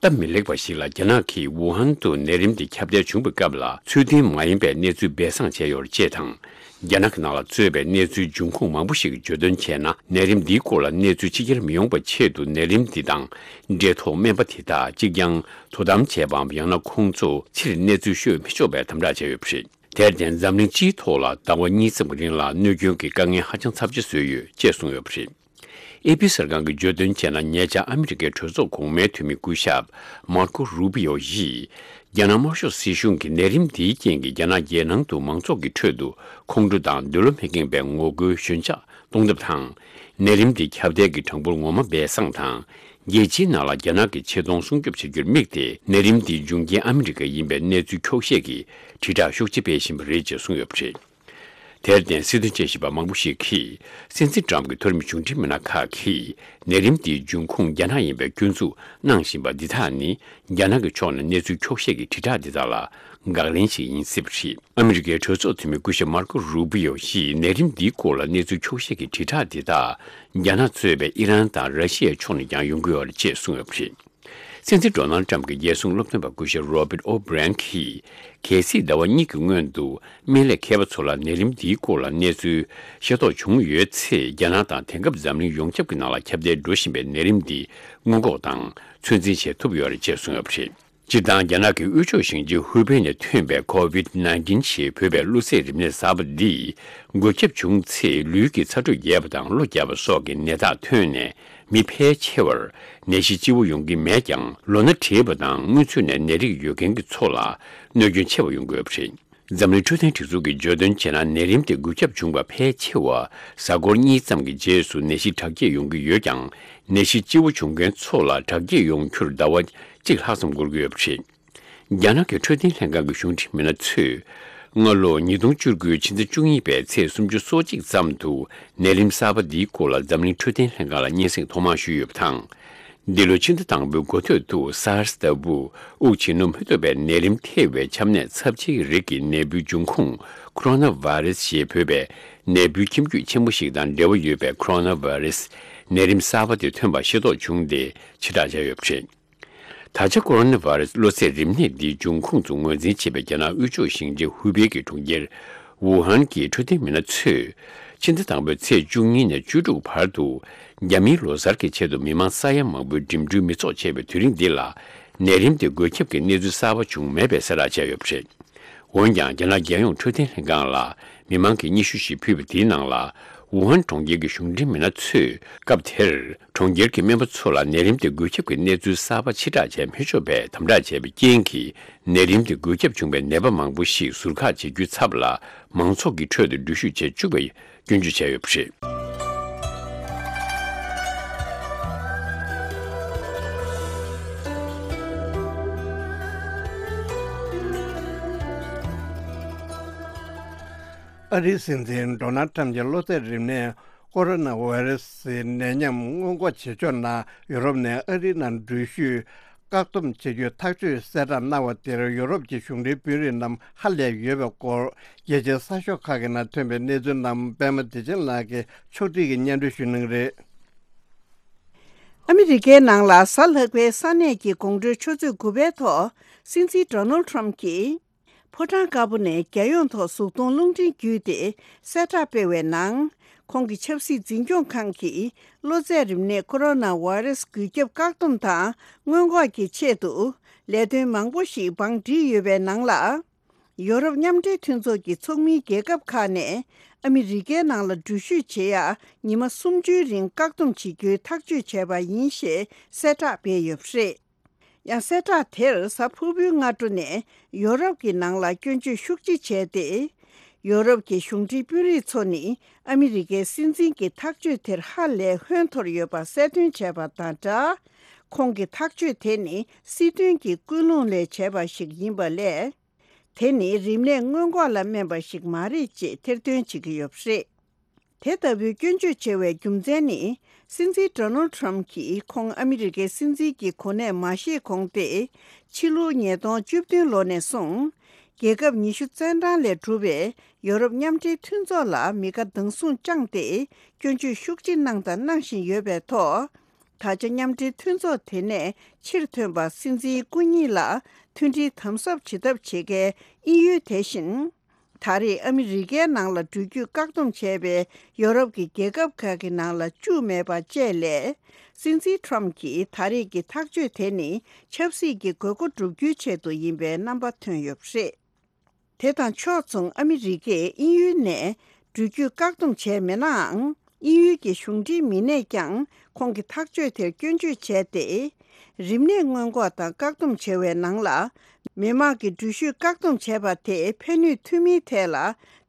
སྟབས་མི་ལེགས་པ་ཞིག་ལ་རྒྱ་ནག་གིས་ཝུ་ཧན་དུ་ནད་རིམས་འདི་ཁྱབ་གདལ་བྱུང་བའི་སྐབས་ལ་ཚུལ་མཐུན་མ་ཡིན་པའི་གནས་ཚུལ་སྦས་གསང་བྱས་ཡོད་ཅེས་དང་། རྒྱ་ནག་གི་ནང་ལ་གཙོས་པའི་གནས་ཚུལ་འབྱུང་ཁུངས་མང་པོ་ཞིག་གིས་བརྗོད་དོན་བྱས་ན། ནད་རིམས་འདིའི་སྐོར་ལ་གནས་ཚུལ་ཕྱི་གྱར་མི་ཡོང་བའི་ཆེད་དུ་ནད་རིམས་འདི་དང་འབྲེལ་ཐོགས་སྨན་པ་དེ་དག་གཅིག་རྐྱང་དོ་དམ་བྱས་པའམ། ཡང་ན་ཁོང་ཚོ་ཕྱིར་གནས་ཚུལ་ཤོད་མི་ཆོག་པའི་དམ་དྲག་བྱས་ཡོད་པ་རེད། དེར་བརྟེན་འཛམ་གླིང་སྤྱིའི་ཐོག་ལ་ཟླ་བ་གཉིས་ཙམ་གྱི་རིང་ལ་གནོད་སྐྱོན་གྱི་དཀའ་ངལ་ཧ་ཅང་ཚབས་ཆེ་བཟོས་ཡོད་ཅེས་གསུངས་ཡོད་པ་རེད། ཨེ་པི་གསར་ཁང་གིས་བརྗོད་དོན་བྱས་ན། ཉེ་ཆར་ཨ་མི་རི་ཀའི་གྲོས་ཚོགས་གོང་མའི་འཐུས་མི་སྐུ་ཞབས་མར་ཀོ་རུ་པི་ཡོ་ཡིས། རྒྱ་ནག་དམར་ཤོག་སྲིད་གཞུང་གིས་ནད་རིམས་འདིའི་རྐྱེན་གྱིས་རྒྱ་ནག་རྒྱལ་ནང་དུ་མང་ཚོགས་ཀྱི་ཁྲོད་དུ་ཁོང་ཁྲོ་དང་འདོད་བློ་མི་ཁེངས་པའི་ངོ་རྒོལ་ཞོད་འཇགས་གཏོང་ཐབས་དང་། ནད་རིམས་འདི་ཁྱབ་གདལ་གྱི་གྲངས་འབོར་ངོ་མ་སྦས་གསང་དང་། རྒྱལ་སྤྱིའི་ནང་ལ་རྒྱ་ནག་གི་ཆེ་མཐོང་སྲུང་སྐྱོབ་བྱ་རྒྱུར་དམིགས་ཏེ། ནད་རིམས་འདིའི་འབྱུང་རྐྱེན་ཨ་མི་རི་ཀ་ཡིན་པའི་གནས་ཚུལ་འཁྱོག་བཤད་ཀྱི་དྲིལ་བསྒྲགས་ཤུགས་ཆེ་སྤེལ་བཞིན་པ་རེད་ཅེས་གསུངས་ཡོད་པ་རེད། དེར་བརྟེན། སྲིད་དོན་དཔྱད་ཞིབ་པ་མང་པོ་ཞིག་གིས། སྲིད་འཛིན་ཏྲམ་གྱི་མཐོ་རིམ་གཞུང་འབྲེལ་མི་སྣ་ཁག་གིས། ནད་རིམས་འདིའི་འབྱུང་ཁུངས་རྒྱ་ནག་ཡིན་པའི་སྐྱོན་འཛུགས་གནང་བཞིན་པ་འདི་དག་ནི། རྒྱ་ནག་གི་ཕྱོགས་ནས་གནས་ཚུལ་འཁྱོག་བཤད་ཀྱི་དྲིལ་བསྒྲགས་འདི་དག་ལ་དགག་ལན་ཞིག་ཡིན་སྲིད་པ་རེད། ཨ་མི་རི་ཀའི་གྲོས་ཚོགས་འཐུས་མི་སྐུ་ཞབས་མར་ཀོ་རུ་པི་ཡོ་ཡིས། ནད་རིམས་འདིའི་སྐོར་ལ་གནས་ཚུལ་འཁྱོག་བཤད་ཀྱི་དྲིལ་བསྒྲགས་འདི་དག་རྒྱ་ནག་གཙོས་པའི་ཨི་རན་དང་ར་ཤི་ཡའི་ཕྱོགས་ནས་ཀྱང་ཡོང་གི་ཡོད་རེད་ཅེས་གསུངས་ཡོད་པ་རེད། སྲིད་འཛིན་ཌོ་ནལ་ཏྲམ་གྱི་རྒྱལ་སྲུང་སློབ་སྟོན་པ་སྐུ་ཞབས་རོ་བེར་ཨོ་བྷི་རན་གྱིས། གལ་སྲིད་ཟླ་བ་གཉིས་ཀྱི་སྔོན་དུ་སྨན་ལས་མཁས་པ་ཚོ་ལ་ནད་རིམས་འདིའི་སྐོར་ལ་གནས་ཚུལ་ཤེས་རྟོགས་བྱུང་ཡོད་ཚེ། རྒྱ་ནག་དང་དེང་སྐབས་འཛམ་གླིང་ཡོངས་ཁྱབ་ཀྱི་ནང་ལ་ཁྱབ་གདལ་འགྲོ་བཞིན་པའི་ནད་རིམས་འདི་སྔོན་འགོག་དང་ཚོད་འཛིན་བྱེད་ཐུབ་ཡོད་རེད་ཅེས་གསུངས་ཡོད་པ་རེད། སྤྱིར་བཏང་རྒྱ་ནག་གི་དབུས་ཕྱོགས་ཞིང་ཆེན་ཧུའུ་པེ་ནས་ཐོན་པའི་ཁོ་ཝིད་ནའིན་ཊིན་ཞེས་འབོད་པའི་གློ་ཚད་རིམས་ནད་གསར་པ་འདིས་འགོས་ཁྱབ་བྱུང་ཚེ། ལུས་ཀྱི་ཚ་དྲོད་རྒྱས་པ་དང་གློ་རྒྱག་པ་སོགས་ཀྱི་ནད་རྟགས་ཐོན་ནས། མི་ཕལ་ཆེ་བར་ནད་གཞི་ལྕི་བོ་ཡོང་གི་མེད་ཀྱང་། ལོ་ན་བགྲེས་པ་དང་སྔོན་ཚུད་ནས་ནད་རིགས་ཡོད་མཁན་གྱི་ཚོ་ལ་གནོད་སྐྱོན་ཆེ་བ་ཡོང་གི་ཡོད་པ་རེད། འཛམ་གླིང་འཕྲོད་བསྟེན་སྒྲིག་འཛུགས་ཀྱིས་བརྗོད་དོན་བྱས་ན། ནད་རིམས་དེ་འགོས་ཁྱབ་བྱུང་བ་ཕལ་ཆེ་བ་གཟའ་འཁོར་གཉིས་ཙམ་གྱི་རྗེས་སུ་ནད་གཞི་དྲག་སྐྱེད་ཡོང་གི་ཡོད་ཀྱང་། ནད་གཞི་ལྕི་བོ་བྱུང་མཁན་ཚོ་ལ་དྲག་སྐྱེད་ཡོང་རྒྱུར་ཟླ་བ་གཅིག་ལྷག་ཙམ་འགོར་གྱི་ཡོད་པ་རེད། རྒྱ་ནག་གི་འཕྲོད་བསྟེན་ལྷན་ཁང་གི་གཞུང་འབྲེལ་མི་སྣ་ཚོས། སྔ་ལོ་ཉིས་སྟོང་བཅུ་དགུ་ཕྱི་ཟླ་བཅུ་གཉིས་པའི་ཚེས་སུམ་ཅུ་སོ་གཅིག་ཙམ་དུ་ནད་རིམས་གསར་པ་འདིའི་སྐོར་ལ་འཛམ་གླིང་འཕྲོད་བསྟེན་ལྷན་ཁང་ལ་སྙན་སེང་ཐོག་མར་ཞུས་ཡོད་པ་དང་། འདི་ལོའི་ཕྱི་ཟླ་དང་པོའི་འགོ་སྟོད་དུ་སཱར་སི་ལྟ་བུ་དབུགས་ཕྱིན་རླུང་མི་ཐུབ་པའི་ནད་རིམས་ཐེ་བའི་ཆམ་ནད་ཚབས་ཆེའི་རིགས་ཀྱི་ནད་འབུའི་འབྱུང་ཁུངས་ཁོ་རོ་ན་བྷ་རེ་སི་ཞེས་འབོད་པའི་ནད་འབུའི་ཁྱིམ་རྒྱུད་ཆེན་པོ་ཞིག་དང་འབྲེལ་བ་ཡོད་པའི་ཁོ་རོ་ན་བྷ་རེ་སི་ནད་རིམས་གསར་པ་དེ་ཐོན་པ་ཤེས་རྟོགས་བྱུང་སྟེ་ཕྱིར་བསྒྲགས་བྱས་ཡོད་པ་རེད། ད་ཆ་ཁོ་རོ་ན་བྷ་རེ་སི་གློ་ཚད་རིམས་ནད་འདིའི་འབྱུང་ཁུངས་སུ་ངོས་འཛིན་བྱེད་པའི་རྒྱ་ནག་དབུས་ཕྱོགས་ཞིང་ཆེན་ཧུའུ་པེ་གི་གྲོང་ཁྱེར་ཝུ་ཧན་གྱི་འཕྲོད་བསྟེན་མི་སྣ་ཚོས། ཕྱི་ཟླ་དང་པོའི་ཚེས་བཅུ་གཉིས་ནས་བཅུ་དྲུག་བར་དུ། རྒྱ་མིའི་ལོ་གསར་གྱི་ཆེད་དུ་མི་མང་ས་ཡ་མང་པོས་འགྲིམ་འགྲུལ་མི་ཚོགས་བྱས་པའི་དུས་རིང་འདི་ལ། ནད་རིམས་དེ་འགོས་ཁྱབ་ཀྱི་གནས་ཚུལ་གསར་པ་བྱུང་མེད་པའི་གསལ་བསྒྲགས་བྱས་ཡོད་པ་རེད། འོན་ཀྱང་། རྒྱ་ནག་རྒྱལ་ཡོངས་འཕྲོད་བསྟེན་ལྷན་ཁང་ལ་མི་མང་གིས་སྙན་ཞུ་ཞིག་ཕུལ་བ་དེའི་ནང་ལ། ཝུ་ཧན་གྲོང་ཁྱེར་གྱི་གཞུང་འབྲེལ་མི་སྣ་ཚོས། སྐབས་དེར། གྲོང་ཁྱེར་གྱི་སྨན་པ་ཚོ་ལ་ནད་རིམས་དེ་འགོས་ཁྱབ་ཀྱི་གནས་ཚུལ་གསར་པ་ཕྱིར་བསྒྲགས་བྱས་མི་ཆོག་པའི་དམ་དྲག་བྱས་པའི་རྐྱེན་གྱིས། ནད་རིམས་དེ་འགོས་ཁྱབ་བྱུང་བའི་ནད་པ་མང་པོ་ཞིག་ཟུར་བཀག་བྱེད་རྒྱུའི་ཚབ་ལ། མང་ཚོགས་ཀྱི་ཁྲོད་དུ་འགྲུལ་བཞུད་བྱེད་བཅུག་པའི་སྐྱོན་བརྗོད་བྱས་ཡོད་པ་རེད། ཨ་རིའི་སྲིད་འཛིན་ཌོ་ནལ་ཊམ་གྱིས་གློ་ཚད་རིམས་ནད་ཀོ་རོ་ན་བྷ་ཡི་ར་སིའི་ནད་ཉམས་སྔོན་འགོག་བྱེད་ཕྱོགས་ནང་ཡུ་རོབ་ནས་ཨ་རིའི་ནང་འགྲུལ་བཞུད་བཀག་སྡོམ་བྱེད་རྒྱུའི་ཐག་གཅོད་གསལ་བསྒྲགས་གནང་བ་དེར། ཡུ་རོབ་ཀྱི་གཞུང་འབྲེལ་དཔོན་རིགས་རྣམས་ཧ་ལས་ཡོད་པའི་སྐོར། རྒྱལ་སྤྱིའི་གསར་ཤོག་ཁག་གི་ནང་ཐོན་པའི་གནས་ཚུལ་རྣམས་པད་མ་བདེ་ཆེན་ལགས་ཀྱིས་ཕྱོགས་སྒྲིག་གིས་སྙན་སྒྲོན་ཞུ་གནང་གི་རེད། ཨ་མི་རི་ཀའི་ནང་ལ་གཟའ་ལྷག་པའི་ས་གནས་ཀྱི་དགོང་དྲོའི་ཆུ་ཚོད་དགུ་པའི་ཐོག་སྲིད་འཛིན་ཌོ་ནལ་ཊམ་གྱིས། ཕོ་བྲང་དཀར་པོ་ནས་རྒྱལ་ཡོངས་ཐོག་གཟུགས་མཐོང་རླུང་འཕྲིན་བརྒྱུད་དེ་གསལ་བསྒྲགས་སྤེལ་བའི་ནང་། ཁོང་གི་ཆབ་སྲིད་འཛིན་སྐྱོང་ཁང་གིས་གློ་ཚད་རིམས་ནད་ཀོ་རོ་ན་བྷ་ཡི་ར་སི་འགོས་ཁྱབ་བཀག་སྡོམ་དང་སྔོན་འགོག་གི་ཆེད་དུ་ལས་དོན་མང་པོ་ཞིག་བང་བསྒྲིགས་ཡོད་པའི་ནང་ལ། ཡོ་རོབ་མཉམ་འབྲེལ་མཐུན་ཚོགས་ཀྱི་ཚོགས་མིའི་རྒྱལ་ཁབ་ཁག་ནས་ཨ་མི་རི་ཀའི་ནང་ལ་འགྲུལ་བཞུད་བྱེད་ཡ་ཉི་མ་སུམ་ཅུའི་རིང་བཀག་སྡོམ་བྱེད་རྒྱུའི་ཐག་གཅོད་བྱས་པ་ཡིན་ཞེས་གསལ་བསྒྲགས་སྤེལ་ཡོད་པ་རེད། ཡང་གསལ་བསྒྲགས་དེར་གཟའ་ཕུར་བུའི་སྔ་དྲོ་ནས་ཡོ་རོབ་ཀྱི་ནང་ལ་སྐྱོན་བརྗོད་ཤུགས་ཆེ་བྱས་ཏེ། ཡོ་རོབ་ཀྱི་གཞུང་འབྲེལ་དཔོན་རིགས་ཚོ་ནི་ཨ་མི་རི་ཀའི་སྲིད་འཛིན་གྱི་ཐག་གཅོད་དེར་ཧ་ལས་ཧོན་འཐོར་ཡོད་པ་གསལ་སྟོན་བྱས་པ་དང་སྦྲགས། ཁོང་གི་ཐག་གཅོད་དེ་ནི་སྲིད་དོན་གྱི་ཀུན་སློང་ལས་བྱས་པ་ཞིག་ཡིན་པ་ལས། དེ་ནི་རིམས་ནད་སྔོན་འགོག་ལ་སྨན་པ་ཞིག་མ་རེད་ཅེས་ཐེར་འདོན་བྱེད་ཀྱི་ཡོད་པ་རེད། དེ་ལྟ་བུའི་སྐྱོན་བརྗོད་བྱེད་པའི་རྒྱུ་མཚན་ནི། སྲིད་འཛིན་ཌོ་ནལ་ཊམ་གྱིས་ཁོང་ཨ་མི་རི་ཀའི་སྲིད་འཛིན་གྱི་གོ་གནས་མ་བཞེས་གོང་སྟེ། ཕྱི་ལོ་ཉིས་སྟོང་བཅུ་བདུན་ལོ་ནས་བཟུང་། རྒྱལ་ཁབ་ཉི་ཤུ་རྩ་གྲངས་ལས་གྲུབ་པའི་ཡོ་རོབ་མཉམ་འབྲེལ་མཐུན་ཚོགས་ལ་མི་དགའ་སྡང་ཟུང་བཅངས་ཏེ། སྐྱོན་བརྗོད་ཤུགས་ཆེ་གནང་དང་གནང་བཞིན་ཡོད་པའི་ཐོག་ད་ཆ་མཉམ་འབྲེལ་མཐུན་ཚོགས་དེ་ནས་ཕྱིར་ཐོན་པ་སྲིད་འཛིན་སྐུ་ཉིད་ལ་མཐུན་སྒྲིལ་དམ་ཟབ་བྱེད་ཐབས་བྱེད་མཁན་དབྱིན་ཡུལ་དེ་བཞིན། ད་རེས་ཨ་མི་རི་ཀའི་ནང་ལ་འགྲུལ་སྐྱོད་བཀག་སྡོམ་བྱས་པའི་ཡོ་རོབ་ཀྱི་རྒྱལ་ཁབ་ཁག་གི་ནང་ལ་བཅུག་མེད་པ་བཅས་ལས། སྲིད་འཛིན་ཊམ་གྱི་ད་རེས་ཀྱི་ཐག་གཅོད་དེ་ནི་ཆབ་སྲིད་ཀྱི་དགོས་མཁོ་བསྒྲུབ་རྒྱུའི་ཆེད་དུ་ཡིན་པའི་རྣམ་པ་ཐོན་ཡོད་པ་རེད། དེ་དང་ཕྱོགས་མཚུངས། ཨ་མི་རི་ཀས་དབྱིན་ཡུལ་ནས་འགྲུལ་སྐྱོད་བཀག་སྡོམ་བྱས་མེད་ནའང་། དབྱིན་ཡུལ་གྱི་གཞུང་འབྲེལ་མི་སྣས་ཀྱང་ཁོང་གི་ཐག་གཅོད་དེར་སྐྱོན་བརྗོད་བྱས་ཏེ། རིམས་ནད་སྔོན་འགོག་དང་བཀག་སྡོམ་བྱ་བའི་ནང་ལ། མི་མང་གི་འགྲུལ་བཞུད་བཀག་སྡོམ་བྱས་པ་དེས་ཕན་ནུས་ཐུབ་མིན་ཐད་ལ།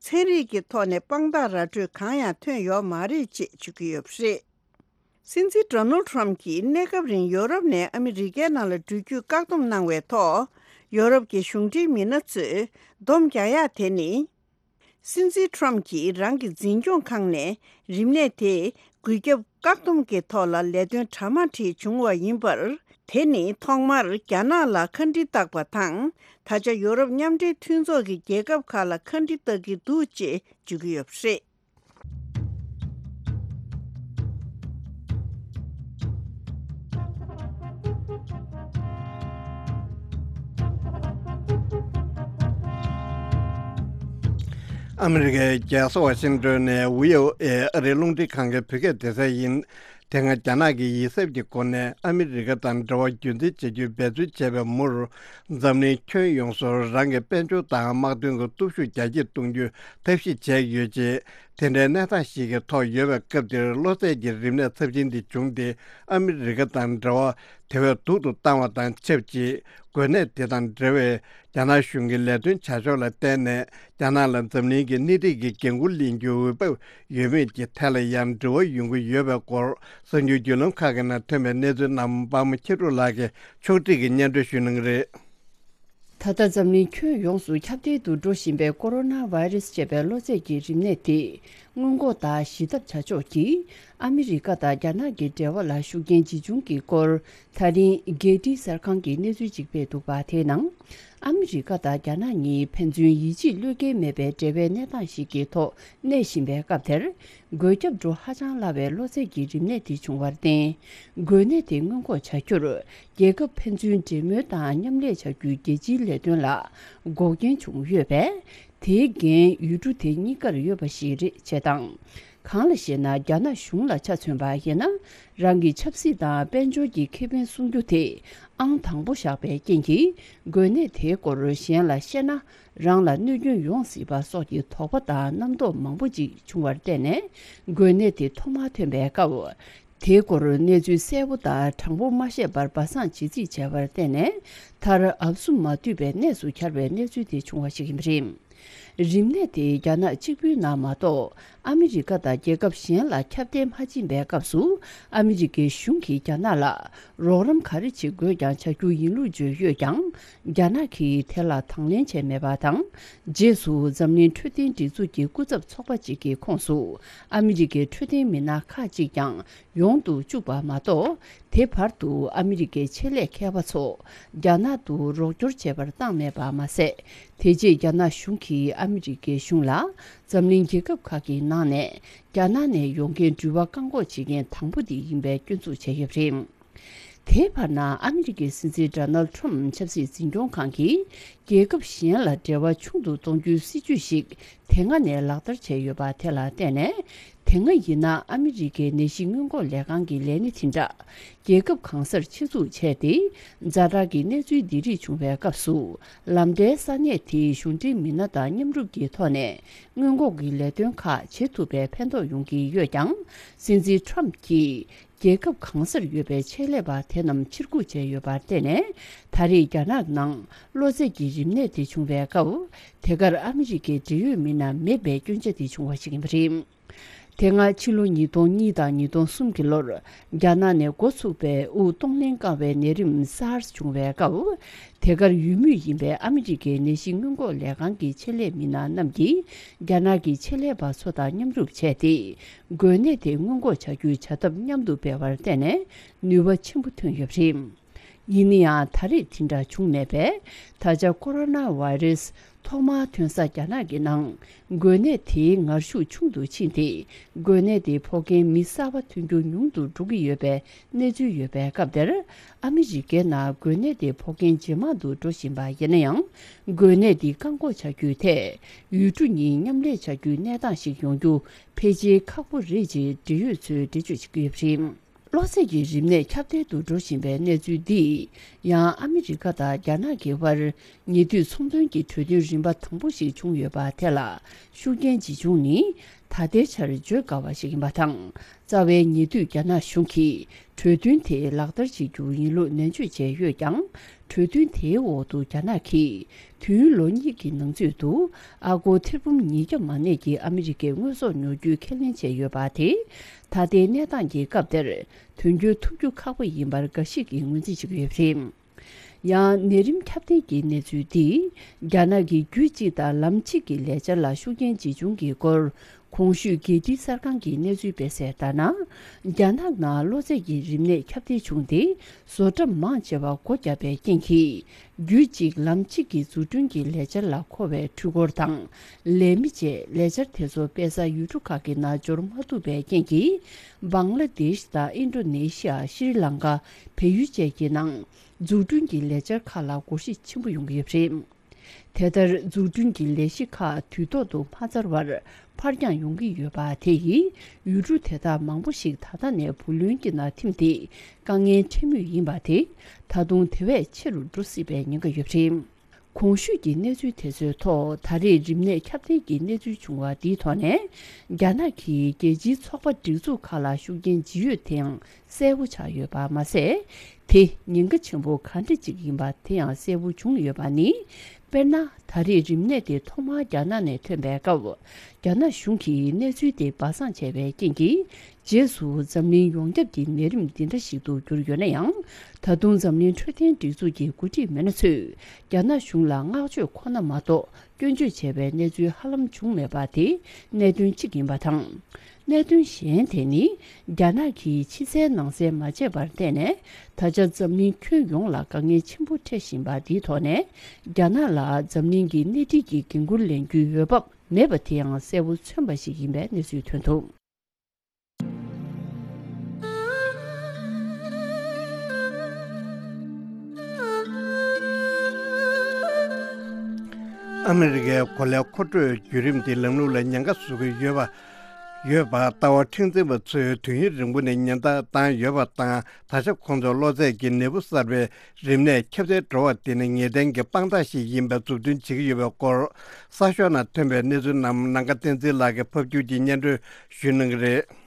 ཚན་རིག་གི་ཐོག་ནས་དཔང་རྟགས་ར་སྤྲོད་གང་ཡང་ཐོན་ཡོད་མ་རེད་ཅེས་བརྗོད་ཀྱི་ཡོད་པ་རེད། སྲིད་འཛིན་ཌོ་ནལ་ཌི་ཊརམ་ཕི་གྱིས་གནས་སྐབས་རིང་ཡོ་རོབ་ནས་ཨ་མི་རི་ཀའི་ནང་ལ་འགྲུལ་སྐྱོད་བཀག་སྡོམ་གནང་བའི་ཐོག་ཡོ་རོབ་ཀྱི་གཞུང་འབྲེལ་མི་སྣ་ཚོས་སྡོམ་རྒྱག་ཡག་དེ་ནི། སྲིད་འཛིན་ཊརམ་ཕི་གྱིས་རང་གི་འཛིན་སྐྱོང་ཁང་ནས་རིམས་ནད་དེ་འགོས་ཁྱབ་བཀག་སྡོམ་གྱི་ཐོག་ལ་ལས་དོན་གྲ་མ་འགྲིག་བྱུང་བ་ཡིན་པར། དེ་ནི་ཐོག་མར་རྒྱ་ནག་ལ་ཁ་འདྲི་བཏགས་པ་དང་། ད་ཆ་ཡོ་རོབ་མཉམ་འབྲེལ་མཐུན་ཚོགས་ཀྱི་རྒྱལ་ཁབ་ཁག་ལ་ཁ་འདྲི་བཏགས་ཀྱི་འདུག་ཅེས་བརྗོད་ཀྱི་ཡོད་པ་རེད། ཨ་མི་རི་ཀའི་རྒྱལ་ས་ཝ་ཤིང་ཏོན་ནས་བྷི་ཨོ་ཨེ་ཨ་རིའི་རླུང་འཕྲིན་ཁང་གི་བོད་སྐད་སྡེ་ཚན་ཡིན། དེ་སྔ་རྒྱ་ནག་གིས་ཡིད་གཟབ་ཀྱི་སྒོ་ནས་ཨ་མི་རི་ཀ་དང་འབྲེལ་བ་རྒྱུན་འཛིན་བྱ་རྒྱུའི་འབད་བརྩོན་བྱས་པའི་མུར། འཛམ་གླིང་ཁྱོན་ཡོངས་སུ་རང་གི་དཔལ་འབྱོར་དང་དམག་དོན་གྱི་སྟོབས་ཤུགས་རྒྱ་སྐྱེད་གཏོང་རྒྱུའི་ཐབས་ཤེས་བྱས་ཡོད་ཅེས། དེ་འདྲའི་གནས་སྟངས་ཤིག་གི་ཐོག་ཡོད་པའི་སྐབས་འདིར། གློ་ཚད་ཀྱི་རིམས་ནད་ཚབས་ཆེན་འདི་བྱུང་སྟེ། ཨ་མི་རི་ཀ་དང་འབྲེལ་བ་དེ་བས་སྡུག་ཏུ་བཏང་བ་དང་ཆབས་ཅིག་འགོས་ནད་དེ་དང་འབྲེལ་བའི་རྒྱ་ནག་གཞུང་གི་ལས་དོན་བྱ་ཕྱོགས་ལ་བརྟེན་ནས། རྒྱ་ནག་ལ་འཛམ་གླིང་གི་སྣེ་ཁྲིད་ཀྱི་འགན་འཁུར་ལེན་རྒྱུའི་འོས་བབ་ཡོད་མེད་ཀྱི་ཐད་ལ་ཡང་འབྲེལ་བ་ཡོང་གི་ཡོད་པའི་སྐོར། གསར་འགྱུར་བརྒྱུད་ལམ་ཁག་གི་ནང་ཐོན་པའི་གནས་ཚུལ་རྣམས། པདྨ་མཁྱེན་གྲུབ་ལགས་ཀྱིས་ཕྱོགས་སྒྲིག་གིས་སྙན་སྒྲོན་ཞུ་གནང་གི་རེད། ད་ལྟ་འཛམ་གླིང་ཁྱོན་ཡོངས་སུ་ཁྱབ་གདལ་དུ་འགྲོ་བཞིན་པའི་ཀོ་རོ་ན་བྷའི་རེས་ཅེས་པའི་གློ་ཚད་ཀྱི་རིམས་ནད་དེ། སྔོན་འགོག་དང་ཞི་ཐབས་བྱ་ཕྱོགས་ཀྱིས་ཨ་མི་རི་ཀ་དང་རྒྱ་ནག་གི་འབྲེལ་བ་ལ་ཤུགས་རྐྱེན་ཇི་བྱུང་གི་སྐོར། ད་རིང་གྷེ་ཊི་གསར་ཁང་གིས་གནས་ཚུལ་ཅིག་སྤེལ་འདུག་པ། དེའི་ནང་། ཨ་མི་རི་ཀ་དང་རྒྱ་ནག་གཉིས་ཕན་ཚུན་ཡིད་ཆེས་བློས་འགེལ་མེད་པའི་འབྲེལ་བའི་གནས་སྟངས་ཤིག་གི་ཐོག་གནས་བཞིན་པའི་སྐབས་དེར། འགོས་ཁྱབ་འགྲོ་ཧ་ཅང་སླ་བའི་གློ་ཚད་ཀྱི་རིམས་ནད་དེ་བྱུང་བར་བརྟེན། འགོས་ནད་དེ་སྔོན་འགོག་བྱ་རྒྱུར། རྒྱལ་ཁབ་ཕན་ཚུན་འབྲེལ་མོལ་དང་མཉམ་ལས་བྱ་རྒྱུའི་རྒྱལ་སྤྱིའི་ལས་དོན་ལ་འགོག་རྐྱེན་བྱུང་ཡོད་པས། དེའི་འགན་ཡུལ་གྲུ་དེ་གཉིས་ཀར་ཡོད་པ་ཞིག་རེད་ཅེས་དང་། གང་ལ་ཞེ་ན། རྒྱ་ནག་གཞུང་ལ་ཆ་མཚོན་པ་ཡིན་ན། རང་གི་ཆབ་སྲིད་དང་དཔལ་འབྱོར་གྱི་ཁེ་ཕན་སྲུང་རྒྱུ་དེ་ཨང་དང་པོ་བཞག་པའི་རྐྱེན་གྱིས། འགོས་ནད་དེའི་སྐོར་གཞན་ལ་བཤད་ན། རང་ལ་གནོད་སྐྱོན་ཡོང་སྲིད་པ་སོགས་ཀྱི་དོགས་པ་དང་རྣམ་རྟོག་མང་པོ་ཅིག་བྱུང་བར་བརྟེན་ནས། འགོས་ནད་དེ་ཐོག་མར་ཐོན་པའི་སྐབས། དེའི་སྐོར་གནས་ཚུལ་གསལ་པོ་དང་དྲང་པོ་མ་ཤེས་པར་སྦ་གསང་བྱེད་རྩིས་བྱས་པར་བརྟེན་ནས། མཐར་ཨབ་སུ་མ་བཏུས་པའི་གནས་སུ་གྱར་བའི་གནས་ཚུལ་དེ་བྱུང་བ་ཞིག་ཡིན་པ་རེད། རིམས་ནད་དེ་རྒྱ་ནག་གཅིག་པུའི་ནང་མ་གཏོགས། ཨ་མི་རི་ཀ་དང་རྒྱལ་ཁབ་གཞན་ལ་ཁྱབ་གདལ་མ་ཕྱིན་པའི་སྐབས་སུ། ཨ་མི་རི་ཀའི་གཞུང་གིས་རྒྱ་ནག་ལ་རོགས་རམ་ག་རེ་བྱེད་དགོས་ཀྱང་བྱ་རྒྱུ་ཡིན་ལུགས་བརྗོད་ཡོད་ཀྱང་། རྒྱ་ནག་གིས་དེ་ལ་དང་ལེན་བྱས་མེད་པ་དང་། རྗེས་སུ་འཛམ་གླིང་འཕྲོད་བསྟེན་སྒྲིག་འཛུགས་ཀྱི་སྐུ་ཚབ་ཚོགས་པ་གཅིག་གི་ཁོངས་སུ། ཨ་མི་རི་ཀའི་འཕྲོད་བསྟེན་མི་སྣ་ཁག་ཅིག་ཀྱང་ཡོང་དུ་བཅུག་པ་མ་གཏོགས། དེ་བར་དུ་ཨ་མི་རི་ཀའི་ཆེད་ལས་མཁས་པ་ཚོ་རྒྱ་ནག་ཏུ་རོགས་སྐྱོར་བྱེད་པར་བཏང་མེད་པ་མ་ཟད། དེ་རྗེས་རྒྱ་ནག་གཞུང་གིས་ཨ་མི་རི་ཀའི་གཞུང་ལ། འཛམ་གླིང་རྒྱལ་ཁབ་ཁག་གི་ནང་ནས་རྒྱ་ནག་ནས་ཡོང་མཁན་འགྲུལ་པ་བཀག་འགོག་བྱེད་མཁན་དང་པོ་དེ་ཡིན་པའི་སྐྱོན་འཛུགས་བྱས་ཡོད་པ་རེད། དེའི་བར་ན། ཨ་མི་རི་ཀའི་སྲིད་འཛིན་ཌོ་ནལ་ཌི་ཊརམ་ཕི་ཆབ་སྲིད་འཛིན་སྐྱོང་ཁང་གིས། རྒྱལ་ཁབ་གཞན་ལ་འབྲེལ་བ་ཆུང་དུ་གཏོང་རྒྱུའི་སྲིད་ཇུས་ཤིག་དེ་སྔ་ནས་ལག་བསྟར་བྱས་ཡོད་པ་དེ་ལ་བརྟེན་ནས། དེ་སྔ་ཡིན་ན་ཨ་མི་རི་ཀའི་ནད་གཞི་སྔོན་འགོག་ལས་ཁང་གི་ལས་སྣེ་དེ་འདྲ། རྒྱལ་ཁབ་གང་སར་ཆེད་འཛུགས་བྱས་ཏེ། ཛ་དྲག་གི་གནས་ཚུལ་འདི་རིགས་བྱུང་བའི་སྐབས་སུ། ལམ་བརྡའི་ས་གནས་དེའི་གཞུང་འབྲེལ་མི་སྣ་དང་མཉམ་རུབ་ཀྱི་ཐོག་ནས། སྔོན་འགོག་གི་ལས་དོན་ཁག་བྱེད་ཐུབ་པའི་ཕན་ཐོགས་ཡོང་གི་ཡོད་ཀྱང་། སྲིད་འཛིན་ཊརམ་ཕི་གྱིས། རྒྱལ་ཁབ་གང་སར་ཡོད་པའི་ཆེད་ལས་པ་དེ་རྣམས་ཕྱིར་འགུག་བྱས་ཡོད་པར་བརྟེན་ནས། ད་རེས་རྒྱ་ནག་ནང་གློ་ཚད་ཀྱི་རིམས་ནད་དེ་བྱུང་བའི་སྐབས། དེ་གར་ཨ་མི་རི་ཀའི་འབྲེལ་ཡོད་མི་སྣ་མེད་པའི་སྐྱོན་ཆ་དེ་བྱུང་བ་ཞིག་ཡིན་པ་རེད། དེ་སྔ་ཕྱི་ལོ་ཉིས་སྟོང་གཉིས་དང་ཉིས་སྟོང་གསུམ་གྱི་ལོར། རྒྱ་ནག་ནས་འགོ་ཚུགས་པའི་དབུགས་གཏོང་ལེན་དཀའ་བའི་ནད་རིམས་སཱར་སི་བྱུང་བའི་སྐབས། དེ་གར་ཡོད་མུས་ཡིན་པའི་ཨ་མི་རི་ཀའི་ནད་གཞི་སྔོན་འགོག་ལས་ཁང་གི་ཆེད་ལས་མི་སྣ་རྣམས་ཀྱིས། རྒྱ་ནག་གི་ཆེད་ལས་པ་ཚོ་དང་མཉམ་རུབ་བྱས་ཏེ། འགོས་ནད་དེ་སྔོན་འགོག་བྱ་རྒྱུའི་བྱ་ཐབས་མཉམ་དུ་སྤེལ་བར་བརྟེན་ནས་ནུས་པ་ཆེན་པོ་ཐོན་ཡོད་པ་རེད། ཡིན་ན་ཡང་ད་རེས་དེ་འདྲ་བྱུང་མེད་པས། ད་ཆ་ཀོ་རོ་ན་བྷའི་རེས་ཐོག་མར་ཐོན་ས་རྒྱ་ནག་གི་ནང་འགོས་ནད་དེའི་ངར་ཤུགས་ཆུང་དུ་ཕྱིན་ཏེ། འགོས་ནད་དེ་ཕོག་མཁན་མི་གསར་པ་ཐོན་རྒྱུ་ཉུང་དུ་འགྲོ་གི་ཡོད་པའི་གནས་ཚུལ་ཡོད་པའི་སྐབས་དེར། ཨ་མི་རི་ཀའི་ནང་འགོས་ནད་དེ་ཕོག་མཁན་ཇེ་མང་དུ་འགྲོ་བཞིན་པ་ཡིན་ན་ཡང་། འགོས་ནད་འདི་བཀག་འགོག་བྱ་རྒྱུའི་ཐད། ཡུལ་གྲུ་གཉིས་མཉམ་ལས་བྱ་རྒྱུའི་གནས་སྟངས་ཤིག་ཡོང་རྒྱུ་ཕལ་ཆེར་ཁག་པོ་རེད་ཅེས་འབྲེལ་ཡོད་ཚོས་འགྲེལ་བརྗོད་བྱེད་ཀྱི་ཡོད་པ་རེད། གློ་ཚད་ཀྱི་རིམས་ནད་ཁྱབ་གདལ་དུ་འགྲོ་བཞིན་པའི་གནས་ཚུལ་འདིས། ཡང་ཨ་མི་རི་ཀ་དང་རྒྱ་ནག་གི་དབར་ཉེ་དུས་ཚོང་དོན་གྱི་གྲོས་མཐུན་རིམ་པ་དང་པོ་ཞིག་བྱུང་ཡོད་པ་དེ་ལ་ཤུགས་རྐྱེན་ཇི་བྱུང་ནི། ད་ལྟའི་ཆར་བརྗོད་དཀའ་བ་ཞིག་ཡིན་པ་དང་། རྩ་བའི་ཉེ་དུས་རྒྱ་ནག་གཞུང་གིས་གྲོས་མཐུན་དེ་ལག་བསྟར་བྱེད་རྒྱུ་ཡིན་ལུགས་ནན་བརྗོད་བྱས་ཡོད་ཀྱང་། གྲོས་མཐུན་དེའི་འོག་ཏུ་རྒྱ་ནག་གིས་དུས་ཡུན་ལོ་གཉིས་ཀྱི་ནང་ཚུད་དུ་ཨ་སྒོར་ཐེར་འབུམ་ཉིས་བརྒྱ་མ་གནས་ཀྱི་ཨ་མི་རི་ཀའི་དངོས་ཟོག་ཉོ་རྒྱུའི་ཁས་ལེན་བྱས་ཡོད་པ་དེ། ད་ལྟའི་གནས་སྟངས་ཀྱི་སྐབས་དེར་དོན་འཁྱོལ་ཐུབ་རྒྱུ་ཁག་པོ་ཡིན་པར་འགའ་ཞིག་གིས་ངོས་འཛིན་བྱེད་ཀྱི་ཡོད་པ་རེད། ཡང་ནད་རིམས་ཁྱབ་གདལ་གྱི་གནས་ཚུལ་འདིས་རྒྱ་ནག་གི་རྒྱུད་གཅིག་དང་ལམ་གཅིག་གི་ལས་འཆར་ལ་ཤུགས་རྐྱེན་ཇི་བྱུང་གི་སྐོར། གོང་ཞུས་རྒྱལ་སྤྱིའི་གསར་ཁང་གི་གནས་ཚུལ་སྤེལ་གསལ་ལྟར་ན། རྒྱ་ནག་ནང་གློ་ཚད་ཀྱི་རིམས་ནད་ཁྱབ་གདལ་བྱུང་སྟེ། བཟོ་གྲྭ་མང་ཆེ་བ་སྒོ་བརྒྱབ་པའི་རྐྱེན་གྱིས། རྒྱུད་གཅིག་ལམ་གཅིག་གི་འཛུགས་སྐྲུན་གྱི་ལས་འཆར་ལ་མཁོ་བའི་འཕྲུལ་འཁོར་དང་། ལས་མི་བཅས་ལས་འཆར་དེ་ཚོ་སྤེལ་ས་ཡུལ་གྲུ་ཁག་གི་ནང་འབྱོར་མ་ཐུབ་པའི་རྐྱེན་གྱིས། བང་ལ་དེཤ་དང་ཨིན་ཌོ་ནེ་ཤི་ཡ། ཤྲི་ལང་ཀ། བལ་ཡུལ་བཅས་ཀྱི་ནང་། འཛུགས་སྐྲུན་གྱི་ལས་འཆར་ཁག་ལ་སྒོར་གཞི་ཆེན་པོ་ཡོང་གི་ཡོད་པ་རེད། དེ་ལྟར་འཛུགས་སྐྲུན་གྱི་ལས་གཞི་ཁག་དུས་ཐོག་ཏུ་མ་ཚར་བར་ཕར་འགྱངས་ཡོང་གི་ཡོད་པ་དེ་ཡིས། ཡུལ་གྲུ་དེ་དག་མང་པོ་ཞིག་ད་ལྟ་ནས་བུ་ལོན་གྱི་ནང་ཐིམ་སྟེ། དཀའ་ངལ་འཕྲད་མུས་ཡིན་པ་དེ། ད་དུང་དེ་བས་ཆེ་རུ་འགྲོ་སྲིད་པའི་ཉེན་ཁ་ཡོད་པ་རེད། གོང་ཞུས་ཀྱི་གནས་ཚུལ་དེ་ཚོའི་ཐོག་ད་རེས་རིམས་ནད་ཁྱབ་གདལ་གྱི་གནས་ཚུལ་བྱུང་བ་འདིའི་ཐོག་ནས། རྒྱ་ནག་གིས་རྒྱལ་སྤྱིའི་ཚོགས་པ་སྒྲིག་འཛུགས་ཁག་ལ་ཤུགས་རྐྱེན་ཇི་ཡོད་དེའང་གསལ་པོ་ཆགས་ཡོད་པ་མ་ཟད། དེ་ཉེན་ཁ་ཆེན་པོ་ག་འདྲ་ཅིག་ཡིན་པ་དེ་ཡང་གསལ་པོ་བྱུང་ཡོད་པ་ནི། དཔེར་ན། ད་རེས་རིམས་ནད་དེ་ཐོག་མར་རྒྱ་ནག་ནས་ཐོན་པའི་སྐབས། རྒྱ་ནག་གཞུང་གིས་གནས་ཚུལ་དེ་སྦ་གསང་བྱས་པའི་རྐྱེན་གྱིས། རྗེས་སུ་འཛམ་གླིང་ཡོངས་ཁྱབ་ཀྱི་ནད་རིམས་འདི་འདྲ་ཞིག་ཏུ་གྱུར་ཡོད་ན་ཡང་། ད་དུང་འཛམ་གླིང་འཕྲོད་བསྟེན་སྒྲིག་འཛུགས་ཀྱི་འགོ་ཁྲིད་མི་སྣ་ཚོས་རྒྱ་ནག་གཞུང་ལ་བསྔགས་བརྗོད་ཁོ་ན་མ་གཏོགས་སྐྱོན་བརྗོད་བྱས་པའི་གནས་ཚུལ་ཧ་ལམ་བྱུང་མེད་པ་དེ་གནད་དོན་གཅིག་ཡིན་པ་དང་། གནད་དོན་གཞན་དེ་ནི། རྒྱ་ནག་གིས་ཕྱི་གསལ་ནང་གསལ་མ་བྱས་པར་བརྟེན་ནས། ད་ཆ་འཛམ་གླིང་ཁྱོན་ཡོངས་ལ་དཀའ་ངལ་ཆེན་པོ་འཕྲད་བཞིན་པ་འདིའི་ཐོག་ནས། རྒྱ་ནག་ལ་འཛམ་གླིང་གི་སྣེ་ཁྲིད་ཀྱི་འགན་འཁུར་ལེན་རྒྱུའི་འོས་བབ་མེད་པ་དེའང་གསལ་པོ་མཚོན་པ་ཞིག་ཡིན་པའི་གནས་ཚུལ་ཐོན་འདུག། ཨ་མི་རི་ཀའི་གོ་ལའི་མཁོ་སྤྲོད་བརྒྱུད་རིམ་དེ་ལམ་ལུགས་ལ་ཉེན་ཁ་བཟོ་གི་ཡོད་པ། ཡོད་པ་ལྟ་བ་མཁྲེགས་འཛིན་པ་ཚོས་དུས་ཡུན་རིང་པོ་ནས་ཉེན་བརྡ་བཏང་ཡོད་པ་དང་། ད་ཆ་ཁོང་ཚོས་གློ་ཚད་ཀྱི་ནད་འབུ་གསར་པའི་རིམས་ནད་ཁྱབ་གདལ་འགྲོ་བ་དེ་ནི་ངེས་གཏན་གྱི་དཔང་རྟགས་ཤིག་ཡིན་པའི་མཛུབ་སྟོན་བྱེད་ཀྱི་ཡོད་པའི་སྐོར། གསར་ཤོག་ནང་ཐོན་པའི་གནས་ཚུལ་རྣམས་ནམ་མཁའ་བསྟན་འཛིན་ལགས་ཀྱིས་ཕབ་བསྒྱུར་གྱིས་སྙན་སྒྲོན་ཞུ་གནང་གི་རེད།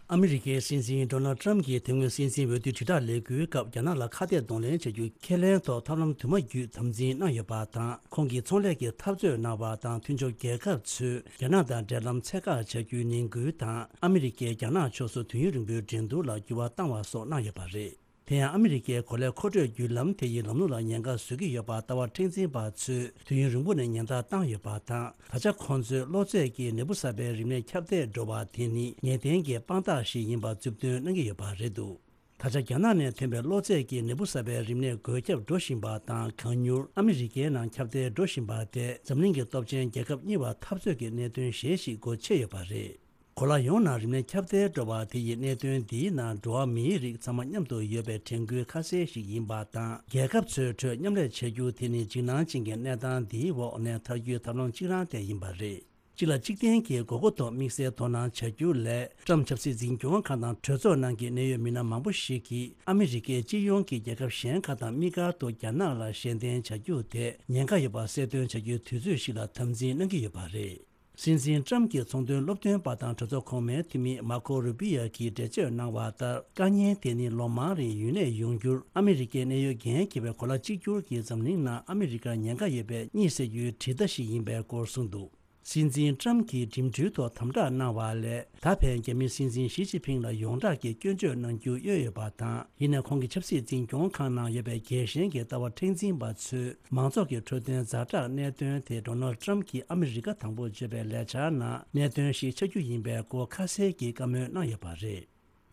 ཨ་མི་རི་ཀའི་སྲིད་འཛིན་ཌོ་ནལ་ཊམ་གྱིས་དེ་སྔོན་སྲིད་འཛིན་འོས་བསྡུའི་དྲིལ་བསྒྲགས་ལས་འགུལ་སྐབས་རྒྱ་ནག་ལ་ཁ་གཏད་གདོང་ལེན་བྱ་རྒྱུ་ཁས་ལེན་ཐོག་ཐབས་ལམ་དུ་མ་བརྒྱུད་དམ་འཛིན་གནང་ཡོད་པ་དང་། ཁོང་གིས་ཚོང་ལས་ཀྱི་འཐབ་རྩོད་གནང་བ་དང་། མཐུན་ཕྱོགས་རྒྱལ་ཁབ་ཚོས་རྒྱ་ནག་དང་འབྲེལ་ལམ་ཚད་བཀག་བྱ་རྒྱུའི་ནན་སྐུལ་དང་། ཨ་མི་རི་ཀས་རྒྱ་ནག་ཕྱོགས་སུ་དུས་ཡུན་རིང་པོའི་འགྲན་བསྡུར་ལ་འགྱུར་བ་བཏང་བ་སོགས་གནང་ཡོད་པ་རེད། དེ་ཡང་ཨ་མི་རི་ཀའི་གོ་ལའི་མཁོ་སྤྲོད་བརྒྱུད་ལམ་དེ་ཡི་ལམ་ལུགས་ལ་ཉེན་ཁ་བཟོ་གི་ཡོད་པ་ལྟ་བ་མཁྲེགས་འཛིན་པ་ཚོས་དུས་ཡུན་རིང་པོ་ནས་ཉེན་བརྡ་བཏང་ཡོད་པ་དང་། ད་ཆ་ཁོང་ཚོས་གློ་ཚད་ཀྱི་ནད་འབུ་གསར་པའི་རིམས་ནད་ཁྱབ་གདལ་འགྲོ་བ་དེ་ནི་ངེས་གཏན་གྱི་དཔང་རྟགས་ཤིག་ཡིན་པ་མཛུབ་སྟོན་གནང་གི་ཡོད་པ་རེད་འདུག། ད་ཆ་རྒྱ་ནག་ནས་ཐོན་པའི་གློ་ཚད་ཀྱི་ནད་འབུ་གསར་པའི་རིམས་ནད་འགོས་ཁྱབ་འགྲོ་བཞིན་པ་དང་། གང་མྱུར་ཨ་མི་རི་ཀའི་ནང་ཁྱབ་གདལ་འགྲོ་བཞིན་པ་དེ་འཛམ་གླིང་གི་སྟོབས་ཆེན་རྒྱལ་ཁབ་གཉིས་བར་འཐབ་རྩོད་ཀྱི་གནད་དོན་གཞན་ཞིག་སྒོ་ཕྱེ་ཡོད་པ་རེད། གོ་ལ་ཡོངས་ནང་རིམས་ནད་ཁྱབ་གདལ་འགྲོ་བ་དེ་ཡི་གནད་དོན་འདིའི་ནང་འགྲོ་བ་མིའི་རིགས་ཚང་མ་མཉམ་དུ་ཡོད་པའི་དྲན་སྐུལ་ཁ་གསལ་ཞིག་ཡིན་པ་དང་། རྒྱལ་ཁབ་ཚོའི་ཁྲོད་མཉམ་ལས་བྱ་རྒྱུ་དེ་ནི་འཇིགས་སྣང་ཅན་གྱི་གནས་སྟངས་འདིའི་འོག་ནས་ཐར་རྒྱུའི་ཐབས་ལམ་གཅིག་རང་དེ་ཡིན་པ་རེད། གཅིག་ལ་གཅིག་བརྟེན་གྱི་དགོས་མཁོ་ཐོག་དམིགས་བསལ་དོ་སྣང་བྱ་རྒྱུ་ལས། ཊམ་ཆབ་སྲིད་འཛིན་སྐྱོང་ཁང་དང་གྲོས་ཚོགས་ནང་གི་གནད་ཡོད་མི་སྣ་མང་པོ་ཞིག་གིས་ཨ་མི་རི་ཀའི་སྤྱི་ཡོངས་ཀྱི་རྒྱལ་ཁབ་གཞན་ཁག་དང་དམིགས་བཀར་དུ་རྒྱ་ནག་ལ་ཞལ་འདེབས་བྱ་རྒྱུ་དེ་ཉེན་ཁ་ཡོད་པ་གསལ་སྟོན་བྱ་རྒྱུའི་དུས་ཚོད་ཞིག་ལ་དམ་འཛིན་གནང་གི་ཡོད་པ་རེད། སྲིད་འཛིན་ཊམ་གྱི་ཚོང་དོན་སློབ་སྟོན་པ་དང་གྲོས་ཚོགས་གོང་མའི་འཐུས་མི་མར་ཁོ་རུ་པི་ཡ་གིས་འགྲེལ་བརྗོད་གནང་བ་ལྟར། དཀའ་ངལ་དེ་ནི་ལོ་མང་རིང་ཡུན་གནས་ཡོང་རྒྱུར་ཨ་མི་རི་ཀའི་གནད་ཡོད་འགན་འཁྱེར་བའི་གོ་ལ་གཅིག་གྱུར་གྱིས་འཛམ་གླིང་ནང་ཨ་མི་རི་ཀར་ཉེན་ཁ་ཡོད་པའི་གཉིད་སད་རྒྱུའི་དྲིལ་བརྡ་ཞིག་ཡིན་པའི་སྐོར་གསུངས་འདུག། སྲིད་འཛིན་ཊམ་གྱིས་འགྲིམ་འགྲུལ་ཐོག་དམ་དྲག་གནང་བ་ལས། ད་ཕན་རྒྱ་མིའི་སྲིད་འཛིན་ཞི་ཅིན་ཕིང་ལ་ཡོངས་གྲགས་ཀྱི་སྐྱོན་བརྗོད་གནང་རྒྱུ་གཡོལ་ཡོད་པ་དང་། ཡིན་ནའི་ཁོང་གི་ཆབ་སྲིད་འཛིན་སྐྱོང་ཁང་ནང་ཡོད་པའི་རྒྱལ་ཞེན་གྱི་ལྟ་བ་མཁྲེགས་འཛིན་པ་ཚོས་མང་ཚོགས་ཀྱི་འཕྲོད་བསྟེན་ཛ་དྲག་གནད་དོན་དེ་ཌོ་ནལ་ཊམ་གྱིས་ཨ་མི་རི་ཀ་དང་པོ་བརྗོད་པའི་ལས་འཆར་ནང་གནད་དོན་ཞིག་ཆགས་རྒྱུ་ཡིན་པའི་སྐོར་ཁ་གསལ་གྱིས་བཀའ་མོལ་གནང་ཡོད་པ་རེད།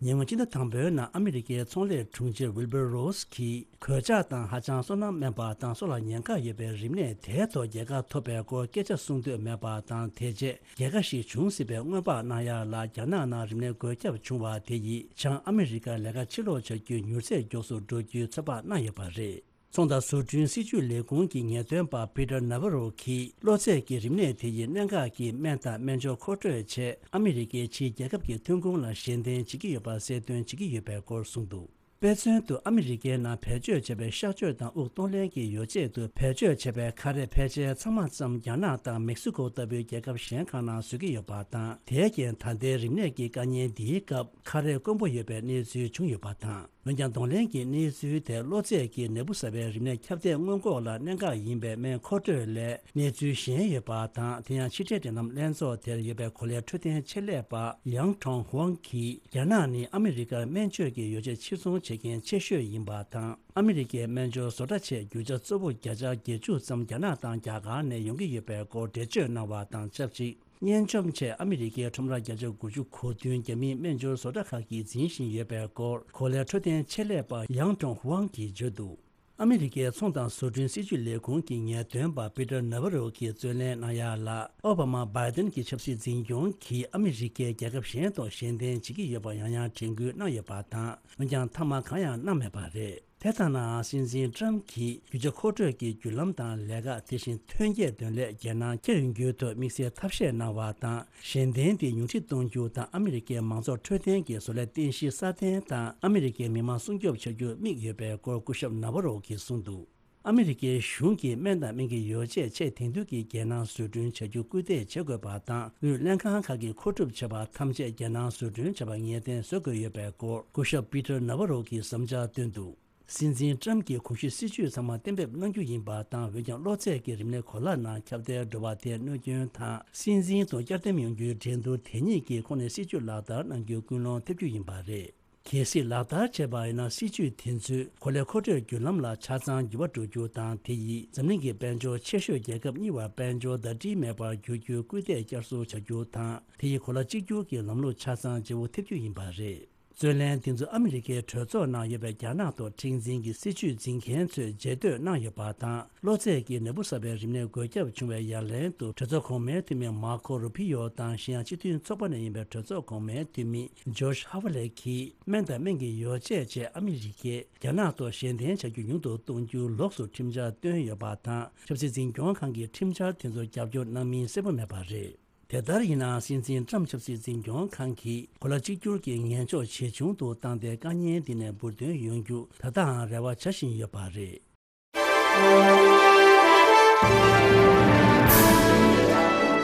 ཉེ་སྔོན་ཕྱི་ཟླ་དང་པོའི་ནང་ཨ་མི་རི་ཀའི་ཚོང་ལས་དྲུང་ཆེ་ཝིལ་བར་རོས་ཀྱིས་གོད་ཆག་དང་ཧ་ཅང་སོ་ནམ་དམན་པ་དང་སྲོག་ལ་ཉེན་ཁ་ཡོད་པའི་རིམས་ནད་དེའི་ཐོག་རྒྱལ་ཁ་ཐོབ་པའི་སྐོར་སྐད་ཆ་གསུང་འདོད་མེད་པ་དང་། དེ་རྗེས་རྒྱལ་ཁ་ཞིག་འབྱུང་སྲིད་པའི་སྔོན་དཔག་གནང་ཡག་ལ། རྒྱ་ནག་ནང་རིམས་ནད་འགོས་ཁྱབ་བྱུང་བ་དེ་ཡིས་བྱང་ཨ་མི་རི་ཀར་ལས་ཀ་ཕྱིར་སློག་བྱ་རྒྱུ་མྱུར་ཚད་མགྱོགས་སུ་འགྲོ་རྒྱུའི་ཚོད་དཔག་གནང་ཡོད་པ་རེད། ཚོང་དང་བཟོ་སྐྲུན་སྲིད་ཇུས་ལས་ཁུངས་ཀྱི་ངེས་སྟོན་པ་པི་ཏར་ནཱ་ཝ་རོ་གིས་གློ་ཚད་ཀྱི་རིམས་ནད་དེ་ཡི་གནད་འགག་གི་སྨན་དང་སྨན་སྦྱོར་མཁོ་སྤྲོད་ཆེད་ཨ་མི་རི་ཀའི་ཕྱིའི་རྒྱལ་ཁབ་ཀྱི་ཐོན་ཁུངས་ལ་ཞལ་འདེབས་བྱེད་ཀྱི་ཡོད་པ་གསལ་སྟོན་བྱེད་ཀྱི་ཡོད་པའི་སྐོར་གསུངས་འདུག། དཔེ་མཚོན་དུ་ཨ་མི་རི་ཀའི་ནང་བེད་སྤྱོད་བྱས་པའི་གཤག་བཅོས་དང་དབུགས་གཏོང་ལེན་གྱི་ཡོ་བྱད་དུ་བེད་སྤྱོད་བྱས་པའི་ཁ་རས་ཕལ་ཆེར་ཚང་མ་ཙམ་རྒྱ་ནག་དང་མེག་སི་ཀོ་ལྟ་བུའི་རྒྱལ་ཁབ་གཞན་ཁག་ནང་བཟོ་གི་ཡོད་པ་དང་། དེའི་རྐྱེན་ད་ལྟའི་རིམས་ནད་ཀྱི་དཀའ་ཉེན་འདིའི་སྐབས་ཁ་རས་དཀོན་པོ་ཡོད་པའི་གནས་ཚུལ་བྱུང་ཡོད་པ་དང་། འོན་ཀྱང་གདོང་ལེན་གྱི་གནས་ཚུལ་དེ་གློ་ཚད་ཀྱི་ནད་འབུ་གསར་པའི་རིམས་ནད་ཁྱབ་གདལ་སྔོན་འགོག་ལ་གནད་འགག་ཡིན་པའི་སྨན་མཁོ་སྤྲོད་ལས་གནས་ཚུལ་གཞན་ཡོད་པ་དང་། དེ་ཡང་ཕྱི་དྲིལ་འབྲེལ་ལམ་ལྷན་ཚོགས་དེར་ཡོད་པའི་གོ་ལའི་འཕྲོད་བསྟེན་ཆེད་ལས་པ་ཡང་ཁྲོང་ཧུའང་གིས། རྒྱ་ནག་ནི་ཨ་མི་རི་ཀར་སྨན་བཅོས་ཀྱི་ཡོ་བྱད་ཕྱིར་ཚོང་བྱེད་མཁན་ཆེ་ཤོས་ཡིན་པ་དང་། ཨ་མི་རི་ཀའི་སྨན་སྦྱོར་བཟོ་གྲྭ་ཆེད་རྒྱུ་ཆ་གཙོ་བོ་བརྒྱ་ཆ་བརྒྱད་ཅུ་ཙམ་རྒྱ་ནག་དང་རྒྱ་གར་ནས་ཡོང་གི་ཡོད་པའི་སྐོར་འགྲེལ་བརྗོད་གནང་བ་དང་ཆབས་ཅིག། སྙན་བཅོམ་ཆེད་ཨ་མི་རི་ཀའི་ཁྲོམ་ར་བརྒྱ་ཆ་དགུ་ཅུ་གོ་བདུན་རྒྱ་མིའི་སྨན་སྦྱོར་བཟོ་གྲྭ་ཁག་གིས་འཛིན་བཞིན་ཡོད་པའི་སྐོར་གོ་ལའི་འཕྲོད་བསྟེན་ཆེད་ལས་པ་ཡང་ཀྲོང་ཧུའང་གིས་བརྗོད་འདུག། ཨ་མི་རི་ཀའི་ཚོང་དང་བཟོ་སྐྲུན་སྲིད་ཇུས་ལས་ཁུངས་ཀྱི་ངེས་སྟོན་པ་པི་ཏར་ནཱ་ཝ་རོ་གིས་རྩོད་ལེན་གནང་ཡ་ལ། ཨོ་བྷ་མ་བྷའི་ཏིན་གྱི་ཆབ་སྲིད་འཛིན་སྐྱོང་གིས་ཨ་མི་རི་ཀས་རྒྱལ་ཁབ་གཞན་དང་གཞན་བརྟེན་བྱེད་ཀྱི་ཡོད་པ་ཡང་ཡང་དྲན་སྐུལ་གནང་ཡོད་པ་དང་། འོན་ཀྱང་མཐའ་མ་གང་ཡང་གནང་མེད་པ་རེད། དེ་ལྟ་ནའང་སྲིད་འཛིན་ཀྲམ་གྱིས་རྒྱུ་ཆ་མཁོ་སྤྲོད་ཀྱི་བརྒྱུད་ལམ་དང་ལས་ཀ། དེ་བཞིན་ཐོན་སྐྱེད་འདོན་ལས་རྒྱལ་ནང་བསྐྱལ་ཡོང་རྒྱུའི་ཐོག་དམིགས་བསལ་ཐབས་ཤེས་གནང་བ་དང་། གཞན་བརྟེན་དེ་ཉུང་འཕྲི་གཏོང་རྒྱུ་དང་། ཨ་མི་རི་ཀའི་མང་ཚོགས་འཕྲོད་བསྟེན་གྱི་བཟོ་ལས་རྟེན་གཞི་སྲ་བརྟན་དང་། ཨ་མི་རི་ཀའི་མི་དམངས་སྲུང་སྐྱོབ་བྱ་རྒྱུར་དམིགས་ཡོད་པའི་སྐོར་སྐུ་ཞབས་ནཱ་ཝ་རོ་གིས་གསུངས་འདུག། ཨ་མི་རི་ཀའི་གཞུང་གིས་སྨན་དང་སྨན་གྱི་ཡོ་བྱད་ཆེས་དེང་དུས་ཀྱི་རྒྱལ་ནང་བཟོ་སྐྲུན་བྱ་རྒྱུ་སྐུལ་འདེད་བྱེད་དགོས་པ་དང་། དབུས་ལྷན་ཁང་ཁག་གིས་མཁོ་སྒྲུབ་བྱས་པ་ཐམས་ཅད་རྒྱལ་ནང་བཟོ་སྐྲུན་བྱས་པ་ངེས་གཏན་བཟོ་དགོས་ཡོད་པའི་སྐོར་སྐུ་ཞབས་པི་ཏར་ནཱ་ཝ་རོ་གིས་བསམ་འཆར་བཏོན་འདུག། སྲིད་འཛིན་ཀྲམ་གྱིས་གོང་ཞུས་སྲིད་ཇུས་ཚང་མ་གཏན་འབེབས་གནང་རྒྱུ་ཡིན་པ་དང་། འོན་ཀྱང་གློ་ཚད་ཀྱི་རིམས་ནད་གོ་ལ་ནང་ཁྱབ་གདལ་འགྲོ་བ་དེའི་གནོད་སྐྱོན་དང་། སྲིད་འཛིན་དང་བསྐྱར་ཟླུམ་ཡོང་རྒྱུའི་འགྲན་བསྡུར་དེ་ཉིད་ཀྱི་ཁོངས་ནས་སྲིད་ཇུས་ལག་བསྟར་གནང་རྒྱུའི་ཀུན་སློང་ཐེབས་རྒྱུ་ཡིན་པ་རེད། གལ་སྲིད་ལག་བསྟར་བྱས་པ་ཡིན་ན། སྲིད་ཇུས་དེ་ཚོས་གོ་ལའི་མཁོ་སྤྲོད་བརྒྱུད་ལམ་ལ་ཆ་ཚང་འགྱུར་བ་འགྲོ་རྒྱུ་དང་། དེ་ཡིས་འཛམ་གླིང་གི་དཔལ་འབྱོར་ཆེ་ཤོས་རྒྱལ་ཁབ་གཉིས་བར་དཔལ་འབྱོར་ཟླ་སྒྲིལ་མེད་པར་འགྱུར་རྒྱུའི་སྐུལ་འདེད་བསྐྱར་གསོ་བྱ་རྒྱུ་དང་། དེ་ཡིས་གོ་ལ་གཅིག་གྱུར་གྱི་ལམ་ལུགས་ཆ་ཚང་བརྗེ་བོ་ཐེབས་རྒྱུ་ཡིན་པ་རེད། རྩོད་ལན་འདི་ཚོ་ཨ་མི་རི་ཀའི་གྲོས་ཚོགས་ནང་ཡོད་པའི་རྒྱ་ནག་ཐོག་མཁྲེགས་འཛིན་གྱི་སྲིད་ཇུས་འཛིན་མཁན་ཚོས་རྗེས་ཟློས་གནང་ཡོད་པ་དང་། གློ་ཚད་ཀྱི་ནད་འབུ་གསར་པའི་རིམས་ནད་འགོས་ཁྱབ་བྱུང་བའི་ཡ་ལན་དུ། གྲོས་ཚོགས་གོང་མའི་འཐུས་མི་མར་ཁོ་རུ་པི་ཡོ་དང་། གཞན་ཡང་སྤྱི་མཐུན་ཚོགས་པ་ནས་ཡིན་པའི་གྲོས་ཚོགས་གོང་མའི་འཐུས་མི་ཇོརྗ་ཧ་ཝ་ལེ་གིས། སྨན་དང་སྨན་གྱི་ཡོ་བྱད་ཆེད་ཨ་མི་རི་ཀས་རྒྱ་ནག་ཐོག་གཞན་བརྟེན་བྱ་རྒྱུ་ཉུང་དུ་གཏོང་རྒྱུ་ལོགས་སུ་ཁྲིམས་འཆར་བཏོན་ཡོད་པ་དང་། ཆབ་སྲིད་འཛིན་སྐྱོང་ཁང་གིས་ཁྲིམས་འཆར་དེ་ཚོར་རྒྱབ་སྐྱོར་གནང་མིན་གསལ་པོ་མེད་པ་རེད། དེ་ལྟར་ཡིན་ནའང་། སྲིད་འཛིན་ཀྲམ་ཆབ་སྲིད་འཛིན་སྐྱོང་ཁང་གིས་གོ་ལ་གཅིག་གྱུར་གྱི་ངན་ཕྱོགས་ཇེ་ཆུང་དུ་བཏང་སྟེ། དཀའ་ཉེན་འདི་ནས་འབུར་ཐོན་ཡོང་རྒྱུ་ད་ལྟའང་རེ་བ་བྱ་བཞིན་ཡོད་པ་རེད།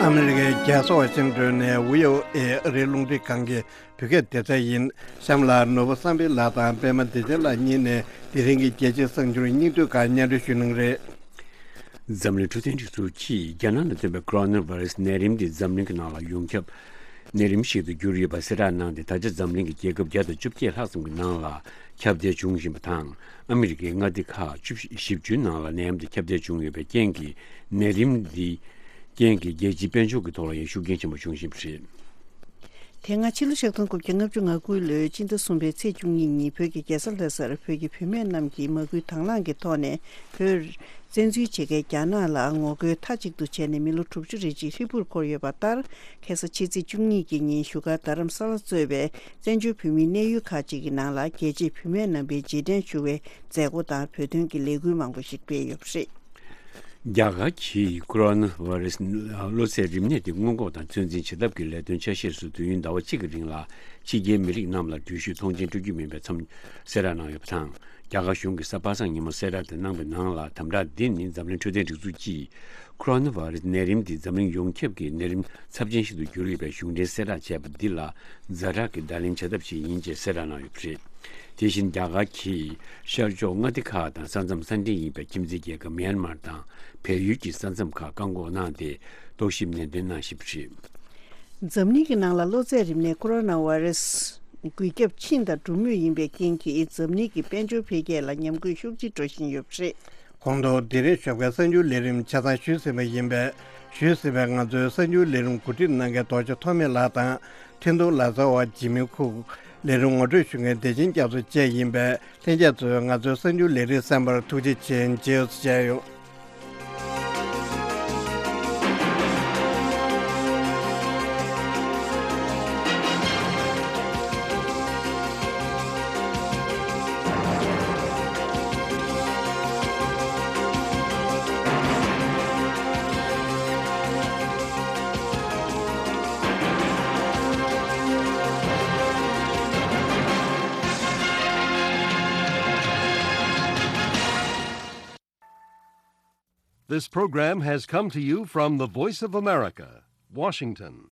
ཨ་མི་རི་ཀའི་རྒྱལ་ས་ཝ་ཤིང་ཏོན་ནས་ཝི་ཨོ་ཨེ་ཨ་རིའི་རླུང་འཕྲིན་ཁང་གི་བོད་སྐད་སྡེ་ཚན་ཡིན། གཤམ་ལ་ནོར་བུ་བསམ་འཕེལ་ལགས་དང་པད་མ་བདེ་ཆེན་ལགས་གཉིས་ནས་དེ་རིང་གི་རྒྱལ་སྤྱིའི་གསར་འགྱུར་སྙིང་བསྡུས་ཁག་སྙན་སྒྲོན་ཞུ་གནང་རེད། འཛམ་གླིང་འཕྲོད་བསྟེན་སྒྲིག་འཛུགས་ཀྱིས་རྒྱ་ནག་ནང་ཐོན་པའི་ཀོ་རོ་ན་ཝ་རེ་སི་ནད་རིམས་དེ་འཛམ་གླིང་གི་ནང་ལ་ཡོངས་ཁྱབ་ནད་རིམས་ཤིག་ཏུ་གྱུར་ཡོད་པ་གསལ་བསྒྲགས་གནང་སྟེ། ད་ཆ་འཛམ་གླིང་གི་རྒྱལ་ཁབ་བརྒྱ་དང་བཅོ་བརྒྱད་ལྷག་ཙམ་གྱི་ནང་ལ་ཁྱབ་གདལ་བྱུང་བཞིན་པ་དང་། ཨ་མི་རི་ཀའི་མངའ་སྡེ་ཁག་བཅུ་བཞི་བཅུའི་ནང་ལ་ནད་ཡམས་དེ་ཁྱབ་གདལ་བྱུང་ཡོད་པའི་རྐྱེན་གྱིས། ནད་རིམས་འདི་རྐྱེན་གྱིས་རྒྱལ་སྤྱིའི་དཔལ་འབྱོར་གྱི་ཐོག་ལ་ཡང་ཤུགས་རྐྱེན་ཆེན་པོ་བྱུང་བཞིན་པ་རེད། དེ་སྔ་ཕྱི་ལོ་ཆིག་སྟོང་དགུ་བརྒྱ་ལྔ་བཅུ་ང་དགུ་ལོའི་སྤྱི་ཟླ་གསུམ་པའི་ཚེས་བཅུ་གཉིས་ཉིན། བོད་ཀྱི་རྒྱལ་ས་ལྷ་སར་བོད་ཀྱི་བུད་མེད་རྣམས་ཀྱིས་མ་སྐུལ་དང་བླངས་ཀྱི་ཐོག་ནས་བོད་བཙན་འཛུལ་བྱེད་མཁན་རྒྱ་ནག་ལ་ངོ་རྒོལ་མཐའ་གཅིག་ཏུ་བྱས་ནས་མི་ལོ་དྲུག་ཅུ་རེ་གཅིག་ཧྲིལ་པོར་འཁོར་ཡོད་པ་ལྟར། ཁ་སང་ཕྱི་ཚེས་བཅུ་གཉིས་ཀྱི་ཉིན་བཞུགས་སྒར་རྡ་རམ་ས་ལ་གཙོས་པའི་བཙན་བྱོལ་བོད་མིའི་གནས་ཡུལ་ཁག་ཅིག་གི་ནང་ལ་རྒྱལ་གཅེས་བུད་མེད་རྣམ་པའི་རྗེས་དྲན་ཞུ་བའི་མཛད་སྒོ་དང་བོད་དོན་གྱི་ལས་འགུལ་མང་པོ་ཞིག་སྤེལ་ཡོད་པ་རེད། རྒྱ་གར་གྱིས་ཀོ་རོ་ན་ཝ་རེ་སི་གློ་ཚད་རིམས་ནད་དེ་སྔོན་འགོག་དང་ཚོད་འཛིན་བྱེད་ཐབས་ཀྱི་ལས་དོན་ཆ་ཤས་སུ་དུས་ཡུན་ཟླ་བ་གཅིག་གི་རིང་ལ་ཕྱི་རྒྱལ་མི་རིགས་རྣམས་ལ་འགྲུལ་བཞུད་ཐོངས་མཆན་སྤྲོད་རྒྱུ་མིན་པའི་མཚམས་གསལ་བསྒྲགས་གནང་ཡོད་པ་དང་། རྒྱ་གར་གཞུང་གིས་གཟའ་པ་སངས་ཉིན་མོ་གསལ་བསྒྲགས་དེ་གནང་བའི་ནང་ལ། དམ་དྲག་འདི་ནི་འཛམ་གླིང་འཕྲོད་བསྟེན་སྒྲིག་འཛུགས་ཀྱིས་ཀོ་རོ་ན་ཝ་རེ་སི་ནད་རིམས་འདི་འཛམ་གླིང་ཡོངས་ཁྱབ་ཀྱི་ནད་རིམས་ཚབས་ཆེན་ཞིག་ཏུ་གྱུར་ཡོད་པའི་གཞུང་འབྲེལ་གསལ་བསྒྲགས་བྱས་པ་འདི་ལ་ཛ་དྲག་གི་བརྡ་ལན་བྱ་ཐབས་ཤིག་ཡིན་ཅེས་གསལ་བསྒྲགས་གནང་ཡོད་པ་རེད། དེ་བཞིན་རྒྱ་གར་གྱིས་ཤར་ཕྱོགས་མངའ་སྡེ་ཁག་དང་ས་མཚམས་ས་འབྲེལ་ཡིན་པའི་ཁྱིམ་མཚེས་རྒྱལ་ཁབ་མྱན་མར་དང་བལ་ཡུལ་གྱི་ས་མཚམས་ཁག་བཀག་འགོག་གནང་སྟེ། རྟོག་ཞིབ་ནན་ཏན་གནང་བཞིན་པ་རེད། འཛམ་གླིང་གི་ནང་ལ་གློ་ཚད་རིམས་ནད་ཀོ་རོ་ན་ཝ་རེ་སི་འགོས་ཁྱབ་ཕྱིན་དང་འགྲོ་མུས་ཡིན་པའི་རྐྱེན་གྱིས། འཛམ་གླིང་གི་དཔལ་འབྱོར་འཕེལ་རྒྱས་ལ་ཉམས་རྒུད་ཤུགས་ཆེ་འགྲོ་བཞིན་ཡོད་པ་རེད། གོང་དུ་དེ་རིང་ཞོགས་ཀའི་གསར་འགྱུར་ལས་རིམ་ཆ་ཚང་ཞུས་ཟིན་པ་ཡིན་པས། ཞུས་ཟིན་པའི་ང་ཚོའི་གསར་འགྱུར་ལས་རིམ་གོ་སྒྲིག་གནང་མཁན་རྡོ་རྗེ་ཐོགས་མེད་ལགས་དང་། འཕྲིན་གཏོང་ལག་རྩལ་བ་འཇིགས་མེད་ཁུག། ལས་རིམ་ངོ་སྤྲོད་ཞུ་མཁན་བདེ་ཆེན་རྒྱ་མཚོ་བཅས་ཡིན་པས། ལྷན་རྒྱས་ཚོས་ང་ཚོའི་གསར་འགྱུར་ལས་རིམ་གསན་པར་ཐུགས་རྗེ་ཆེ། མཇལ་ཡོང་། This program has come to you from the Voice of America, Washington.